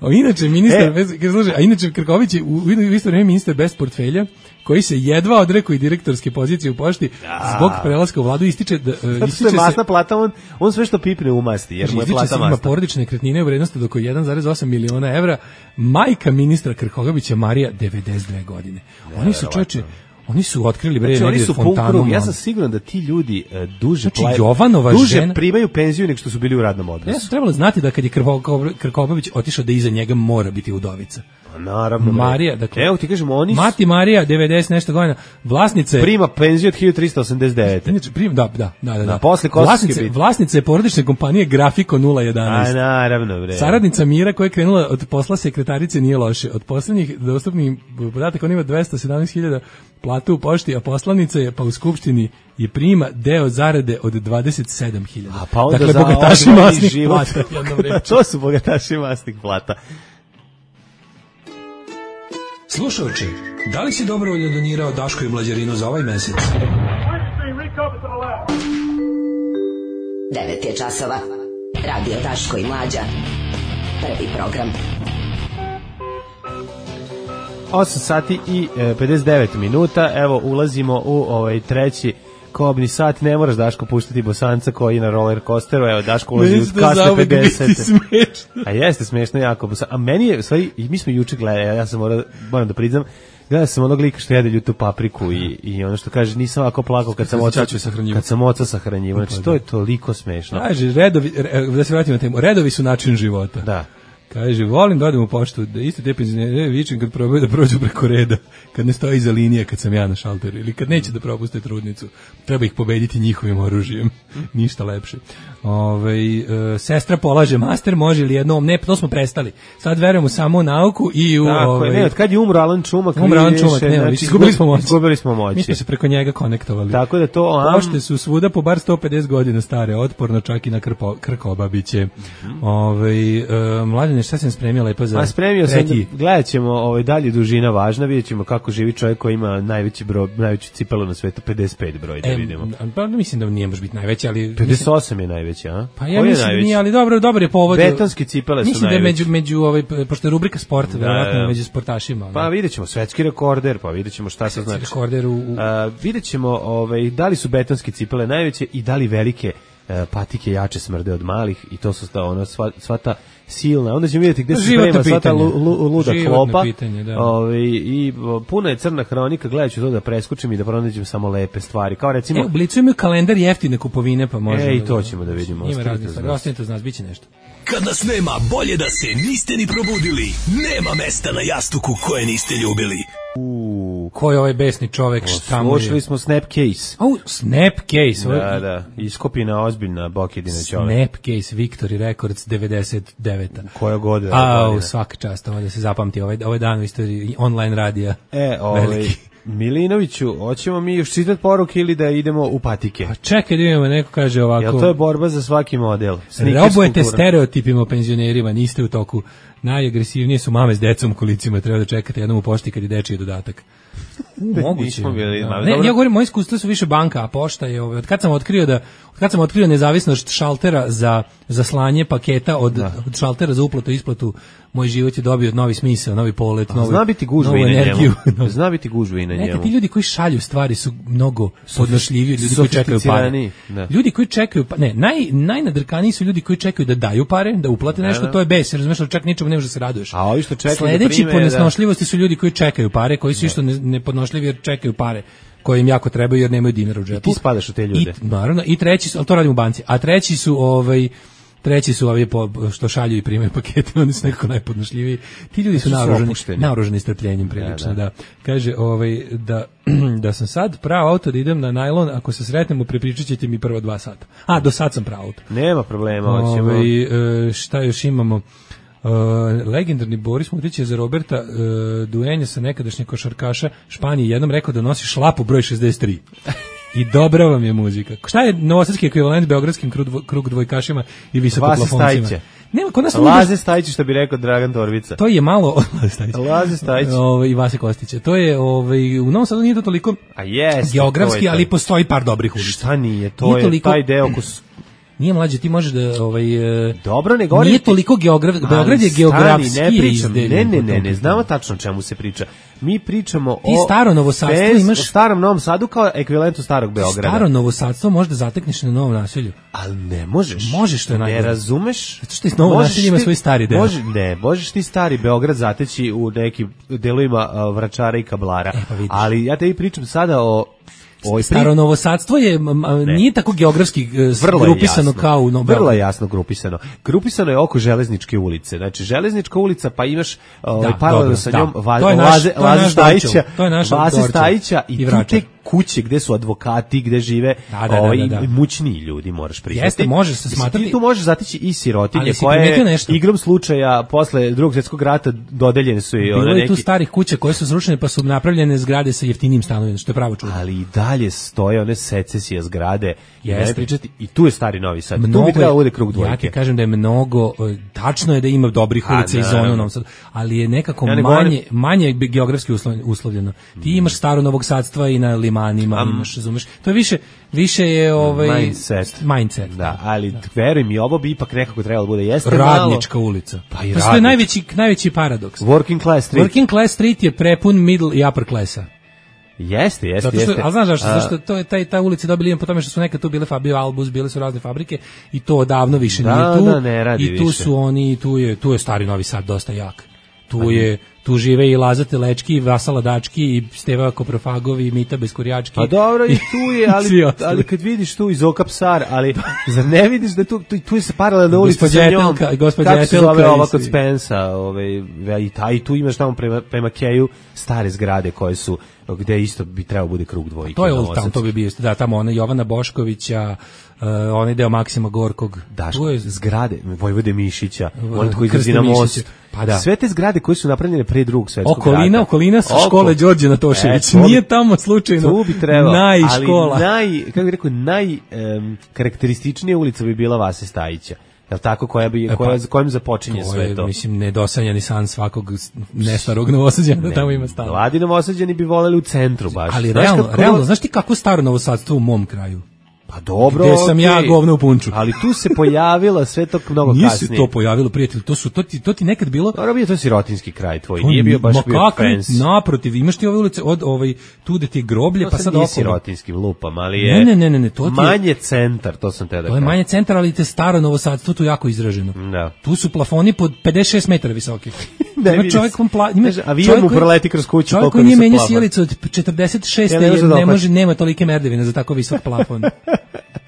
A inače ministar E. bez, kad služe, a inače Krković je u, u isto vreme ministar bez portfelja koji se jedva odrekao i direktorske pozicije u pošti zbog prelaska u vladu ističe da e, Zato što ističe je masna se plata, on, on sve što pipne umasti, jer mu je Ističe plata se ima masna. porodične nekretnine u vrednosti do oko jedan zarez osam miliona evra. Majka ministra Krkobabića Marija devedeset dve godine. Oni su čoveče, oni su otkrili bre Znači, oni negde su pun fontanu. krug. Ja mladu. sam siguran da ti ljudi e, duže Znači, plaju- Jovanova duže žena- primaju penziju nego što su bili u radnom Ja odnosu. sam trebalo znati da kad je Krko- Krkobabić otišao da iza njega mora biti udovica. Pa naravno. bre. Marija, dakle, Evo ti kažemo, oni su- Mati Marija, devedeset nešto godina, vlasnice... prima penziju od hiljadu trista osamdeset devete. Inače, prim, da, da, da, da. Da, da. posle Kosovske vlasnice, bitke. vlasnice porodične kompanije Grafiko nula A jedanaest. naravno, bre. Saradnica Mira koja je krenula od posla sekretarice nije loše. Od poslednjih dostupnih podataka on ima dvesta sedamnaest hiljada platu u pošti, a poslanica je pa u skupštini je prima deo zarade od dvadeset sedam hiljada. A pa onda dakle, za bogataši odvojeni masnih život. plata. jednom rečju. To su bogataši masnih plata. Slušaoči, da li si dobrovoljno donirao Daško i Mlađarinu za ovaj mesec? devet je časova. Radio Daško i Mlađa. Prvi program. osam sati i e, pedeset devet minuta. Evo, ulazimo u ovaj treći kobni sat. Ne moraš, Daško, puštati Bosanca koji je na roller coasteru. Evo, Daško ulazi u Meni se kasne zauvek biti pedeset. smešno. A jeste smešno jako. A meni je, u stvari, i mi smo juče gledali, ja sam moram, moram da priznam, gledao sam onog lika što jede ljutu papriku i, i ono što kaže, nisam ovako plakao kad sam oca, Ćaću sahranjivao. kad sam oca sahranjivao. Znači, to je toliko smešno. Kaže, redovi, re, da se vratimo na temu, redovi su način života. Da. Kaže, volim da odem u poštu, da isto te penzionere vičem kad probaju da prođu preko reda, kad ne stoji iza linije, kad sam ja na šalteru, ili kad neće da propuste trudnicu. Treba ih pobediti njihovim oružjem. Ništa lepše. Ove, e, sestra polaže master, može li jednom? Ne, to smo prestali. Sad verujemo samo u nauku i u... Tako ovaj, je, ne, od kad je umro Alan Čumak, Umro Alan više, Čumak, nema, znači, više, izgubili smo moć. Izgubili smo moć. Mi smo se preko njega konektovali. Tako da to... am- Pošte su svuda po bar sto pedeset godina stare, otporno čak i na krpo, krkobabiće. Ove, e, Mladene, šta sam spremio lepo za A spremio sam, treći? da- gledat ćemo ovaj, dalje dužina važna, vidjet ćemo kako živi čovjek koji ima najveći broj, najveću cipelu na svetu, pedeset pet broj, da E, vidimo. pa mislim da nije baš biti najveći, ali... pedeset osam je najveći, a? Pa ja Koji je mislim da najveći? nije, ali dobro, dobro je povod. Betonske cipele su mislim da je najveće. među, među ovaj, pošto je rubrika sport, Da, verovatno da. među sportašima. Pa vidjet ćemo, svetski rekorder, pa vidjet ćemo šta to znači. rekorder u... u A, vidjet ćemo ovaj, da li su betonske cipele najveće i da li velike e, patike jače smrde od malih i to su sta, ono, sva, sva ta silna, onda ćemo vidjeti gde se Životno sprema sva ta pitanje. lu, lu, luda Životno klopa. pitanje, da. Ove, i o, puna je crna hronika, gledat ću to da preskočim i da pronađem samo lepe stvari, kao recimo... E, u Blicu imaju kalendar jeftine kupovine, pa možemo... E, i to ćemo da vidimo. Ima Ostanite razne uz stvari, nas. ostanite uz nas, bit će nešto. Kad nas nema, bolje da se niste ni probudili. Nema mesta na jastuku koje niste ljubili. Uuu, Ko je ovaj besni čovek, šta mu je? slušali smo Snapcase. Au, Snapcase. ovo je- Da, da, iskopina ozbiljna Bokidina čovek. Snapcase Victory Records devedeset deveta. Koja god je Au, godina. svaka čast, ovo da se zapamti, ovaj, ovaj dan u istoriji online radija. E, ovaj, Veliki. Milinoviću, hoćemo mi još čitati poruke ili da idemo u patike? Pa čekaj da imamo, neko kaže ovako... Jel to je borba za svaki model? Sneakers Robujete kultura. stereotipima o penzionerima, niste u toku. Najagresivnije su mame s decom u kolicima, treba da čekate jednom u pošti kad je dečiji dodatak. U, moguće. Nismo bili, Da. ma, Ne, dobro. ja govorim, moje iskustva su više banka, a pošta je, ovaj, od kad sam otkrio da, od kad sam otkrio nezavisnost šaltera za, za slanje paketa od, od šaltera za uplatu i isplatu, moj život je dobio novi smisao, novi polet, A novu, zna biti gužva novu i na energiju. njemu. Zna biti gužva i na Neka njemu. ti ljudi koji šalju stvari su mnogo podnošljiviji od ljudi koji čekaju pare. Sofisticiraniji, da. Ljudi koji čekaju, pa ne, naj najnadrkaniji su ljudi koji čekaju da daju pare, da uplate Da, nešto, da. to je bes, razumeš, ali čak ničemu ne možeš da se raduješ. A ovi što čekaju da Sledeći prime, po da. nesnošljivosti su ljudi koji čekaju pare, koji su isto ne- nepodnošljivi jer čekaju pare koje im jako trebaju jer nemaju dinara u džepu. Ti spadaš u te ljude. I, naravno, i treći su, ali to radim u banci, a treći su ovaj treći su ovi po, što šalju i primaju pakete, oni su nekako najpodnošljiviji. Ti ljudi su Su naoružani, opušteni. naoružani strpljenjem prilično, Da, da, da. Kaže, ovaj, da, da sam sad pravo auto da idem na najlon, ako se sretnemo, prepričat ćete mi prvo dva sata. A, do sad sam pravo auto. Nema problema, hoćemo. Ovaj, e, šta još imamo? Uh, legendarni Boris Mutić je za Roberta uh, duenja sa nekadašnjeg košarkaša Španije jednom rekao da nosi šlapu broj šezdeset tri. I dobra vam je muzika. Šta je novosadski ekvivalent beogradskim krug, dvo, krug dvojkašima i visokoplafoncima? Vase Stajića. Nema, kod nas Laze Stajić, što bi rekao Dragan Torbica. to je malo Laze Stajić. Laze Stajić. Ovaj, i Vase Kostića. To je, ovaj, u Novom Sadu nije to toliko A jeste. geografski, to je to. ali postoji par dobrih ulica. Šta nije? To Nije je toliko- taj deo ko su... Nije mlađe, ti možeš da ovaj e, Dobro, ne govorim nije ti- toliko geograf, Ali Beograd je stani, geografski ne pričam, izdeljen ne, ne, po ne, tom ne, pitanju. znamo tačno o čemu se priča. Mi pričamo Ti o... staro novosadstvo bez- imaš- o starom Novom Sadu kao ekvivalentu starog Beograda. Staro novosadstvo možda zatekneš na Novom naselju. Ali ne možeš. Možeš, što je Ne najgore. razumeš? Zato što i novo Možeš naselje ima ti- svoj stari deo. Može, ne, možeš ti stari Beograd zateći u nekim delovima a, Vračara i Kablara. E, pa vidiš. Ali ja tebi pričam sada o... o Staro novosadstvo je m, m, nije tako geografski e, Vrlo je grupisano jasno. kao u Novom Vrlo je Beogradu. jasno grupisano. Grupisano je oko Železničke ulice. Znači, Železnička ulica, pa imaš ovaj, Da, paralelno dobro, sa da. njom Va, To je naš- Laze, to je Laze naš Stajića, Dorčel. To je naš Vaze Dorčel. Stajića i, I tu Vračar. te kuće gde su advokati, gde žive Da, da, ovaj, da, da, da. mućniji ljudi, moraš priznati. Jeste, može se Mislim, smatrati- Ti tu možeš zatići i sirotinje Ali si koje primetio nešto? igrom slučaja posle drugog svjetskog rata dodeljene su i Bilo ona je neki... tu starih kuća koje su srušene pa su napravljene zgrade sa jeftinim stanovima, što je pravo čudo. Ali i dalje stoje one secesije zgrade. I Jeste. ne pričati, i tu je stari Novi Sad. Tu Mnogo bi trebalo je- bude krug dvojke. Ja ti kažem da je mnogo, e, tačno je da ima dobrih A, ulica i zona u naravno. Novom Sadu, ali je nekako Ja ne manje, govorim- manje bi geografski uslo- uslovljeno. Ti imaš staro Novog Sadstva i na Limanima, Am. imaš, razumeš, to je više, više je ovaj, Mindset. mindset. Da, ali veruj mi, ovo bi ipak nekako trebalo bude. Jeste malo... Radnička ulica. Pa i to je radnička. najveći, najveći paradoks. Working class street. Working class street je prepun middle i upper klasa. Jeste, jeste, Zato što, jeste. ali znaš zašto? A, Zato što to je taj ta ulica dobili ime po tome što su nekad tu bile Fabio Albus, bile su razne fabrike i to odavno više Da, nije tu. da, ne radi I tu više. su oni, tu je tu je stari Novi Sad dosta jak. Tu je tu žive i Laza Telečki, i Vasala Dački, i Steva Koprofagovi, i Mita Beskurjački. Pa dobro, i tu je, Svi ali, ostali. ali kad vidiš tu i Zoka Psar, ali zar ne vidiš da tu, tu, tu je se paralelna ulica Gospođa sa njom, Etelka, gospođa kako se Etelka zove i ova svi. kod Spensa, ovaj, i, ta, i tu imaš tamo prema, prema Keju stare zgrade koje su, gde isto bi trebao bude krug dvojke. To je na Old Town, Novosadcu. to bi bio, da, tamo ona Jovana Boškovića, uh, onaj deo Maksima Gorkog. Daško, Tu je zgrade Vojvode Mišića, V- on koji Krste izlazi na Mišića. most. Pa da. Sve te zgrade koje su napravljene pre drugog svetskog Okolina, rata. okolina sa Oko. škole Đorđe Natošević. E, to bi- Nije tamo slučajno Tu bi trebalo, najškola. ali naj, kako bih rekao, naj em, karakterističnija ulica bi bila Vase Stajića. Jel tako, koja bi, pa, koja, kojim započinje To sve je, to? mislim, nedosanjani san svakog s- nestarog Novosađana da tamo ima stan. Mladi Novosađani bi voleli u centru baš. Ali Znaš realno, kako- realno, znaš ti kako staro Novosadstvo u mom kraju? Pa dobro, gde sam okay. ja govno u punču. Ali tu se pojavilo sve to mnogo nije kasnije. Nije se to pojavilo, prijatelj, to su to ti to ti nekad bilo. Dobro, bio to sirotinski kraj tvoj, nije bio baš bio fancy. Naprotiv, imaš ti ove ulice od ovaj tu gde ti je groblje, to pa sad okolo. Nije sirotinski lupam, ali je. Ne, ne, ne, ne, to ti je manje centar, to sam te da kažem. To je manje centar, ali te staro Novosadstvo tu jako izraženo. Da. Tu su plafoni pod pedeset šest metara visoki. Ne, ima čovjek kom pla, ima avion mu proleti kroz kuću, čovjek koji nije menja sjelicu od četrdeset šest ja, ne, može, ne može, nema tolike merdevine za tako visok plafon.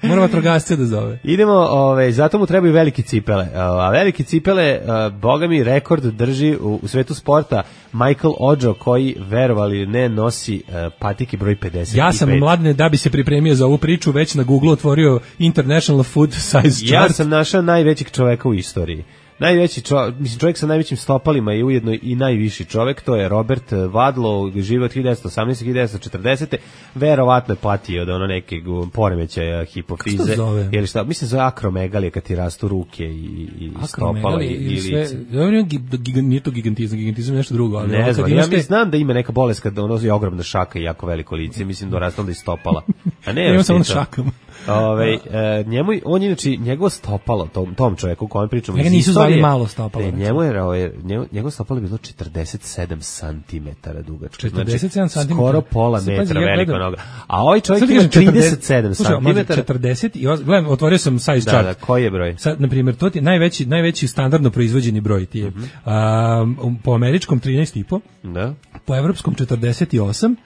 Mora vatrogasce da zove. Idemo, ove, zato mu trebaju velike cipele. A velike cipele, a, boga mi, rekord drži u, u svetu sporta Michael Ojo, koji, verovali ne, nosi a, patike broj pedeset pet. Ja sam, Mladene, da bi se pripremio za ovu priču, već na Google otvorio International Food Size Chart. Ja sam našao najvećeg čoveka u istoriji. Najveći čovjek, mislim čovjek sa najvećim stopalima je ujedno i najviši čovjek, to je Robert Wadlow, živi od hiljadu devetsto osamnaeste do hiljadu devetsto četrdesete. Verovatno je patio od ono neke poremećaja hipofize. Ili šta, mislim za akromegalije kad ti rastu ruke i, i stopala. Ili sve, ili... nije to gigantizam, gigantizam je nešto drugo. Ali ne znam, ja ste... mi znam da ima neka bolest kad ono je ogromna šaka i jako veliko lice, mislim da rastu onda i stopala. A ne, ima samo šakama. Ove, e, njemu, on je inače, njegovo stopalo, tom, tom čovjeku o kojem pričamo, njega nisu zvali malo stopalo. Ne, njemu je, ovaj, njemu, njegovo stopalo je bilo četrdeset sedam centimetara dugačko. četrdeset sedam znači, centimetara. Skoro pola Sad, metra ja veliko gledam, noga. A ovaj čovjek ima trideset sedam centimetara. četrdeset i gledam, otvorio sam size da, chart. Da, koji je broj? Sad, na primjer, to ti je najveći, najveći standardno proizvođeni broj ti je. Mm-hmm. A, po američkom trinaest i po, da. Po evropskom četrdeset osam,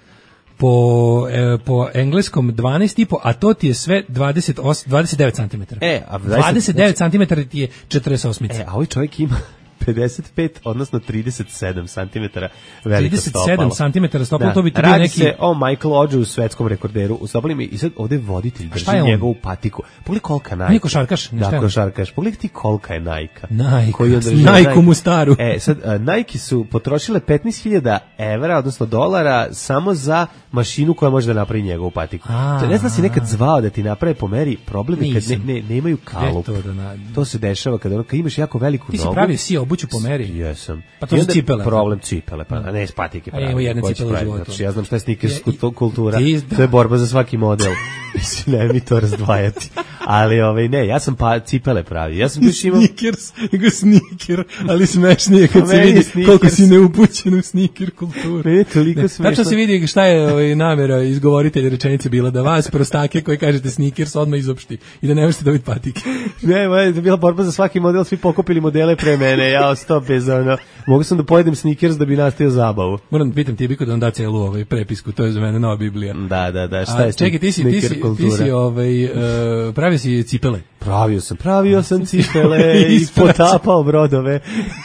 po e, po engleskom dvanaest i po, a to ti je sve dvadeset osam, dvadeset devet centimetara. E, a dvadeset devet centimetara ti je četrdeset osam. E, a ovaj čovjek ima pedeset pet, odnosno trideset sedam centimetara veliko stopalo. trideset sedam centimetara stopalo, da. To bi ti bio Radi neki... se o Michael Ođu, svetskom rekorderu u stopalima i sad ovde voditelj drži njegovu patiku. Pogledaj kolika Nike. Nije košarkaš. Da, košarkaš. Pogledaj ti kolika je Nike. Nike, Nike mu staru. E, sad, uh, Nike su potrošile petnaest hiljada evra, odnosno dolara, samo za mašinu koja može da napravi njegovu patiku. A, to ne znam si nekad zvao da ti naprave po meri, problem je kad ne, ne, ne imaju kalup. To, da to se dešava kada ono, kad imaš jako veliku ti nogu. Ti si pravio si obuću po meri. Jesam. Pa to su cipele. Problem cipele, pa ne s patike pravi. Evo jedna cipela u životu. Znači, ja znam šta je sneakers kultura. To je borba za svaki model. Mislim, ne mi to razdvajati. Ali ovaj ne, ja sam pa cipele pravi. Ja sam baš imao sneakers, nego sneaker, ali smešnije kad se vidi koliko si neupućen u sneaker kulturu. Ne, toliko smešno. Tačno se vidi šta je ovaj namera izgovoritelja rečenice bila, da vas prostake koji kažete sneakers odmah izopšti i da ne možete dobiti patike. Ne, ma je bila borba za svaki model, svi pokupili modele pre mene. Ja ostao bez ono. Mogu sam da pojedem sneakers da bi nastavio zabavu. Moram da pitam ti Biko da on da celu ovaj prepisku, to je za mene nova Biblija. Da, da, da, šta je čekaj, ti si, ti si, ti si ovaj, uh, pravio si cipele. Pravio sam, pravio sam cipele i potapao brodove.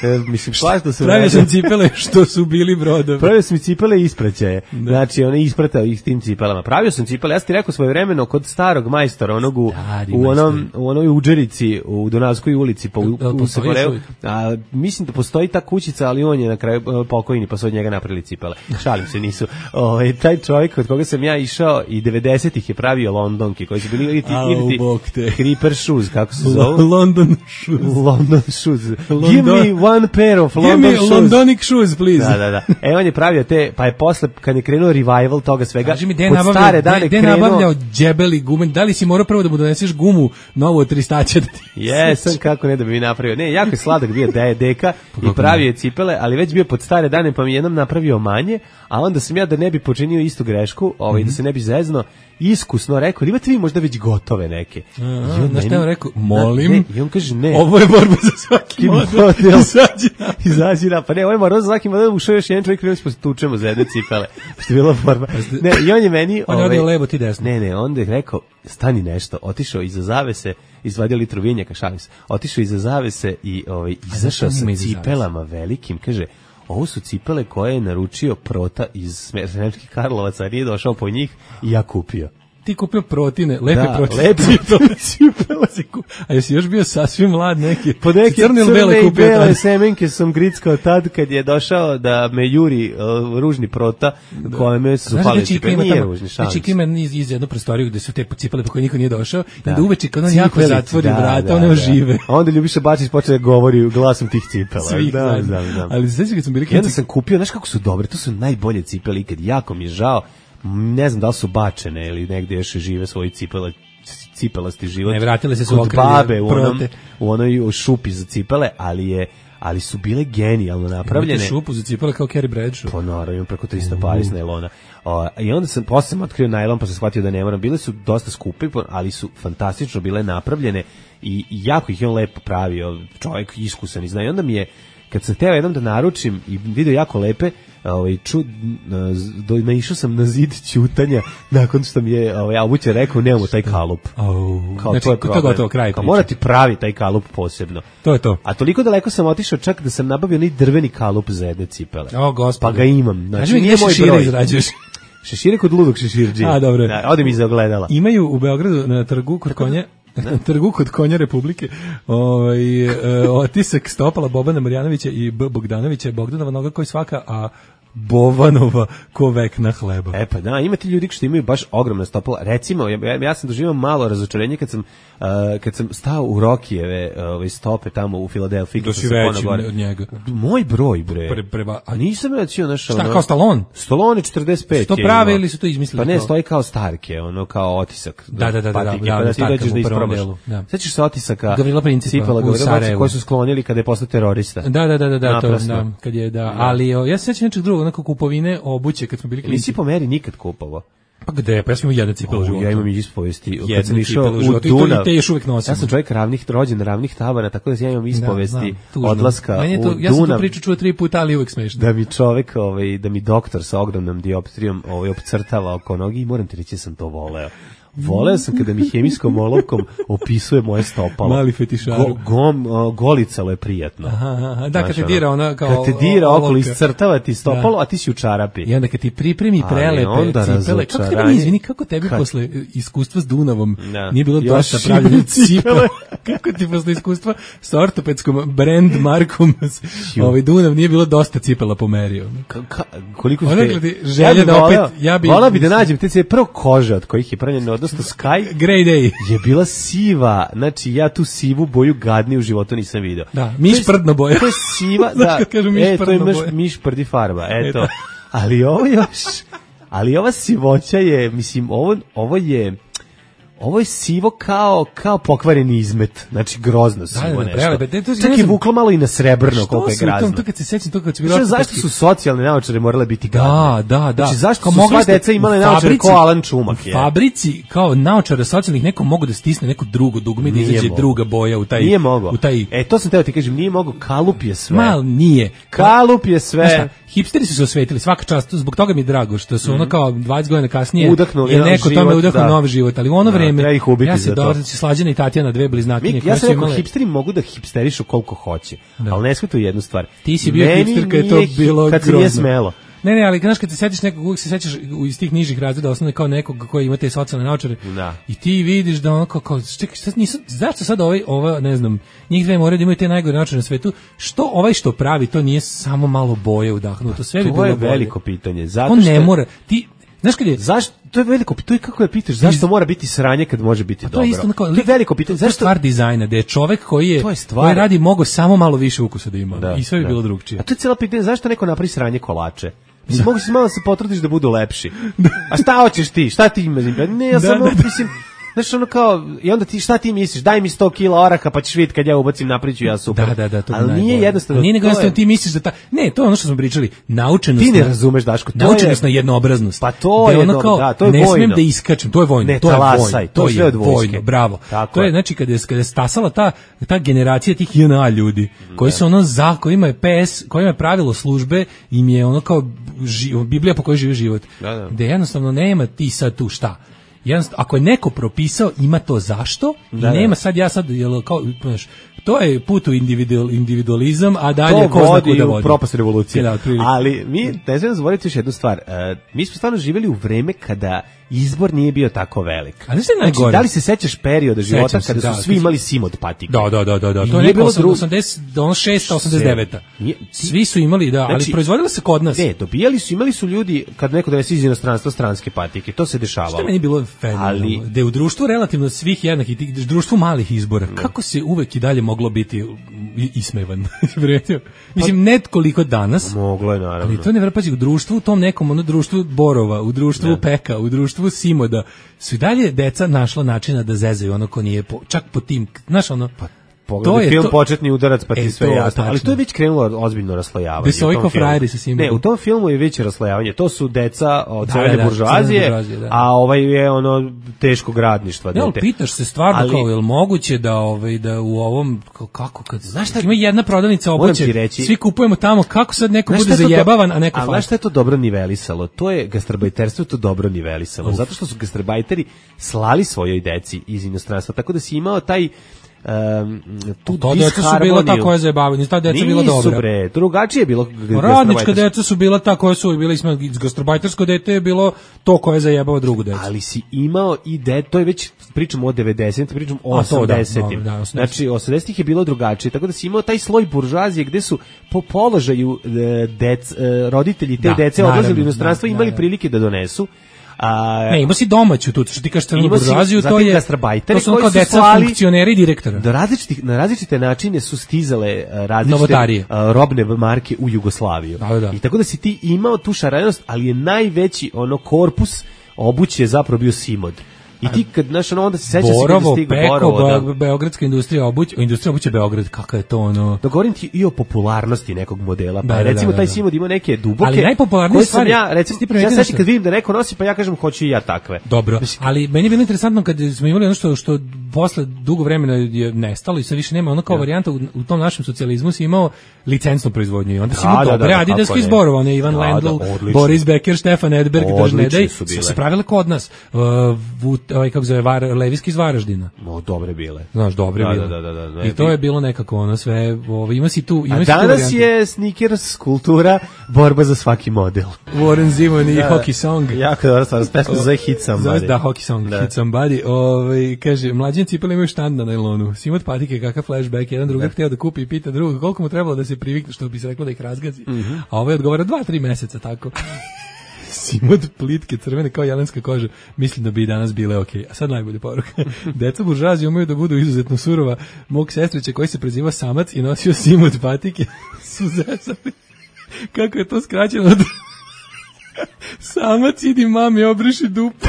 E, mislim, plašno sam pravio sam cipele što su bili brodovi. Pravio sam cipele i ispraćaje. Da. Znači, on je ispratao ih tim cipelama. Pravio sam cipele, ja sam ti rekao svoje vremeno kod starog majstora, onog u, u, onom, u onoj Uđerici, u Dunavskoj ulici, pa u, u, u Segoreu. A, mislim da postoji ta kućica, ali on je na kraju pokojni, pa su od njega napravili cipele. Šalim se, nisu. O, taj čovjek od koga sam ja išao i devedesetih je pravio Londonke, koji su bili ili ti, ili ti Creeper shoes, kako se zove? London shoes. London shoes. London. Give me one pair of London shoes. Give me Londonic shoes, please. Da, da, da. E, on je pravio te, pa je posle, kad je krenuo revival toga svega, kaži mi, de pod stare dane de, de krenuo... nabavljao džebeli gume, da li si morao prvo da mu doneseš gumu novu od tristaća? Da ti... Jesam, kako ne da bi mi napravio. Ne, jako je sladak bio da je deka i pravio je cipele, ali već bio pod stare dane, pa mi jednom napravio manje, a onda sam ja da ne bi počinio istu grešku, ovaj, mm-hmm. da se ne bi zezno, iskusno rekao, imate vi možda već gotove neke. Aha, znaš šta je on rekao? Molim. Ne, i on kaže ne. Ovo je borba za svaki model. model. Izađi na. Izađi na. Pa ne, ovo je borba za svaki model. Ušao još jedan čovjek, krenuli smo se tučemo za jedne cipele. Što je bila borba. Ne, i on je meni... On je odio levo, ti desno. Ne, ne, onda je rekao, stani nešto. Otišao iza zavese, izvadio litru vinjaka, šalim se. Otišao iza zavese i ovaj, izašao sa cipelama velikim. Kaže, ovo su cipele koje je naručio Prota iz Sremskih Karlovaca, a nije došao po njih i ja kupio. Ti kupio protine, lepe da, protine. Lepe cipele. A jesi još bio sasvim mlad neki? Po neke crne i bele semenke sam grickao tad kad je došao da me juri uh, ružni Prota, da. Koje me su pali cipele. Nije ružni, šalim se. Znači ima iz, iz jednu prostoriju gde su te cipele po koje niko nije došao, da. I onda uveče kad on jako zatvori da, vrata, da, one ožive. Da. Onda Ljubiša Bačić počeo da govori glasom tih cipela. Svih, da, da, da. Ali znači kad sam bili... Onda sam kupio, znaš kako su dobre, to su najbolje cipele ikad, jako mi je žao. ne znam da li su bačene ili negdje još žive svoji cipele, cipelasti život. Ne, vratile se su kod okralje, babe u, onom, prote. u onoj šupi za cipele, ali je ali su bile genijalno napravljene. Imate šupu za cipele kao Carrie Bradshaw. Pa naravno, imam preko trista pari iz najlona. O, I onda sam, posle sam otkrio najlon, pa sam shvatio da ne moram. Bile su dosta skupe, ali su fantastično bile napravljene i, i jako ih je on lepo pravio, čovjek iskusan i zna. I onda mi je, kad sam teo jednom da naručim i video jako lepe, ovaj ču do naišao sam na zid ćutanja nakon što mi je ovaj Abuće rekao nemamo taj kalup. Oh, kao znači, to je to gotovo kraj. Kao mora ti pravi taj kalup posebno. To je to. A toliko daleko sam otišao čak da sam nabavio onaj drveni kalup za jedne cipele. O, gospod. Pa ga imam. Znači mi nije moj broj. Izrađuješ. Šešire kod ludog šeširđija. A, dobro. Da, ode mi za ogledala. Imaju u Beogradu na trgu kod konja na trgu kod konja Republike ovaj e, otisak stopala Bobana Marjanovića i B. Bogdanovića, Bogdanova noga koji svaka, a Bovanova ko vek na hleba. E pa da, ima ti ljudi što imaju baš ogromna stopala. Recimo, ja, ja sam doživio malo razočarenje kad sam, uh, kad sam stao u Rokijeve ove stope tamo u Filadelfiji. Da si veći od njega. Moj broj, bre. Pre, preba, a nisam rećio naš... Šta, ono, kao Stallone? Stallone četrdeset pet. Što prave ili su to izmislili? Pa ne, kao? stoji kao Starke, ono kao otisak. Da, da, da, patike, da, da, pa da ti dođeš da isprobaš. Da. Sećaš se otisaka Gavrila Principa cipela, u Sarajevu koji su sklonili kada je postao terorista. Da, da, da, da, da, to, da, kad je, da, ali o, ja se sećam nečeg drugog, onako kupovine obuće kad smo bili klinci. Nisi po meri nikad kupovao? Pa gde? Pa ja sam imao jedne cipele u životu. Ja imam i ispovesti. Kad sam išao u Dunav, te još uvijek nosim. Ja sam čovjek ravnih, rođen ravnih tabana, tako da ja imam ispovesti da, da, odlaska to, u Dunav. Ja sam tu priču čuo tri puta, ali uvijek smešno. Da mi čovjek, ovaj, da mi doktor sa ogromnom dioptrijom ovaj, opcrtava oko nogi i moram ti reći da sam to voleo. Voleo sam kada mi hemijskom olovkom opisuje moje stopalo. Mali fetišar. Go, gom, uh, golicalo je prijatno. Aha, aha, da, kad te dira ona kao... Kad te dira okolo, iscrtava ti stopalo, da. A ti si u čarapi. I onda kad ti pripremi prelepe cipele, kako tebi, izvini, kako tebi kad? Posle iskustva s Dunavom da. Nije bilo dosta pravljene cipele? Kako ti posle iskustva sa ortopedskom brand markom ovaj Dunav nije bilo dosta cipela pomerio? Ka, ka, koliko ste... Želja da opet... Ja bi, volao bi da nađem te prvo kože od kojih je pravljeno, odnosno Sky Grey Day je bila siva, znači ja tu sivu boju gadni u životu nisam video. Da, miš prdno boja. To je siva, da, e, to je miš, miš prdi farba, eto. eto. Ali ovo još, ali ova sivoća je, mislim, ovo, ovo je, ovo je sivo kao kao pokvareni izmet, znači grozno sivo da, da, nešto. Prelebe, to čak je vuklo malo i na srebrno koliko je grazno. To kad se sećam to kad se bilo. Zašto su socijalne naočare morale biti gadne? Da, da, da. Znači zašto su sva deca imale naočare kao Alan Čumak je? U fabrici kao naočare socijalnih neko mogu da stisne neko drugo dugme da izađe druga boja u taj nije mogo. U taj E to sam teo ti kažem, nije mogo, kalup je sve. Mal nije. Kalup je sve. Šta, hipsteri su se osvetili, svaka čast, zbog toga mi je drago što su mm. ono kao dvadeset godina kasnije udahnuli je neko tome udahnuo novi život, ali u ono vreme ja se dobro se Slađana i Tatjana dve bliznakinje koje ja su imale. Ja hipsteri mogu da hipsterišu koliko hoće, da. Ali ne shvataju jednu stvar. Ti si bio meni hipster kad je to bilo kad se nije smelo. Ne, ne, ali znaš kad se setiš nekog, uvijek se sećaš iz tih nižih razreda osnovne kao nekog koji ima te socijalne naočare i ti vidiš da ono kao, kao čekaj, sad nisu, zašto sad ovaj, ova, ne znam, njih dve moraju da imaju te najgore naočare na svetu, što ovaj što pravi, to nije samo malo boje udahnuto, sve bi bilo bolje. To je veliko pitanje, zato on što... ne mora, ti, znaš kad je... Zašto? To je veliko pitanje, to je kako je pitaš, zašto mora biti sranje kad može biti dobro? To je isto, to je veliko pitanje, zašto? To je stvar dizajna, da je čovek koji je, koji radi mogo samo malo više ukusa da ima da, i sve bi da. Bilo drugčije. A to je cijelo pitanje, zašto neko napravi sranje kolače? Mislim, mogu si malo da se potrudiš da budu lepši. A šta hoćeš ti? Šta ti imaš? Ne, ja samo, da, da, mislim, znaš, ono kao, i onda ti, šta ti misliš? Daj mi sto kila oraha, pa ćeš vidjeti kad ja ubacim napriču, ja super. Da, da, da, to ali nije jednostavno. Nije nego jednostavno ti misliš da ta, ne, to je ono što smo pričali, naučenost. Ti ne razumeš, Daško, to naučenost na jednoobraznost. Pa to je, ono kao, da, to je ne vojno. Smem da iskačem, to je vojno, ne, to je talasaj, vojno, to, to je sve od vojno, bravo. Tako to je, znači, kada je, kada je stasala ta, ta generacija tih J N A ljudi, koji su ono za, kojima je P S, kojima je pravilo službe, im je ono kao ži, Biblija po kojoj živi život. Da, da. Da jednostavno nema ti sad tu šta. Jednostavno, ako je neko propisao, ima to zašto da, i nema sad ja sad, jel, kao, znaš, to je put u individual, individualizam, a dalje ko zna kuda vodi. U propast revolucije. Da, ali mi ne znam zaboraviti još jednu stvar. Uh, mi smo stvarno živjeli u vreme kada izbor nije bio tako velik. A znaš šta je najgore? Znači, da li se sećaš perioda života Sećam se, kada su da, svi da. imali simod patike? Da, da, da, da, da. I To je nije neko bilo dru- osamdeset, ono šesta, osamdeset deveta. Nije- Svi su imali, da, ali Znači, proizvodilo se kod nas. Ne, dobijali su, imali su ljudi, kad neko donese iz inostranstva stranske patike, to se dešavalo. Što je meni bilo fenomenalno, Ali- da je u društvu relativno svih jednakih, tih- društvu malih izbora, kako se uvek i dalje moglo biti i- ismevan? Primetio? Mislim, ne koliko danas, Moglo je, naravno. ali to ne pazi, u društvu, u tom nekom ono društvu Borova, u društvu Peka, u društvu Simoda, su i dalje deca našla načina da zezaju ono ko nije, po, čak po tim, znaš ono, pa, Pogledaj film Početni udarac pa ti E, sve to, jasno. Ali tačno. to je već krenulo ozbiljno raslojavanje. Besojko u tom filmu. frajeri sa Simom. Ne, u tom filmu je već raslojavanje. To su deca od Da, crvene da, buržoazije, crvene buržoazije, da. a ovaj je ono teškog radništva. Ne, ali dete. pitaš se stvarno Ali- kao, je li moguće da, ovaj, da u ovom, kao, kako, kad, znaš šta, ima jedna prodavnica Moram obuće, ti reći- svi kupujemo tamo, kako sad neko Znaš bude šta je to zajebavan, do- a neko A znaš fali. šta je to dobro nivelisalo? To je gastarbajterstvo je to dobro nivelisalo. Zato što su gastarbajteri slali svojoj deci iz inostranstva. Tako da si imao taj um, tu To deca su bila ta koja zajebavaju, ta deca bila Nisu, dobra. bre, drugačije je bilo Radnička gastarbajterstvo. deca su bila ta koja su bili smo gastarbajtersko dete je bilo to koje zajebava drugu decu. Ali si imao i de, to je već pričamo o devedesetim, pričamo o A, to da, osamdesetim. dobro, da, osamdeset. Znači osamdesetih je bilo drugačije, tako da si imao taj sloj buržoazije gde su po položaju e, dec, e, roditelji te Da, dece naravno, odlazili u inostranstvo da, i imali da, da. prilike da donesu. A, Ne, ima si domaću tu, što ti kažeš crnu Imao si buržoaziju, to zatim je gastarbajtere to su ono koji kao su deca slali- funkcioneri i direktora. Do različitih, na različite načine su stizale e, različite Novotarije. e, robne marke u Jugoslaviju. Da, da. I tako da si ti imao tu šarenost, ali je najveći ono korpus obuće je zapravo bio Simod. I ti kad, znaš, ono, onda se sećaš si kada Borovo, stigu Peko, Borovo, da. Be- Beogradska industrija obuće, industrija obuće Beograd, kakav je to ono. Da govorim ti i o popularnosti nekog modela. Pa Da, da, recimo da, taj da. Simod ima neke duboke. Ali najpopularnije koje sam stvari- ja, recimo, ti ja primetio sećam nešto? kad vidim da neko nosi, pa ja kažem hoću i ja takve. Dobro, ali meni je bilo interesantno kad smo imali ono što, što posle dugo vremena je nestalo i sad više nema, ono kao varijanta u, u tom našem socijalizmu si imao licencnu proizvodnju i onda si Da, imao da, dobre da, da, adidaske kako ne. izborova, one Ivan Da, Lendl, da, odlično. Boris Becker, Stefan Edberg, Odlične Držnedaj, su su bile. se pravile kod nas. Uh, Vut, ovaj, kako zove, Var, Levijski iz Varaždina. No, dobre bile. Znaš, dobre Da, bile. da, da, da, da. I to je bilo nekako ono sve, ovo, ima si tu, ima A si tu danas varijantu. je sneakers kultura, borba za svaki model. Warren Zevon i Da. Hockey Song. Jako dobro stvar, pesma se zove Hit Zove, Somebody. da, Hockey Song, Da. Hit Somebody. Ovaj, kaže, mlađeni cipele imaju štand na najlonu. Simot patike, kakav flashback. Jedan druga hteo da kupi i pita drugog koliko mu trebalo da se privikne, što bi se reklo da ih razgazi. Mhm. A ovaj odgovara dva, tri meseca, tako. Simod plitke crvene kao jelenska koža. Mislim da bi i danas bile okej. A sad najbolja poruka. Deca buržoazije umeju da budu izuzetno surova. Mog sestrića koji se preziva Samac i nosio Simod patike su zezali. Kako je to skraćeno od... Samac, idi mami, obriši dupu.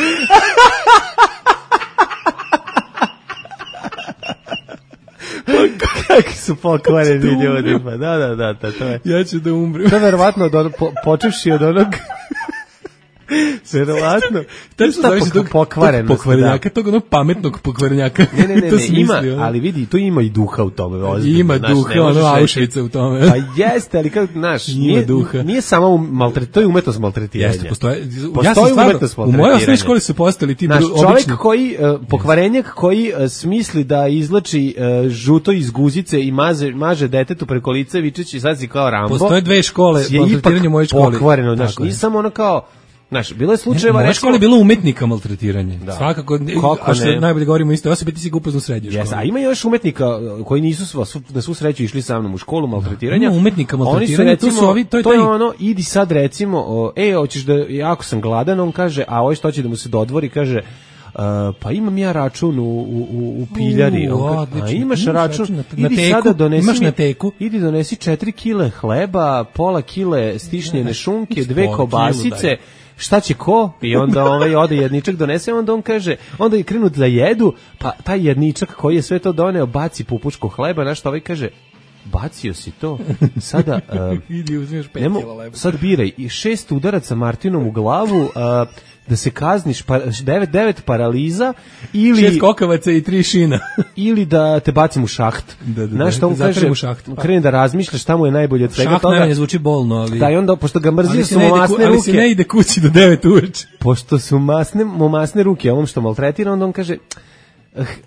Kakvi su pokvareni ljudi, pa da, da, da, da, to je. Ja ću da umrem. To je verovatno od onog, po, počevši od onog, verovatno, Tačno šta zoveš pok- tog pokvarenost, pokvarenjaka, tog onog pametnog pokvarenjaka. Ne, ne, ne, To ne, smisli, ima, ono. ali vidi, tu ima i duha u tome, ozbiljno. Ima znaš, duha, ne možeš ono reći- Auschwitza u tome. Pa jeste, ali kako, znaš, Ima nije, duha. nije samo maltret, to je umetnost maltretiranja. Jeste, postoje. Postoji Ja sam stvarno, umetnost u mojoj maltretiranja. osnovnoj školi su postali ti Znaš, bru- čovjek obični. koji, uh, pokvarenjak koji uh, smisli da izlači uh, žuto iz guzice i maže, maže detetu preko lica vičeći sad si kao Rambo. Postoje dve škole je maltretiranja ipak u mojoj školi. pokvareno, znaš, Tako je. nije samo ono kao, znaš, bilo je U slučajeva, mojoj recimo, školi je bilo umetnika maltretiranje. Da. Svakako, Kako a što ne? najbolje govorimo isto osobe, ti si ga upoznao u srednjoj Yes, školi. a ima još umetnika uh, koji nisu sva, svu, na svu sreću išli sa mnom u školu maltretiranja. Ima umetnika Oni su, maltretiranja, tu recimo, su ovi- to je to je taj- ono, idi sad recimo, o, e, hoćeš da, jako sam gladan, on kaže, a ovaj što će da mu se dodvori, kaže, Uh, pa imam ja račun u, u, u- u piljari. U, On kaže, odlično. a imaš Imaš račun, račun na- na idi teku, sada donesi imaš mi- na teku. idi donesi četiri kile hleba, pola kile stišnjene šunke, dve Pola kobasice, kilu, daj. šta će ko? I onda ovaj ode jedničak donese, onda on kaže, onda je krenut da jedu, pa taj jedničak koji je sve to doneo baci pupučku hleba, na što ovaj kaže, bacio si to, sada um, Idi, uzmeš pet nemo, kila leba. sad biraj i šest udaraca Martinom u glavu, uh, da se kazniš, pa, devet, devet paraliza, ili, Šest kokavaca i tri šina. ili da te bacim u šaht. Da, da, da. Znaš šta on Zatrem kaže, u šaht, pa. krene da razmišlja šta mu je najbolje od svega Šah toga. najmanje zvuči bolno, ali... Da, i onda, pošto ga mrzio ali se su ne mu ide ku- masne ali se ruke, ne ide kući do devet uveče. pošto su masne, mu masne ruke ovom što maltretira, onda on kaže,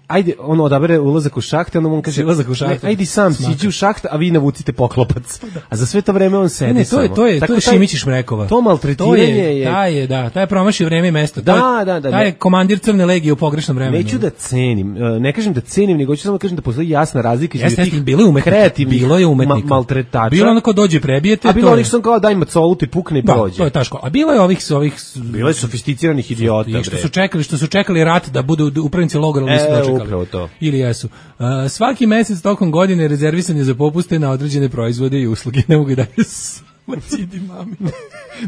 ajde, ono odabere ulazak u šaht, onda on kaže, ulazak u šaht, ne, ajde sam siđi u šaht, a vi navucite poklopac. A za sve to vreme on sedi ne, to je, to je, samo. to je Šimić iz Šmrekova. To maltretiranje je... Taj je, da, taj je promašio vreme i mesto. Da, taj, da, da. Taj je komandir Crne legije u pogrešnom vremenu. Neću da cenim, ne kažem da cenim, nego ću samo da kažem da postoji jasna razlika između tih bilo je kreativnih bilo je umetnika. Ma, maltretača. Bilo ono ko dođe prebijete. A bilo onih što kao daj macolutu i pukne i prođe. Da, to je taško. A bilo je ovih... ovih bilo je sofisticiranih idiota. I što su čekali, što su čekali rat da budu upravnici logora, ali nisu dočekali. Upravo to. Ili jesu. Uh, svaki mesec tokom godine rezervisan je za popuste na određene proizvode i usluge. Ne mogu da Macidi mami.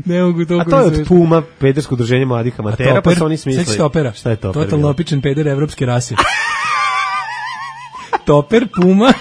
Ne mogu to. A to je od Puma, pedersko udruženje mladih amatera, pa su oni smislili. Seksi Topera. Šta je Toper? Totalno opičen peder evropske rase. Toper, Puma.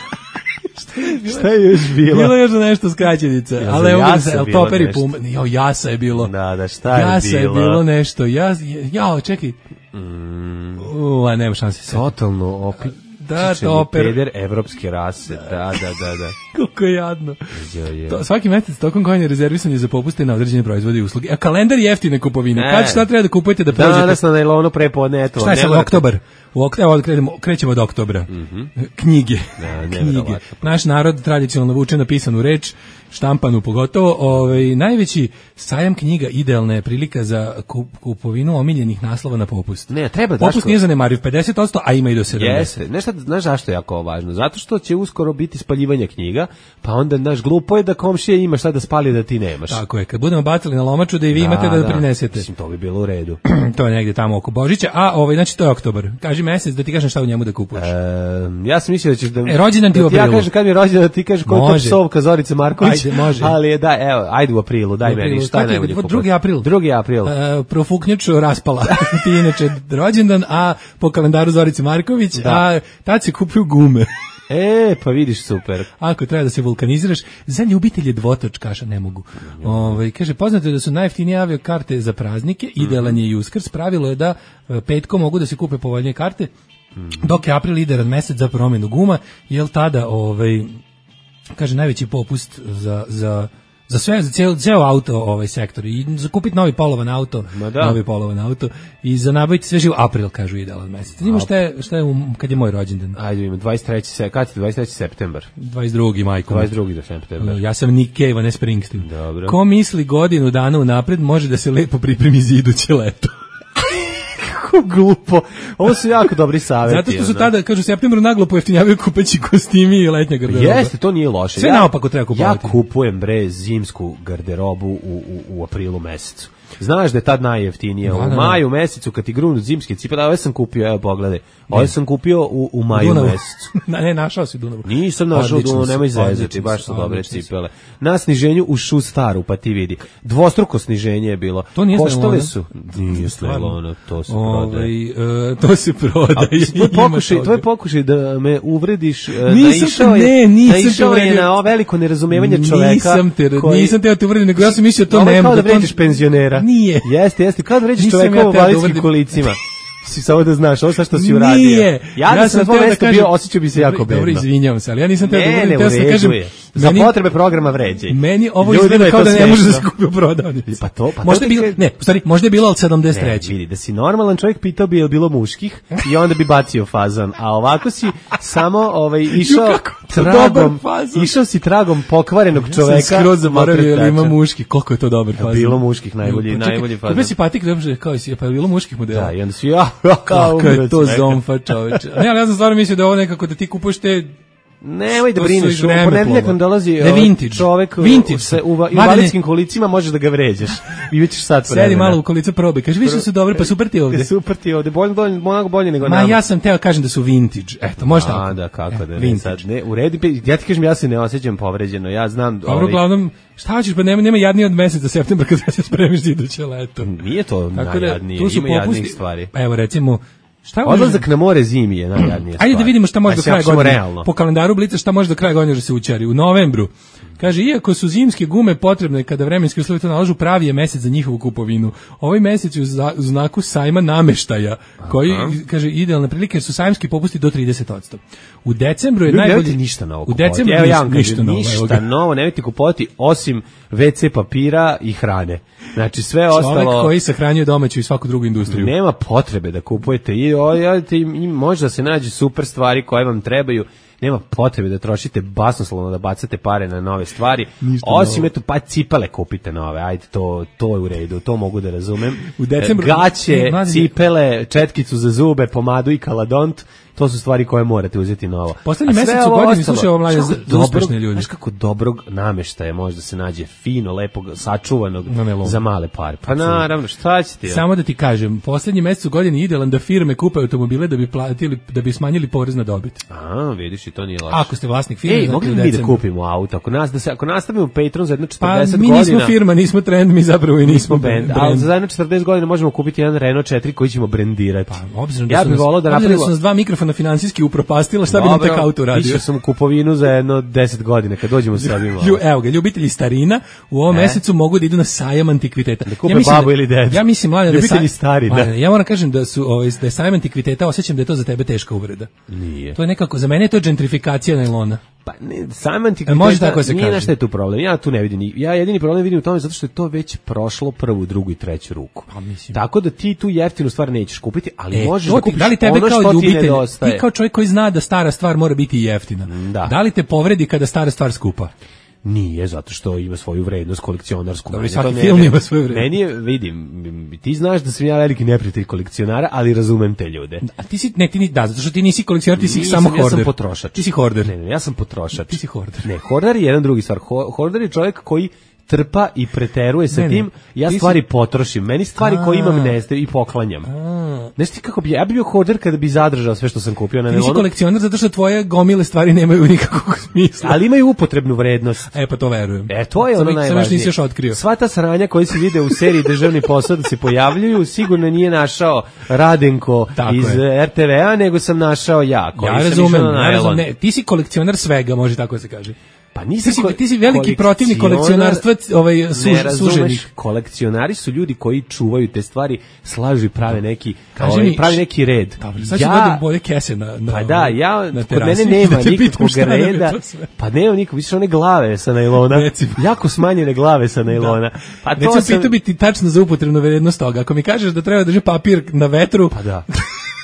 Šta je još bilo? Bilo je još nešto skraćenica, ja, ali evo ga, Toper i Puma. Jo, Jasa je bilo. Da, da, šta je jasa bilo? Jasa je bilo nešto. Ja, jao, čekaj. Mm. U, a nema šanse se. Totalno opet. Da, Toper. Peder evropske rase, da, da, da, da. Koliko je jadno. Je, je. To, svaki mesec tokom godine rezervisan je za popuste na određene proizvode i usluge. A kalendar je jeftine kupovine. Kad šta treba da kupujete da prođete? Danas na najlonu prepodne, eto. Šta je sad, oktobar? U ok, evo, krećemo, krećemo od oktobra. Mm-hmm. Knjige. Da, Knjige. Naš narod tradicionalno vuče na pisanu reč, štampanu pogotovo. Ovaj, najveći sajam knjiga idealna je prilika za kupovinu omiljenih naslova na popust. Ne, treba popust daško... nije zanemariv, pedeset posto, a ima i do sedamdeset. Jeste. Nešto, znaš zašto je jako važno? Zato što će uskoro biti spaljivanje knjiga, pa onda, naš glupo je da komšija ima šta da spali da ti nemaš. Tako je, kad budemo bacili na lomaču da i vi da, imate da, da prinesete. Mislim, to bi bilo u redu. To je negdje tamo oko Božića, a ovaj, znači to je oktobar. Kaži mesec da ti kažem šta u njemu da kupuješ. E, ja sam mislio da ćeš da... E, rođendan ti da u aprilu. Ja kažem kad mi je rođendan da ti kažeš koja je to psovka Zorice Marković. Ajde, može. Ali je da, evo, ajde u aprilu, daj meni, šta je najbolje kupati. drugi april. drugi april. E, profuknjaču raspala. Ti inače rođendan, a po kalendaru Zorice Marković, da. A tad se kupuju gume. E, pa vidiš, super. Ako treba da se vulkaniziraš, za ljubitelje dvotočkaša ne mogu. Mm. Ovaj kaže, poznato je da su najjeftinije avio karte za praznike, mm. idealan je i Uskrs, pravilo je da petkom mogu da se kupe povoljnije karte, mm. dok je april idealan mesec za promjenu guma, jel tada, ovaj, kaže, najveći popust za, za za sve, za ceo, ceo auto ovaj sektor i za kupiti novi polovan auto, novi polovan auto i za nabaviti sve živo april, kažu idealan mesec. Znamo šta je, šta je um, kad je moj rođendan? Ajde, ima dvadeset treći kad je dvadeset treći septembar. dvadeset drugi majko. dvadeset drugi septembar. Ja sam Nick Cave, a ne Springsteen. Dobro. Ko misli godinu dana unapred može da se lepo pripremi za iduće leto. Glupo. Ovo su jako dobri savjeti. Zato što su tada, kažu, u septembru naglo pojeftinjavaju kupeći kostimi i letnja garderoba. Jeste, to nije loše. Sve ja, naopako treba kupovati. Ja kupujem, bre, zimsku garderobu u, u, u aprilu mesecu. Znaš da je tad najjeftinije. Da, u da, maju mesecu kad ti grunu zimske cipele, ove sam kupio, evo pogledaj. Ove sam kupio u, u maju Dunavu. mesecu. Ne, našao si Dunavu. Nisam našao Dunavu, nemoj zezati, baš su dobre cipele. Na sniženju u Shoe Staru, pa ti vidi. Dvostruko sniženje je bilo. To nije Koštale su. Nije Snellona, to se prodaje. Uh, to se prodaje. Tvoj pokušaj, tvoj pokušaj da me uvrediš, nisam, naišao je, ne, nisam naišao je na veliko nerazumevanje čoveka. Nisam te, koji, nisam te, te uvredim, nego ja sam mislio to nema. Kao da vređiš penzionera. Nije. Jeste, jeste, kao da vređiš čoveka u invalidskim kolicima. Si samo da znaš, ovo sa što si uradio. Nije. Ja, ja sam na tvojom mjestu bio, osjećao bi se jako bedno. Dobro, izvinjavam se, ali ja nisam teo da uvredim, teo sam kažem. Za meni, potrebe programa vređaj. Meni ovo izgleda kao da ne može da se kupi u prodavnici. Pa to, pa možda je bilo, ne, u stvari, možda je bilo od sedamdeset treće. Ne, vidi, da si normalan čovjek pitao bi je bilo muških i onda bi bacio fazan. A ovako si samo ovaj, išao tragom, išao si tragom pokvarenog čoveka. Ja sam skroz zaboravio da ima muških, koliko je to dobar fazan. Bilo muških, najbolji, najbolji fazan. Kako si patik, kao si, pa je bilo muških modela. Da, i onda si, ja, kao je to zomfa, čoveče. Ne, ali ja sam stvarno mislio da ovo nekako da ti kupuješ te. Nemoj da brineš, u ponedeljak nam dolazi čovek u invalidskim kolicima, možeš da ga vređaš. I već sad vremena. Sedi malo u kolica probe, kaže, više su dobri, pa super ti ovde. Super ti ovde, bolje, bolje, mnogo bolje nego nama. Ma ja sam teo kažem da su vintage, eto, može tako. A, da, kako da ne, sad, ne, u redu, ja ti kažem, ja se ne osjećam povređeno, ja znam. Dobro, uglavnom, šta hoćeš, pa nema, nema jadnije od meseca septembra kad se spremiš za iduće leto. Nije to najjadnije, ima jadnijih stvari. Evo, recimo, šta odlazak na more zimi je najjadnija stvar. Ajde da vidimo šta može do kraja godine. Po kalendaru Blica šta može do kraja godine da se učari. U novembru Kaže, iako su zimske gume potrebne kada vremenski uslovi to nalažu, pravi je mesec za njihovu kupovinu. Ovaj mesec je u, za, u znaku sajma nameštaja, koji, aha, kaže, idealne prilike su sajmski popusti do trideset posto. U decembru je ljudi, najbolji... Nemojte ništa novo kupovati. U decembru Evo, ja ništa, ništa novo. Ništa novo, nemojte kupovati osim ve ce papira i hrane. Znači, sve Čovek ostalo... Čovek koji sahranjuje domaću i svaku drugu industriju. Nema potrebe da kupujete i, o, i, i možda se nađe super stvari koje vam trebaju. Nema potrebe da trošite basnoslovno, da bacate pare na nove stvari. Ništa osim, novo. Eto, pa cipele kupite nove. Ajde, to, to je u redu, to mogu da razumem. U decembru... Gaće, cipele, četkicu za zube, pomadu i kaladont, to su stvari koje morate uzeti novo. Poslednji mesec u godini slušaj ovo mlađe za, za uspešne ljudi. Znaš kako dobrog nameštaja može da se nađe fino, lepog, sačuvanog za male pare. Pa naravno, šta će ti? Samo da ti kažem, poslednji mesec u godini je idealan da firme kupe automobile da bi platili, da bi smanjili porez na dobit. A, vidiš, i to nije laže. Ako ste vlasnik firme, ej, mogli mi da kupimo auto? Ako nas da se ako nastavimo Patreon za jedno četrdeset pa, godina. Pa mi nismo firma, nismo trend, mi zapravo i nismo band. Ali za jedno četrdeset godina možemo kupiti jedan Renault četiri koji ćemo brendirati. Pa, obzirom da ja bih voleo da napravimo. Da su nas dva mikrofona finansijski upropastila, šta bi nam tek auto radio? Išao sam u kupovinu za jedno deset godina, kad dođemo sa ovim. Evo ga, ljubitelji starina u ovom e? mesecu mogu da idu na sajam antikviteta. Da kupe ja babu da, ili dedu. Ja mislim, mladen, ljubitelji da starina. Mladen, ja moram kažem da su ovaj, da je sajam antikviteta, osjećam da je to za tebe teška uvreda. Nije. To je nekako, za mene je to gentrifikacija najlona. Pa ne, sam antikviteta, e, nije na šta je tu problem. Ja tu ne vidim. Ja jedini problem vidim u tome zato što je to već prošlo prvu, drugu i treću ruku. Pa, mislim. Tako da ti tu jeftinu stvar nećeš kupiti, ali e, možeš da kupiš da li tebe ono kao što ljubitelj, ti nedostaje. Ti kao čovjek koji zna da stara stvar mora biti jeftina. Da. Da li te povredi kada stara stvar skupa? Nije, zato što ima svoju vrednost kolekcionarsku. Dobro, svaki film ima svoju vrednost. Meni je, vidim, ti znaš da sam ja veliki neprijatelj kolekcionara, ali razumem te ljude. A ti si, ne, ti ni, da, zato što ti nisi kolekcionar, ti si Nisam, samo horder. Ja sam potrošač. Ti si horder. Ne, ne, ja sam potrošač. Ti si horder. Ne, horder je jedan drugi stvar. Horder je čovjek koji trpa i preteruje sa ne, tim, ja stvari si... potrošim. Meni stvari a, koje imam nestaju i poklanjam. Znaš ti kako bi, ja bi bio hoarder kada bi zadržao sve što sam kupio na nelonu. Ti nisi kolekcionar zato što tvoje gomile stvari nemaju nikakvog smisla. Ali imaju upotrebnu vrednost. E pa to verujem. E to je ono najvažnije. Sam još nisi još otkrio. Sva ta sranja koji se vide u seriji Državni posao da se pojavljuju, sigurno nije našao Radenko tako iz je. er te ve a, nego sam našao ja. Koji ja razumem, ja razumem. Ne, ti si kolekcionar svega, može tako se kaže. Pa nisi ti, si, ti si veliki protivnik kolekcionarstva, ovaj suž, suženih. Kolekcionari su ljudi koji čuvaju te stvari, slažu i prave neki, ovaj, mi, pravi neki red. Dobro, sad ću ja, boje kese na, na pa da, ja, na kod mene nema da nikakvog reda, pa nema nikakvog, vidiš one glave sa najlona, recimo. Jako smanjene glave sa najlona. Da. Pa to recimo, sam... pitao bi ti tačno za upotrebnu vrednost toga, ako mi kažeš da treba drži papir na vetru, pa da.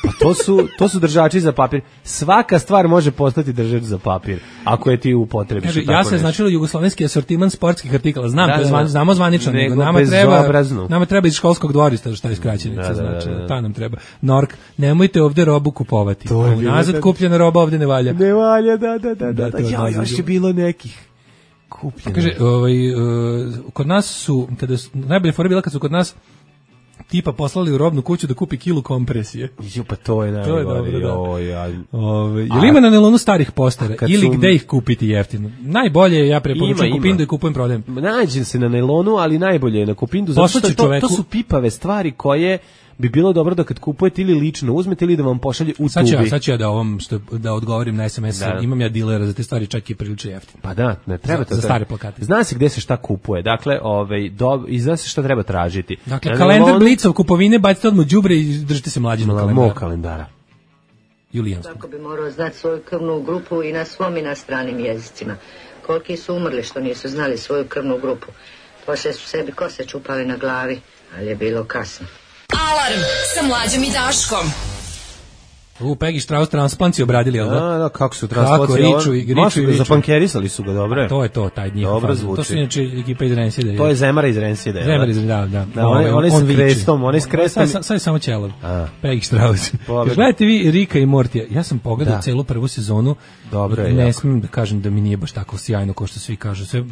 Pa to su, to su držači za papir. Svaka stvar može postati držač za papir, ako je ti upotrebiš. Kaže, ja se značilo jugoslovenski asortiman sportskih artikala. Znam, da, to je zvan, znamo zvanično, nego nama treba, nama treba iz školskog dvorišta, šta je skraćenica, da, znači, da, da, da. Ta nam treba. Nork, nemojte ovde robu kupovati. To je nazad da, kupljena roba ovde ne valja. Ne valja, da, da, da. da, da, da ja, još je bilo nekih kupljena. Kaže, ovaj, uh, kod nas su, kada su, najbolje fora bila kad su kod nas tipa poslali u robnu kuću da kupi kilu kompresije. Jo, pa to je najbolje. To je dobro, da. O, ja. Ove, je li ima na nelonu starih postara ili su... gde ih kupiti jeftino? Najbolje je, ja preporučujem Kupindu i kupujem prodajem. Nađem se na nelonu, ali najbolje je na Kupindu, zato što to, to su pipave stvari koje bi bilo dobro da kad kupujete ili lično uzmete ili da vam pošalje u sad tubi. Ja, sad ću ja da, ovom, što, da odgovorim na es em es, da. Imam ja dilera za te stvari čak i prilično jeftino. Pa da, ne treba za, to. Za stare plakate. Zna se gde se šta kupuje, dakle, ovaj, do, i zna se šta treba tražiti. Dakle, na kalendar nelonu... Blicov kupovine, bacite odmah đubre i držite se mlađinog kalendara. Mog kalendara. Julijanskog. Tako bi morao znati svoju krvnu grupu i na svom i na stranim jezicima. Koliki su umrli što nisu znali svoju krvnu grupu. Poslije su sebi kose čupali na glavi, ali je bilo kasno. Alarm sa Mlađom i Daškom. U Peggy Strauss transplantaciju obradili, jel da? Da, da, kako su transplantaciju? Kako, riču i riču i riču. Zapankerisali su ga, dobro je. To je to, taj njihov. Dobro zvuči. To su inače ekipa iz Renside. To je Zemara iz Renside. Zemara iz, da, da. da on, on, on s krestom, on je s krestom. Sad, sad je samo ćelav. Peggy Strauss. Gledajte vi Rika i Mortija. Ja sam pogledao da. celu prvu sezonu. Dobro je. Ne jako. smijem da kažem da mi nije baš tako sjajno kao što svi kažu. Sve,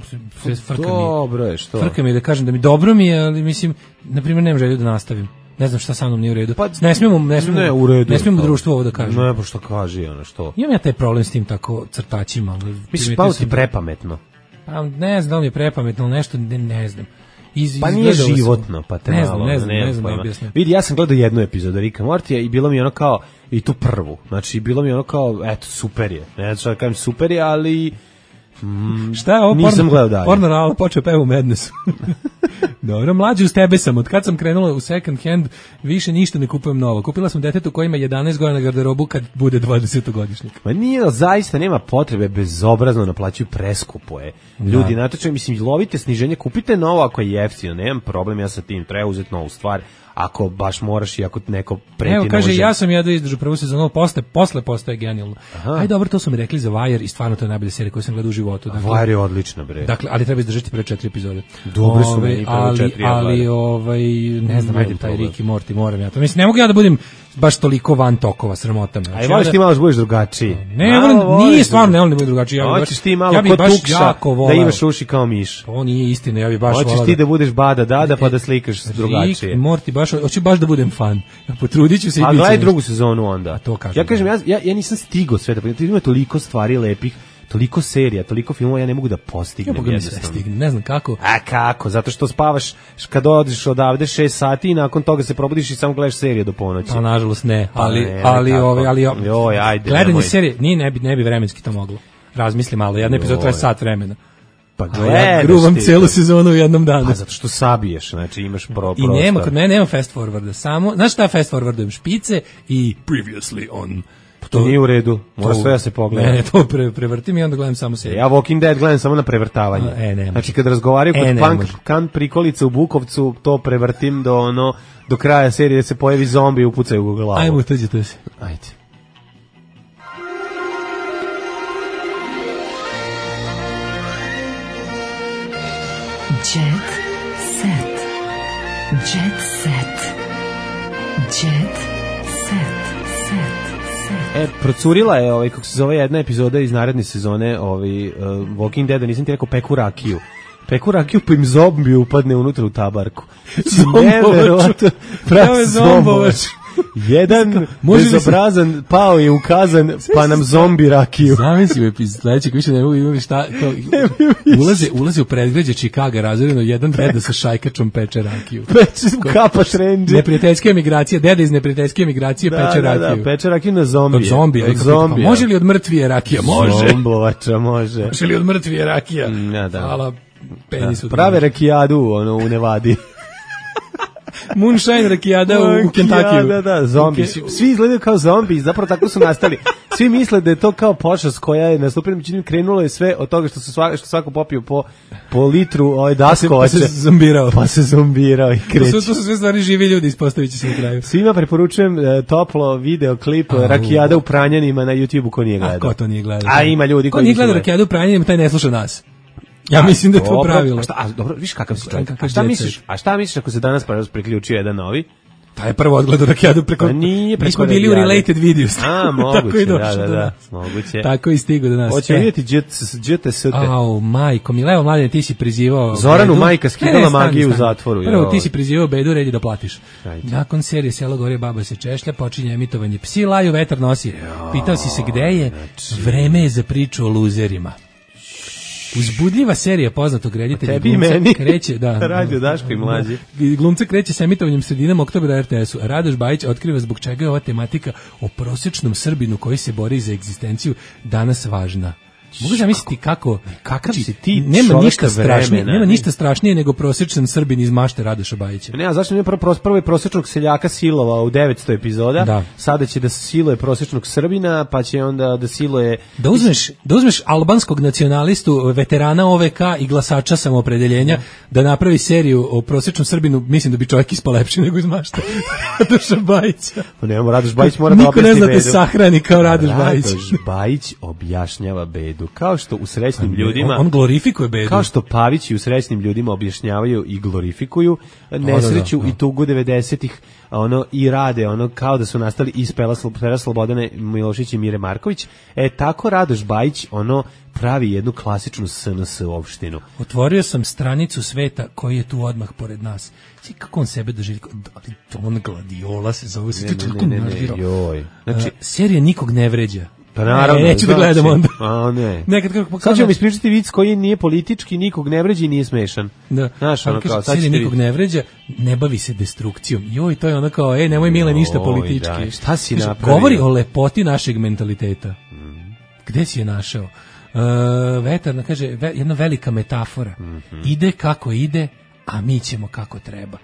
sve frka mi. Dobro je, što? Frka mi je da kažem da mi dobro mi je, ali mislim, na primjer, nemam želju da nastavim. Ne znam šta sa mnom nije u redu. Pa, ne smijemo, ne smijemo, ne, u redu, ne smijemo društvo ovo da kaže. Ne, pa što kaže ono što. Imam ja taj problem s tim tako crtačima. Misliš, pa ti prepametno? Pa ne znam da li je prepametno, ali nešto ne, ne znam. Iz, pa nije životno, pa te ne malo, znam, ne znam, ne, ne znam da objasnim. Vidi, ja sam gledao jednu epizodu Rika Mortija i bilo mi ono kao, i tu prvu, znači bilo mi ono kao, eto, super je. Ne znam šta da kažem, super je, ali Mm, Šta je ovo? Nisam gledao dalje. Porno Rala počeo peva u Madnessu. Dobro, mlađi uz tebe sam. Od kad sam krenula u second hand, više ništa ne kupujem novo. Kupila sam detetu koji ima jedanaest godina garderobu kad bude dvadesetogodišnjak. Ma nije, zaista nema potrebe, bezobrazno naplaćuju, preskupo je. Ljudi, Da. natočno, mislim, lovite sniženje, kupite novo ako je jeftino, nemam problem ja sa tim, treba uzeti novu stvar, ako baš moraš i ako neko preti Evo, kaže, nožem. ja sam jedva izdržao prvu sezonu, posle, posle postaje genijalno. Aj, dobro, to su mi rekli za Wire i stvarno to je najbolja serija koju sam gledao u životu. Dakle, Wire je odlična, bre. Dakle, ali treba izdržati pre četiri epizode. Dobre su Ove, meni prve ali, četiri, ja ali, gledam. ovaj, ne znam, Mm, ajde, nemam taj problem. Rick i Morty, moram ja to. Mislim, ne mogu ja da budem baš toliko van tokova, sramota me. Znači, Aj, voliš ja ti malo da budeš drugačiji. Ne, Malo volim, voliš nije da- stvarno, ne volim da budem drugačiji. Ja bi Hoćeš baš- ti malo ja bi ko baš tukša, jako da voleo. imaš uši kao miš. To nije istina, ja bi baš Hoćeš voleo ti da- da budeš bada dada pa da slikaš drugačije. Rick i Morty, baš, hoću baš da budem fan. Ja potrudit ću se i A bit će gledaj nešto. drugu sezonu onda. to kažem, Ja kažem, ja, ja, ja nisam stigao sve da, ima toliko stvari lepih, toliko serija, toliko filmova, ja ne mogu da Ja postignem mogu da sve jednostavno. stignem, ne znam kako. A kako? Zato što spavaš kad odiš odavde šest sati i nakon toga se probudiš i samo gledaš serije do ponoći. Pa nažalost ne, Pa ali ne, ali kako? ove ali Joj, ajde, gledanje nemoj. serije nije ne bi ne bi vremenski to moglo. Razmisli malo, jedna epizoda traje Joj. sat vremena. Pa A gledaš ja gruvam ti celu to. sezonu u jednom danu. Pa zato što sabiješ, znači imaš pro, I nema, kod mene nema fast forwarda, samo, znaš šta fast forwardujem? Špice i previously on. To nije u redu, mora sve da se pogleda. Ne, ne, to pre, prevrtim i onda gledam samo seriju. Ja Walking Dead gledam samo na prevrtavanje. E, ne može. Znači kad razgovaraju E, kod ne punk, može. kan prikolica u Bukovcu, to prevrtim do ono do kraja serije se pojavi zombi i upucaju u glavu. Ajmo, tuđite se. Ajde. Jet set. Jet set. Jet set. Set. Set. E, procurila je, ovaj, kako se zove, jedna epizoda iz naredne sezone ovaj, uh, Walking Dead, nisam ti rekao, peku rakiju. Peku rakiju pa im zombi upadne unutra u tabarku. Neverovatno. Prave zombovač. Jedan Može li se- bezobrazan pao je ukazan, pa nam zombi rakiju. Zamisli u epizod sledećeg, više ne mogu imati šta, kao, ulaze, ulaze u predgrađe Čikaga, razredno, jedan deda sa šajkačom peče rakiju. Peče kapa trendži. Neprijateljske emigracije, deda iz neprijateljske emigracije Da, peče da, rakiju. da, peče rakiju na zombije. Od zombija. Od I kako pita, pa zombija. može li od mrtvije rakija? Može. Zomblovača, može. Može li od mrtvije rakija? Mm, ja, da. Hvala penisu. Da, prave rakijadu ono, u Nevadi. Moonshine rakijada u, u Kentakiju. Da, da, zombi. U Ke- Svi, svi izgledaju kao zombi, zapravo tako su nastali. Svi misle da je to kao pošast koja je nastupila, međutim krenulo je sve od toga što se svako, što svako popio po, po litru ovaj daskovača. Pa se zombirao. Pa se zombirao i To kreće. su, to su sve stvari živi ljudi, ispostavit će se na kraju. Svima preporučujem e, toplo video klip Au. Rakijada u Pranjanima na YouTubeu ko nije A gledao. ko to nije gledao? A ima ljudi ko koji nije nisu gledao gledali. rakijadu u Pranjanima, taj ne sluša nas. Ja mislim da je to Dobro, pravilo. A šta, a, dobro, viš kakav si čovjek. Kakav A šta jet misliš? set. A šta misliš ako se danas pa priključio jedan novi? Taj je prvo odgledao rakijadu preko... Pa nije preko Mi smo bili u Rakijade. related videos. A, Tako moguće, i da, došao da, do da, nas. moguće. Tako i stigo do nas. Hoćemo E. vidjeti J T S T. Au, majko, mi levo mladine, ti si prizivao... Zoranu Bedu. majka skidala Ne, ne, stani, magiju u stani. zatvoru, Prvo, joj. ti si prizivao Bedu, red je da platiš. Ajde. Nakon serije Selo gore, baba se češlja, počinje emitovanje Psi laju, vetar nosi. Pitao si se gde je, znači- vreme je za priču o luzerima. Uzbudljiva serija poznatog reditelja Tebi i glumca meni. kreće, da. Radio Daško i mlađi. Da. Glumca kreće sa emitovanjem sredinom oktobra na R T S-u. Radoš Bajić otkriva zbog čega je ova tematika o prosječnom Srbinu koji se bori za egzistenciju danas važna. Mogu zamisliti kako Kakav znači, si ti nema čovek ništa strašnije, vremena. nema ništa strašnije nego prosječan Srbin iz mašte Radoša Bajića. Ne, a zašto nije prvo, pros- prvo je prosječnog seljaka silovao u devetsto epizoda, Da. sada će da siluje prosječnog Srbina, pa će onda da siluje... Da uzmeš, da uzmeš albanskog nacionalistu, veterana O V K i glasača samoopredeljenja, da napravi seriju o prosječnom Srbinu, mislim da bi čovjek ispao lepši nego iz mašte Radoša Bajića. Pa nemamo, Radoš Bajić mora da Niko objasni ne zna te Bedu. sahrani kao Radoš Bajić. Radoš Bajić objašnjava Bedu. Kao što u srećnim On- ljudima... on glorifikuje Bedu. Kao što Pavići u srećnim ljudima objašnjavaju i glorifikuju nesreću da, da. i tugu devedesetih, ono i rade ono kao da su nastali iz Pela Slo- Pera Slobodane Milošić i Mire Marković. E tako Radoš Bajić ono pravi jednu klasičnu S N S opštinu. Otvorio sam stranicu sveta koji je tu odmah pored nas. Svi kako on sebe doživi, ali Don Gladiola se zove, se Ne, to ne, toliko ne, ne, ne, nervira. joj. Znači- Znači, serija nikog ne vređa. Pa naravno, E, neću da znači, gledam onda. A ne. Nekad kako Sad ćemo ispričati vic koji nije politički, nikog ne vređa i nije smešan. Da. Znaš, ono Ali kao, kaže, sad serija ćete nikog vidjeti. ne vređa, ne bavi se destrukcijom. Joj, to je ono kao, ej, nemoj Mile ništa Joj, politički. da, šta si Kaže, napravio? govori o lepoti našeg mentaliteta. Gde si je našao? Uh, vetarna, kaže, ve, jedna velika metafora. Mm-hmm. Ide kako ide, a mi ćemo kako treba.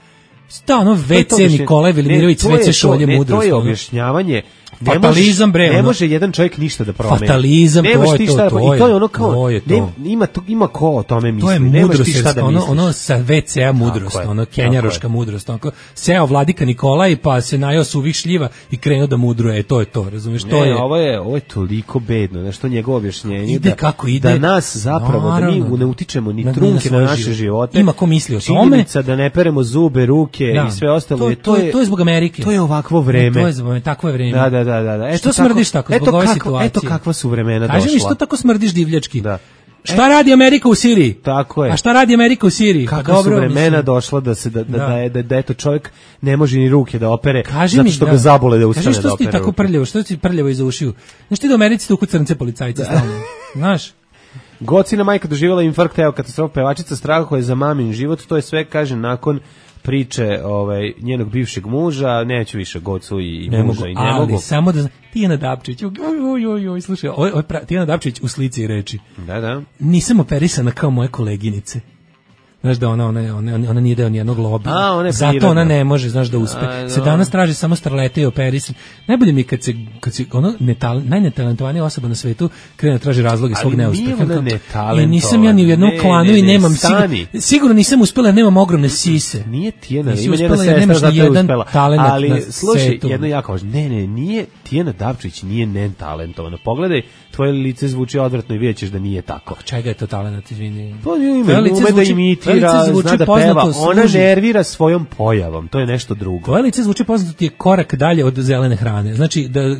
Sta ono ve ce Nikolaj Velimirović, ve ce Šolje mudrost. To je objašnjavanje. Ne fatalizam, može, bre, ne ono. može jedan čovjek ništa da promeni. Fatalizam, ne to je to, da to je. I to je ono kao, to je to. Ne, ima, ima, ima ko o tome misli. To je mudrost, da ono, ono sa ve ce-a mudrost, je, ono kenjaroška mudrost. Ono, seo vladika Nikolaj pa se najao suvih šljiva i krenuo da mudruje, to je to, razumiješ? To ne, je, ovo je, ovo je toliko bedno, nešto njegovo objašnjenje. Ide da, kako ide. Da nas zapravo, naravno, da mi ne utičemo ni na, trunke na, na naše život. živote. Ima ko misli o tome. Činjenica da ne peremo zube, ruke da, i sve ostalo. To, je, to, je, to je zbog Amerike. To je ovakvo vreme. To je zbog, takvo je vreme. Da, da, da, da. Eto, što smrdiš tako, zbog ove situacije? Eto kakva su vremena Kaži došla. Kaži mi što tako smrdiš divljački? Da. Šta radi Amerika u Siriji? Tako je. A šta radi Amerika u Siriji? Kakva pa dobro, su vremena mislim. došla da se da da da. da, je, da, da eto čovjek ne može ni ruke da opere Kaži zato mi, što da. ga zabole da ustane da opere. Kaži što si ti tako prljavo, što si prljavo iza ušiju? Znaš ti da u Americi tuku crnce policajce stalno? Znaš? Gocina majka doživjela infarkt, evo katastrofa, pevačica strahuje za mamin život, to je sve, kaže, nakon priče ovaj njenog bivšeg muža, neću više Gocu i ne muža mogu, i ne ali mogu. samo da Tijana Dapčić, oj oj oj oj, slušaj, oj oj Tijana Dapčić u slici i reči. Da, da. Nisam operisana kao moje koleginice. Znaš da ona, ona, ona, ona nije deo nijednog lobija. A, ona zato prirodna. ona ne može, znaš da uspe. A, se danas traži samo starlete i operisan. Najbolje mi kad se, kad se ono netal, najnetalentovanija osoba na svetu krene da traži razloge svog neuspeha. I nisam ja ni u jednom ne, klanu ne, ne, i nemam stani. sigurno, sigurno nisam uspela, nemam ogromne sise. Nije Tijana, Nisi ima njena uspela, jer sestra nemaš zato ni je jedan uspela. talenat Ali na slušaj, setu. jedno jako važno. Ne, ne, nije Tijana Dapčić nije netalentovana. Pogledaj, tvoje lice zvuči odvratno i vidjet ćeš da nije tako. Čega je to talenat, izvini? To je ime, ume da imitira, zna da peva. Ona nervira svojom pojavom, to je nešto drugo. Tvoje lice zvuči poznato, ti je korak dalje od zelene hrane. Znači, da uh,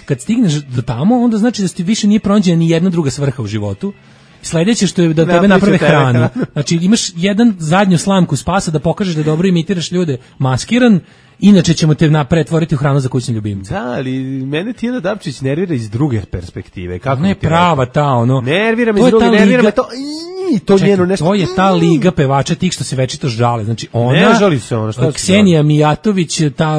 kad stigneš do tamo, onda znači da ti više nije pronađena ni jedna druga svrha u životu. Sledeće što je da tebe naprave hranu. Znači, imaš jedan zadnju slamku spasa da pokažeš da dobro imitiraš ljude maskiran, inače ćemo te pretvoriti u hranu za kućne ljubimce. Da, ali mene Tijana Dapčić nervira iz druge perspektive. Kako ne prava ta, ono. Nervira me iz druge, nervira me to... I to Čekaj, njeno nešto. To je ta liga pevača tih što se večito žale. Znači ona, ne žali se ona, šta Ksenija Mijatović, ta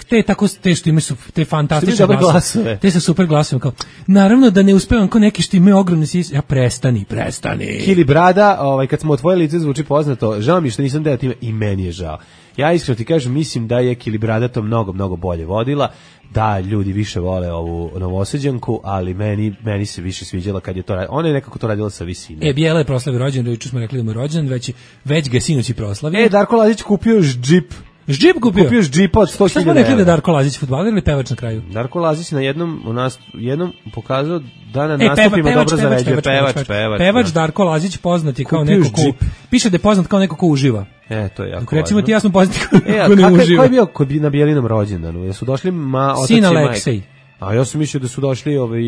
te tako te što imaju su te fantastične glasove. Te su super glasovi kao. Naravno da ne uspevam kao neki što imaju ogromne sise. Ja prestani, prestani. Kili Brada, ovaj kad smo otvorili lice zvuči poznato. Žao mi što nisam deo time i meni je žao. Ja iskreno ti kažem, mislim da je Kili Brada to mnogo mnogo bolje vodila. Da, ljudi više vole ovu Novosađanku, ali meni meni se više sviđala kad je to radila. Ona je nekako to radila sa visine. E, Bijela je proslavio rođendan, juče smo rekli da mu je rođendan, već, već ga sinoć i proslavio. E, Darko Lazić kupio još džip. Džip kupio? Kupio još džipa od sto hiljada. Šta smo rekli da Darko Lazić fudbaler ili pevač na kraju? Darko Lazić na jednom, u nas, jednom pokazao da na e, nastupima peva, dobro pevač, zaređuje. Pevač, pevač, pevač, pevač da. Darko Lazić poznat je kao neko ko... Piše da je poznat kao neko ko uživa. E, to je jako Dok recimo ti ja smo poznati kao e, neko ko ne uživa. Ko je bio kod, na Bijelinom rođendanu? Jesu došli ma, otac Sin Aleksej. A ja sam mislio da su došli ovaj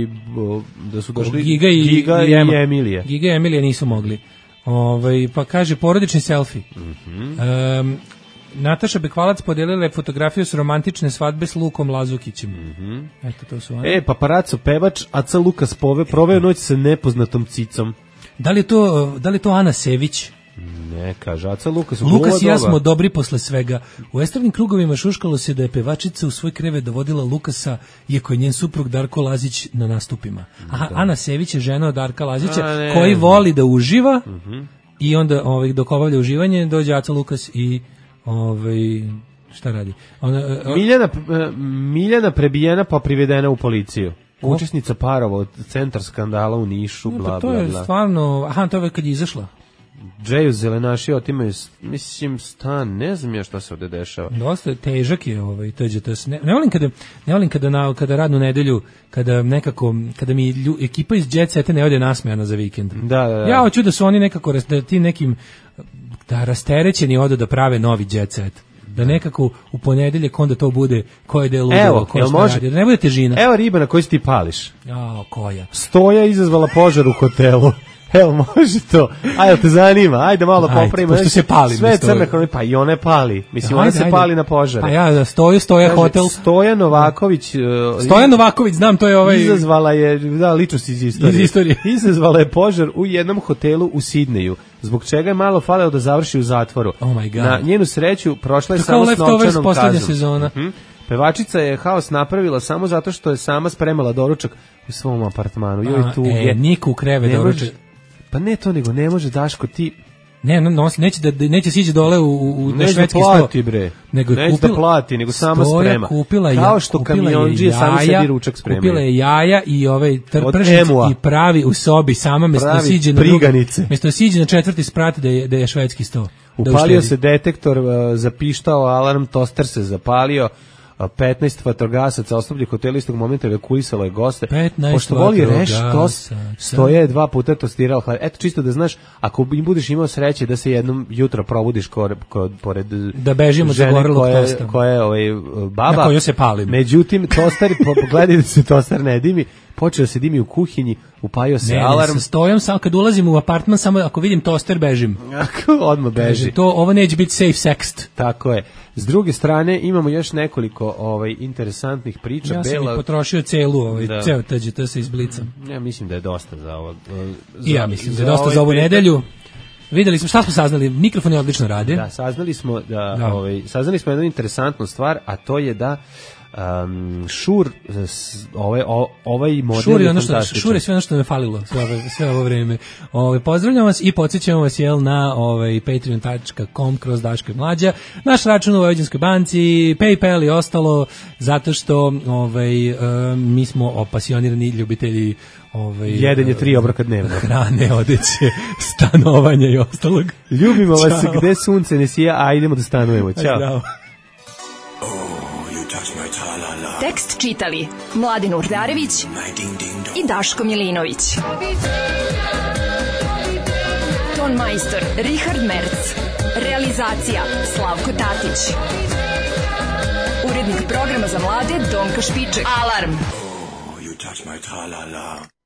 da su došli Giga i, Giga i, i Emilije. Giga i Emilije nisu mogli. Ovaj pa kaže porodični selfi. Mhm. Um, Nataša Bekvalac podelila je fotografiju s romantične svadbe s Lukom Lazukićem. Mhm. Eto to su oni. E, paparaco pevač Aca Lukas pove proveo noć sa nepoznatom cicom. Da li je to da li je to Ana Sević? Ne, kaže Aca Lukas. Lukas i ja smo dobri posle svega. U estradnim krugovima šuškalo se da je pevačica u svoj krevet dovodila Lukasa, iako je njen suprug Darko Lazić na nastupima. Aha, da. Ana Sević je žena od Darka Lazića, A, ne, koji voli da uživa uh-huh. i onda ovaj, dok obavlja uživanje dođe Aca Lukas i ovaj, šta radi? Ona, uh, Miljana, uh, Miljana prebijena pa privedena u policiju. Ko? Učesnica parova od centar skandala u Nišu, bla, bla, bla. To je stvarno, aha, to je kad je izašla. Džeju zelenaši otimaju, mislim, stan, ne znam ja šta se ovde dešava. Dosta težak je ovaj T Đ T S. Ne, ne volim kada, ne volim kada, na, kada radnu nedelju, kada nekako, kada mi lju, ekipa iz Jet Seta ne ode nasmejana za vikend. Da, da, da. Ja hoću da su oni nekako, da ti nekim, da rasterećeni odu da prave novi Jet Set. Da nekako u ponedeljak onda to bude ko je delo ludilo, ko je radi. Da ne bude težina. Evo riba na koju ti pališ. Jao, koja? Stoja izazvala požar u hotelu. Evo, može to. Ajde, te zanima. Ajde malo popravimo. Pošto se pali. Sve crne krone, pa i one pali. Mislim, ona se pali na požare. Pa ja, stoju, stoja Kaže, hotel. Stoja Novaković. Uh, Stoja Novaković, znam, to je ovaj... Izazvala je, da, ličnost iz istorije. Iz istorije. Izazvala je požar u jednom hotelu u Sidneju, zbog čega je malo faleo da završi u zatvoru. Oh my God. Na njenu sreću prošla je to samo s novčanom kaznom. poslednja sezona. Uh-huh. Pevačica je haos napravila samo zato što je sama spremala doručak u svom apartmanu. Joj, tu e, je. Niko u kreve doručak. Pa ne to, nego ne može, Daško, ti... Ne, no, no, neće da neće siđe dole u u na neće švedski da plati, sto. Bre. Nego neće kupila, da plati, nego sama sprema. Kupila kao što kamionđije sami sebi ručak spremaju. Kupila je jaja i ovaj prženic i pravi u sobi sama mesto da siđe na priganice. Mesto da siđe na četvrti sprat da je da je švedski sto. Upalio se detektor, zapištao alarm, toster se zapalio. petnaest vatrogasaca osoblje hotela istog momenta evakuisalo je goste. Pošto voli reš tost, stoje dva puta tostirao hleb. Eto, čisto da znaš, ako budeš imao sreće da se jednom jutro probudiš kod, kod, pored da bežimo žene zagorelog koja, tosta. koja je ovaj, baba, na koju se palim. Međutim, tostar, pogledaj da se tostar ne dimi, počeo se dimi u kuhinji, upajao se ne, alarm. Ne, sa stojom, samo kad ulazim u apartman, samo ako vidim toster, bežim. Odmah beži. To, ovo neće biti safe sext. Tako je. S druge strane, imamo još nekoliko ovaj, interesantnih priča. Ja sam Bela... i potrošio celu, ovaj, da. ceo T G T sa izblicom. Ja mislim da je dosta za ovo. Za, I ja mislim da je dosta za ovu nedelju. Videli smo, šta smo saznali? Mikrofon je odlično radi. Da, saznali smo, da, da. Ovaj, saznali smo jednu interesantnu stvar, a to je da Um, Šur ovaj, ovaj model Šur je, je ono što, Šur je sve ono što me falilo sve ovo, sve ovo vreme. Ovaj, pozdravljam vas i podsjećam vas jel, na ovaj, patreon dot com kroz Daško i Mlađa, naš račun u Vojvođanskoj banci, PayPal i ostalo, zato što ovaj, um, mi smo opasionirani ljubitelji ovaj, jedenje tri obroka dnevno, hrane, odeće, stanovanja i ostalog. Ljubimo vas. Ćao. Gde sunce ne sija, a idemo da stanujemo. Ćao. Zdravo. Tekst čitali Mladin Urdarević i Daško Milinović. Ton majstor Richard Merc. Realizacija Slavko Tatić. Urednik programa za mlade Donka Špiček. Alarm! Oh, you touch my tra-la-la.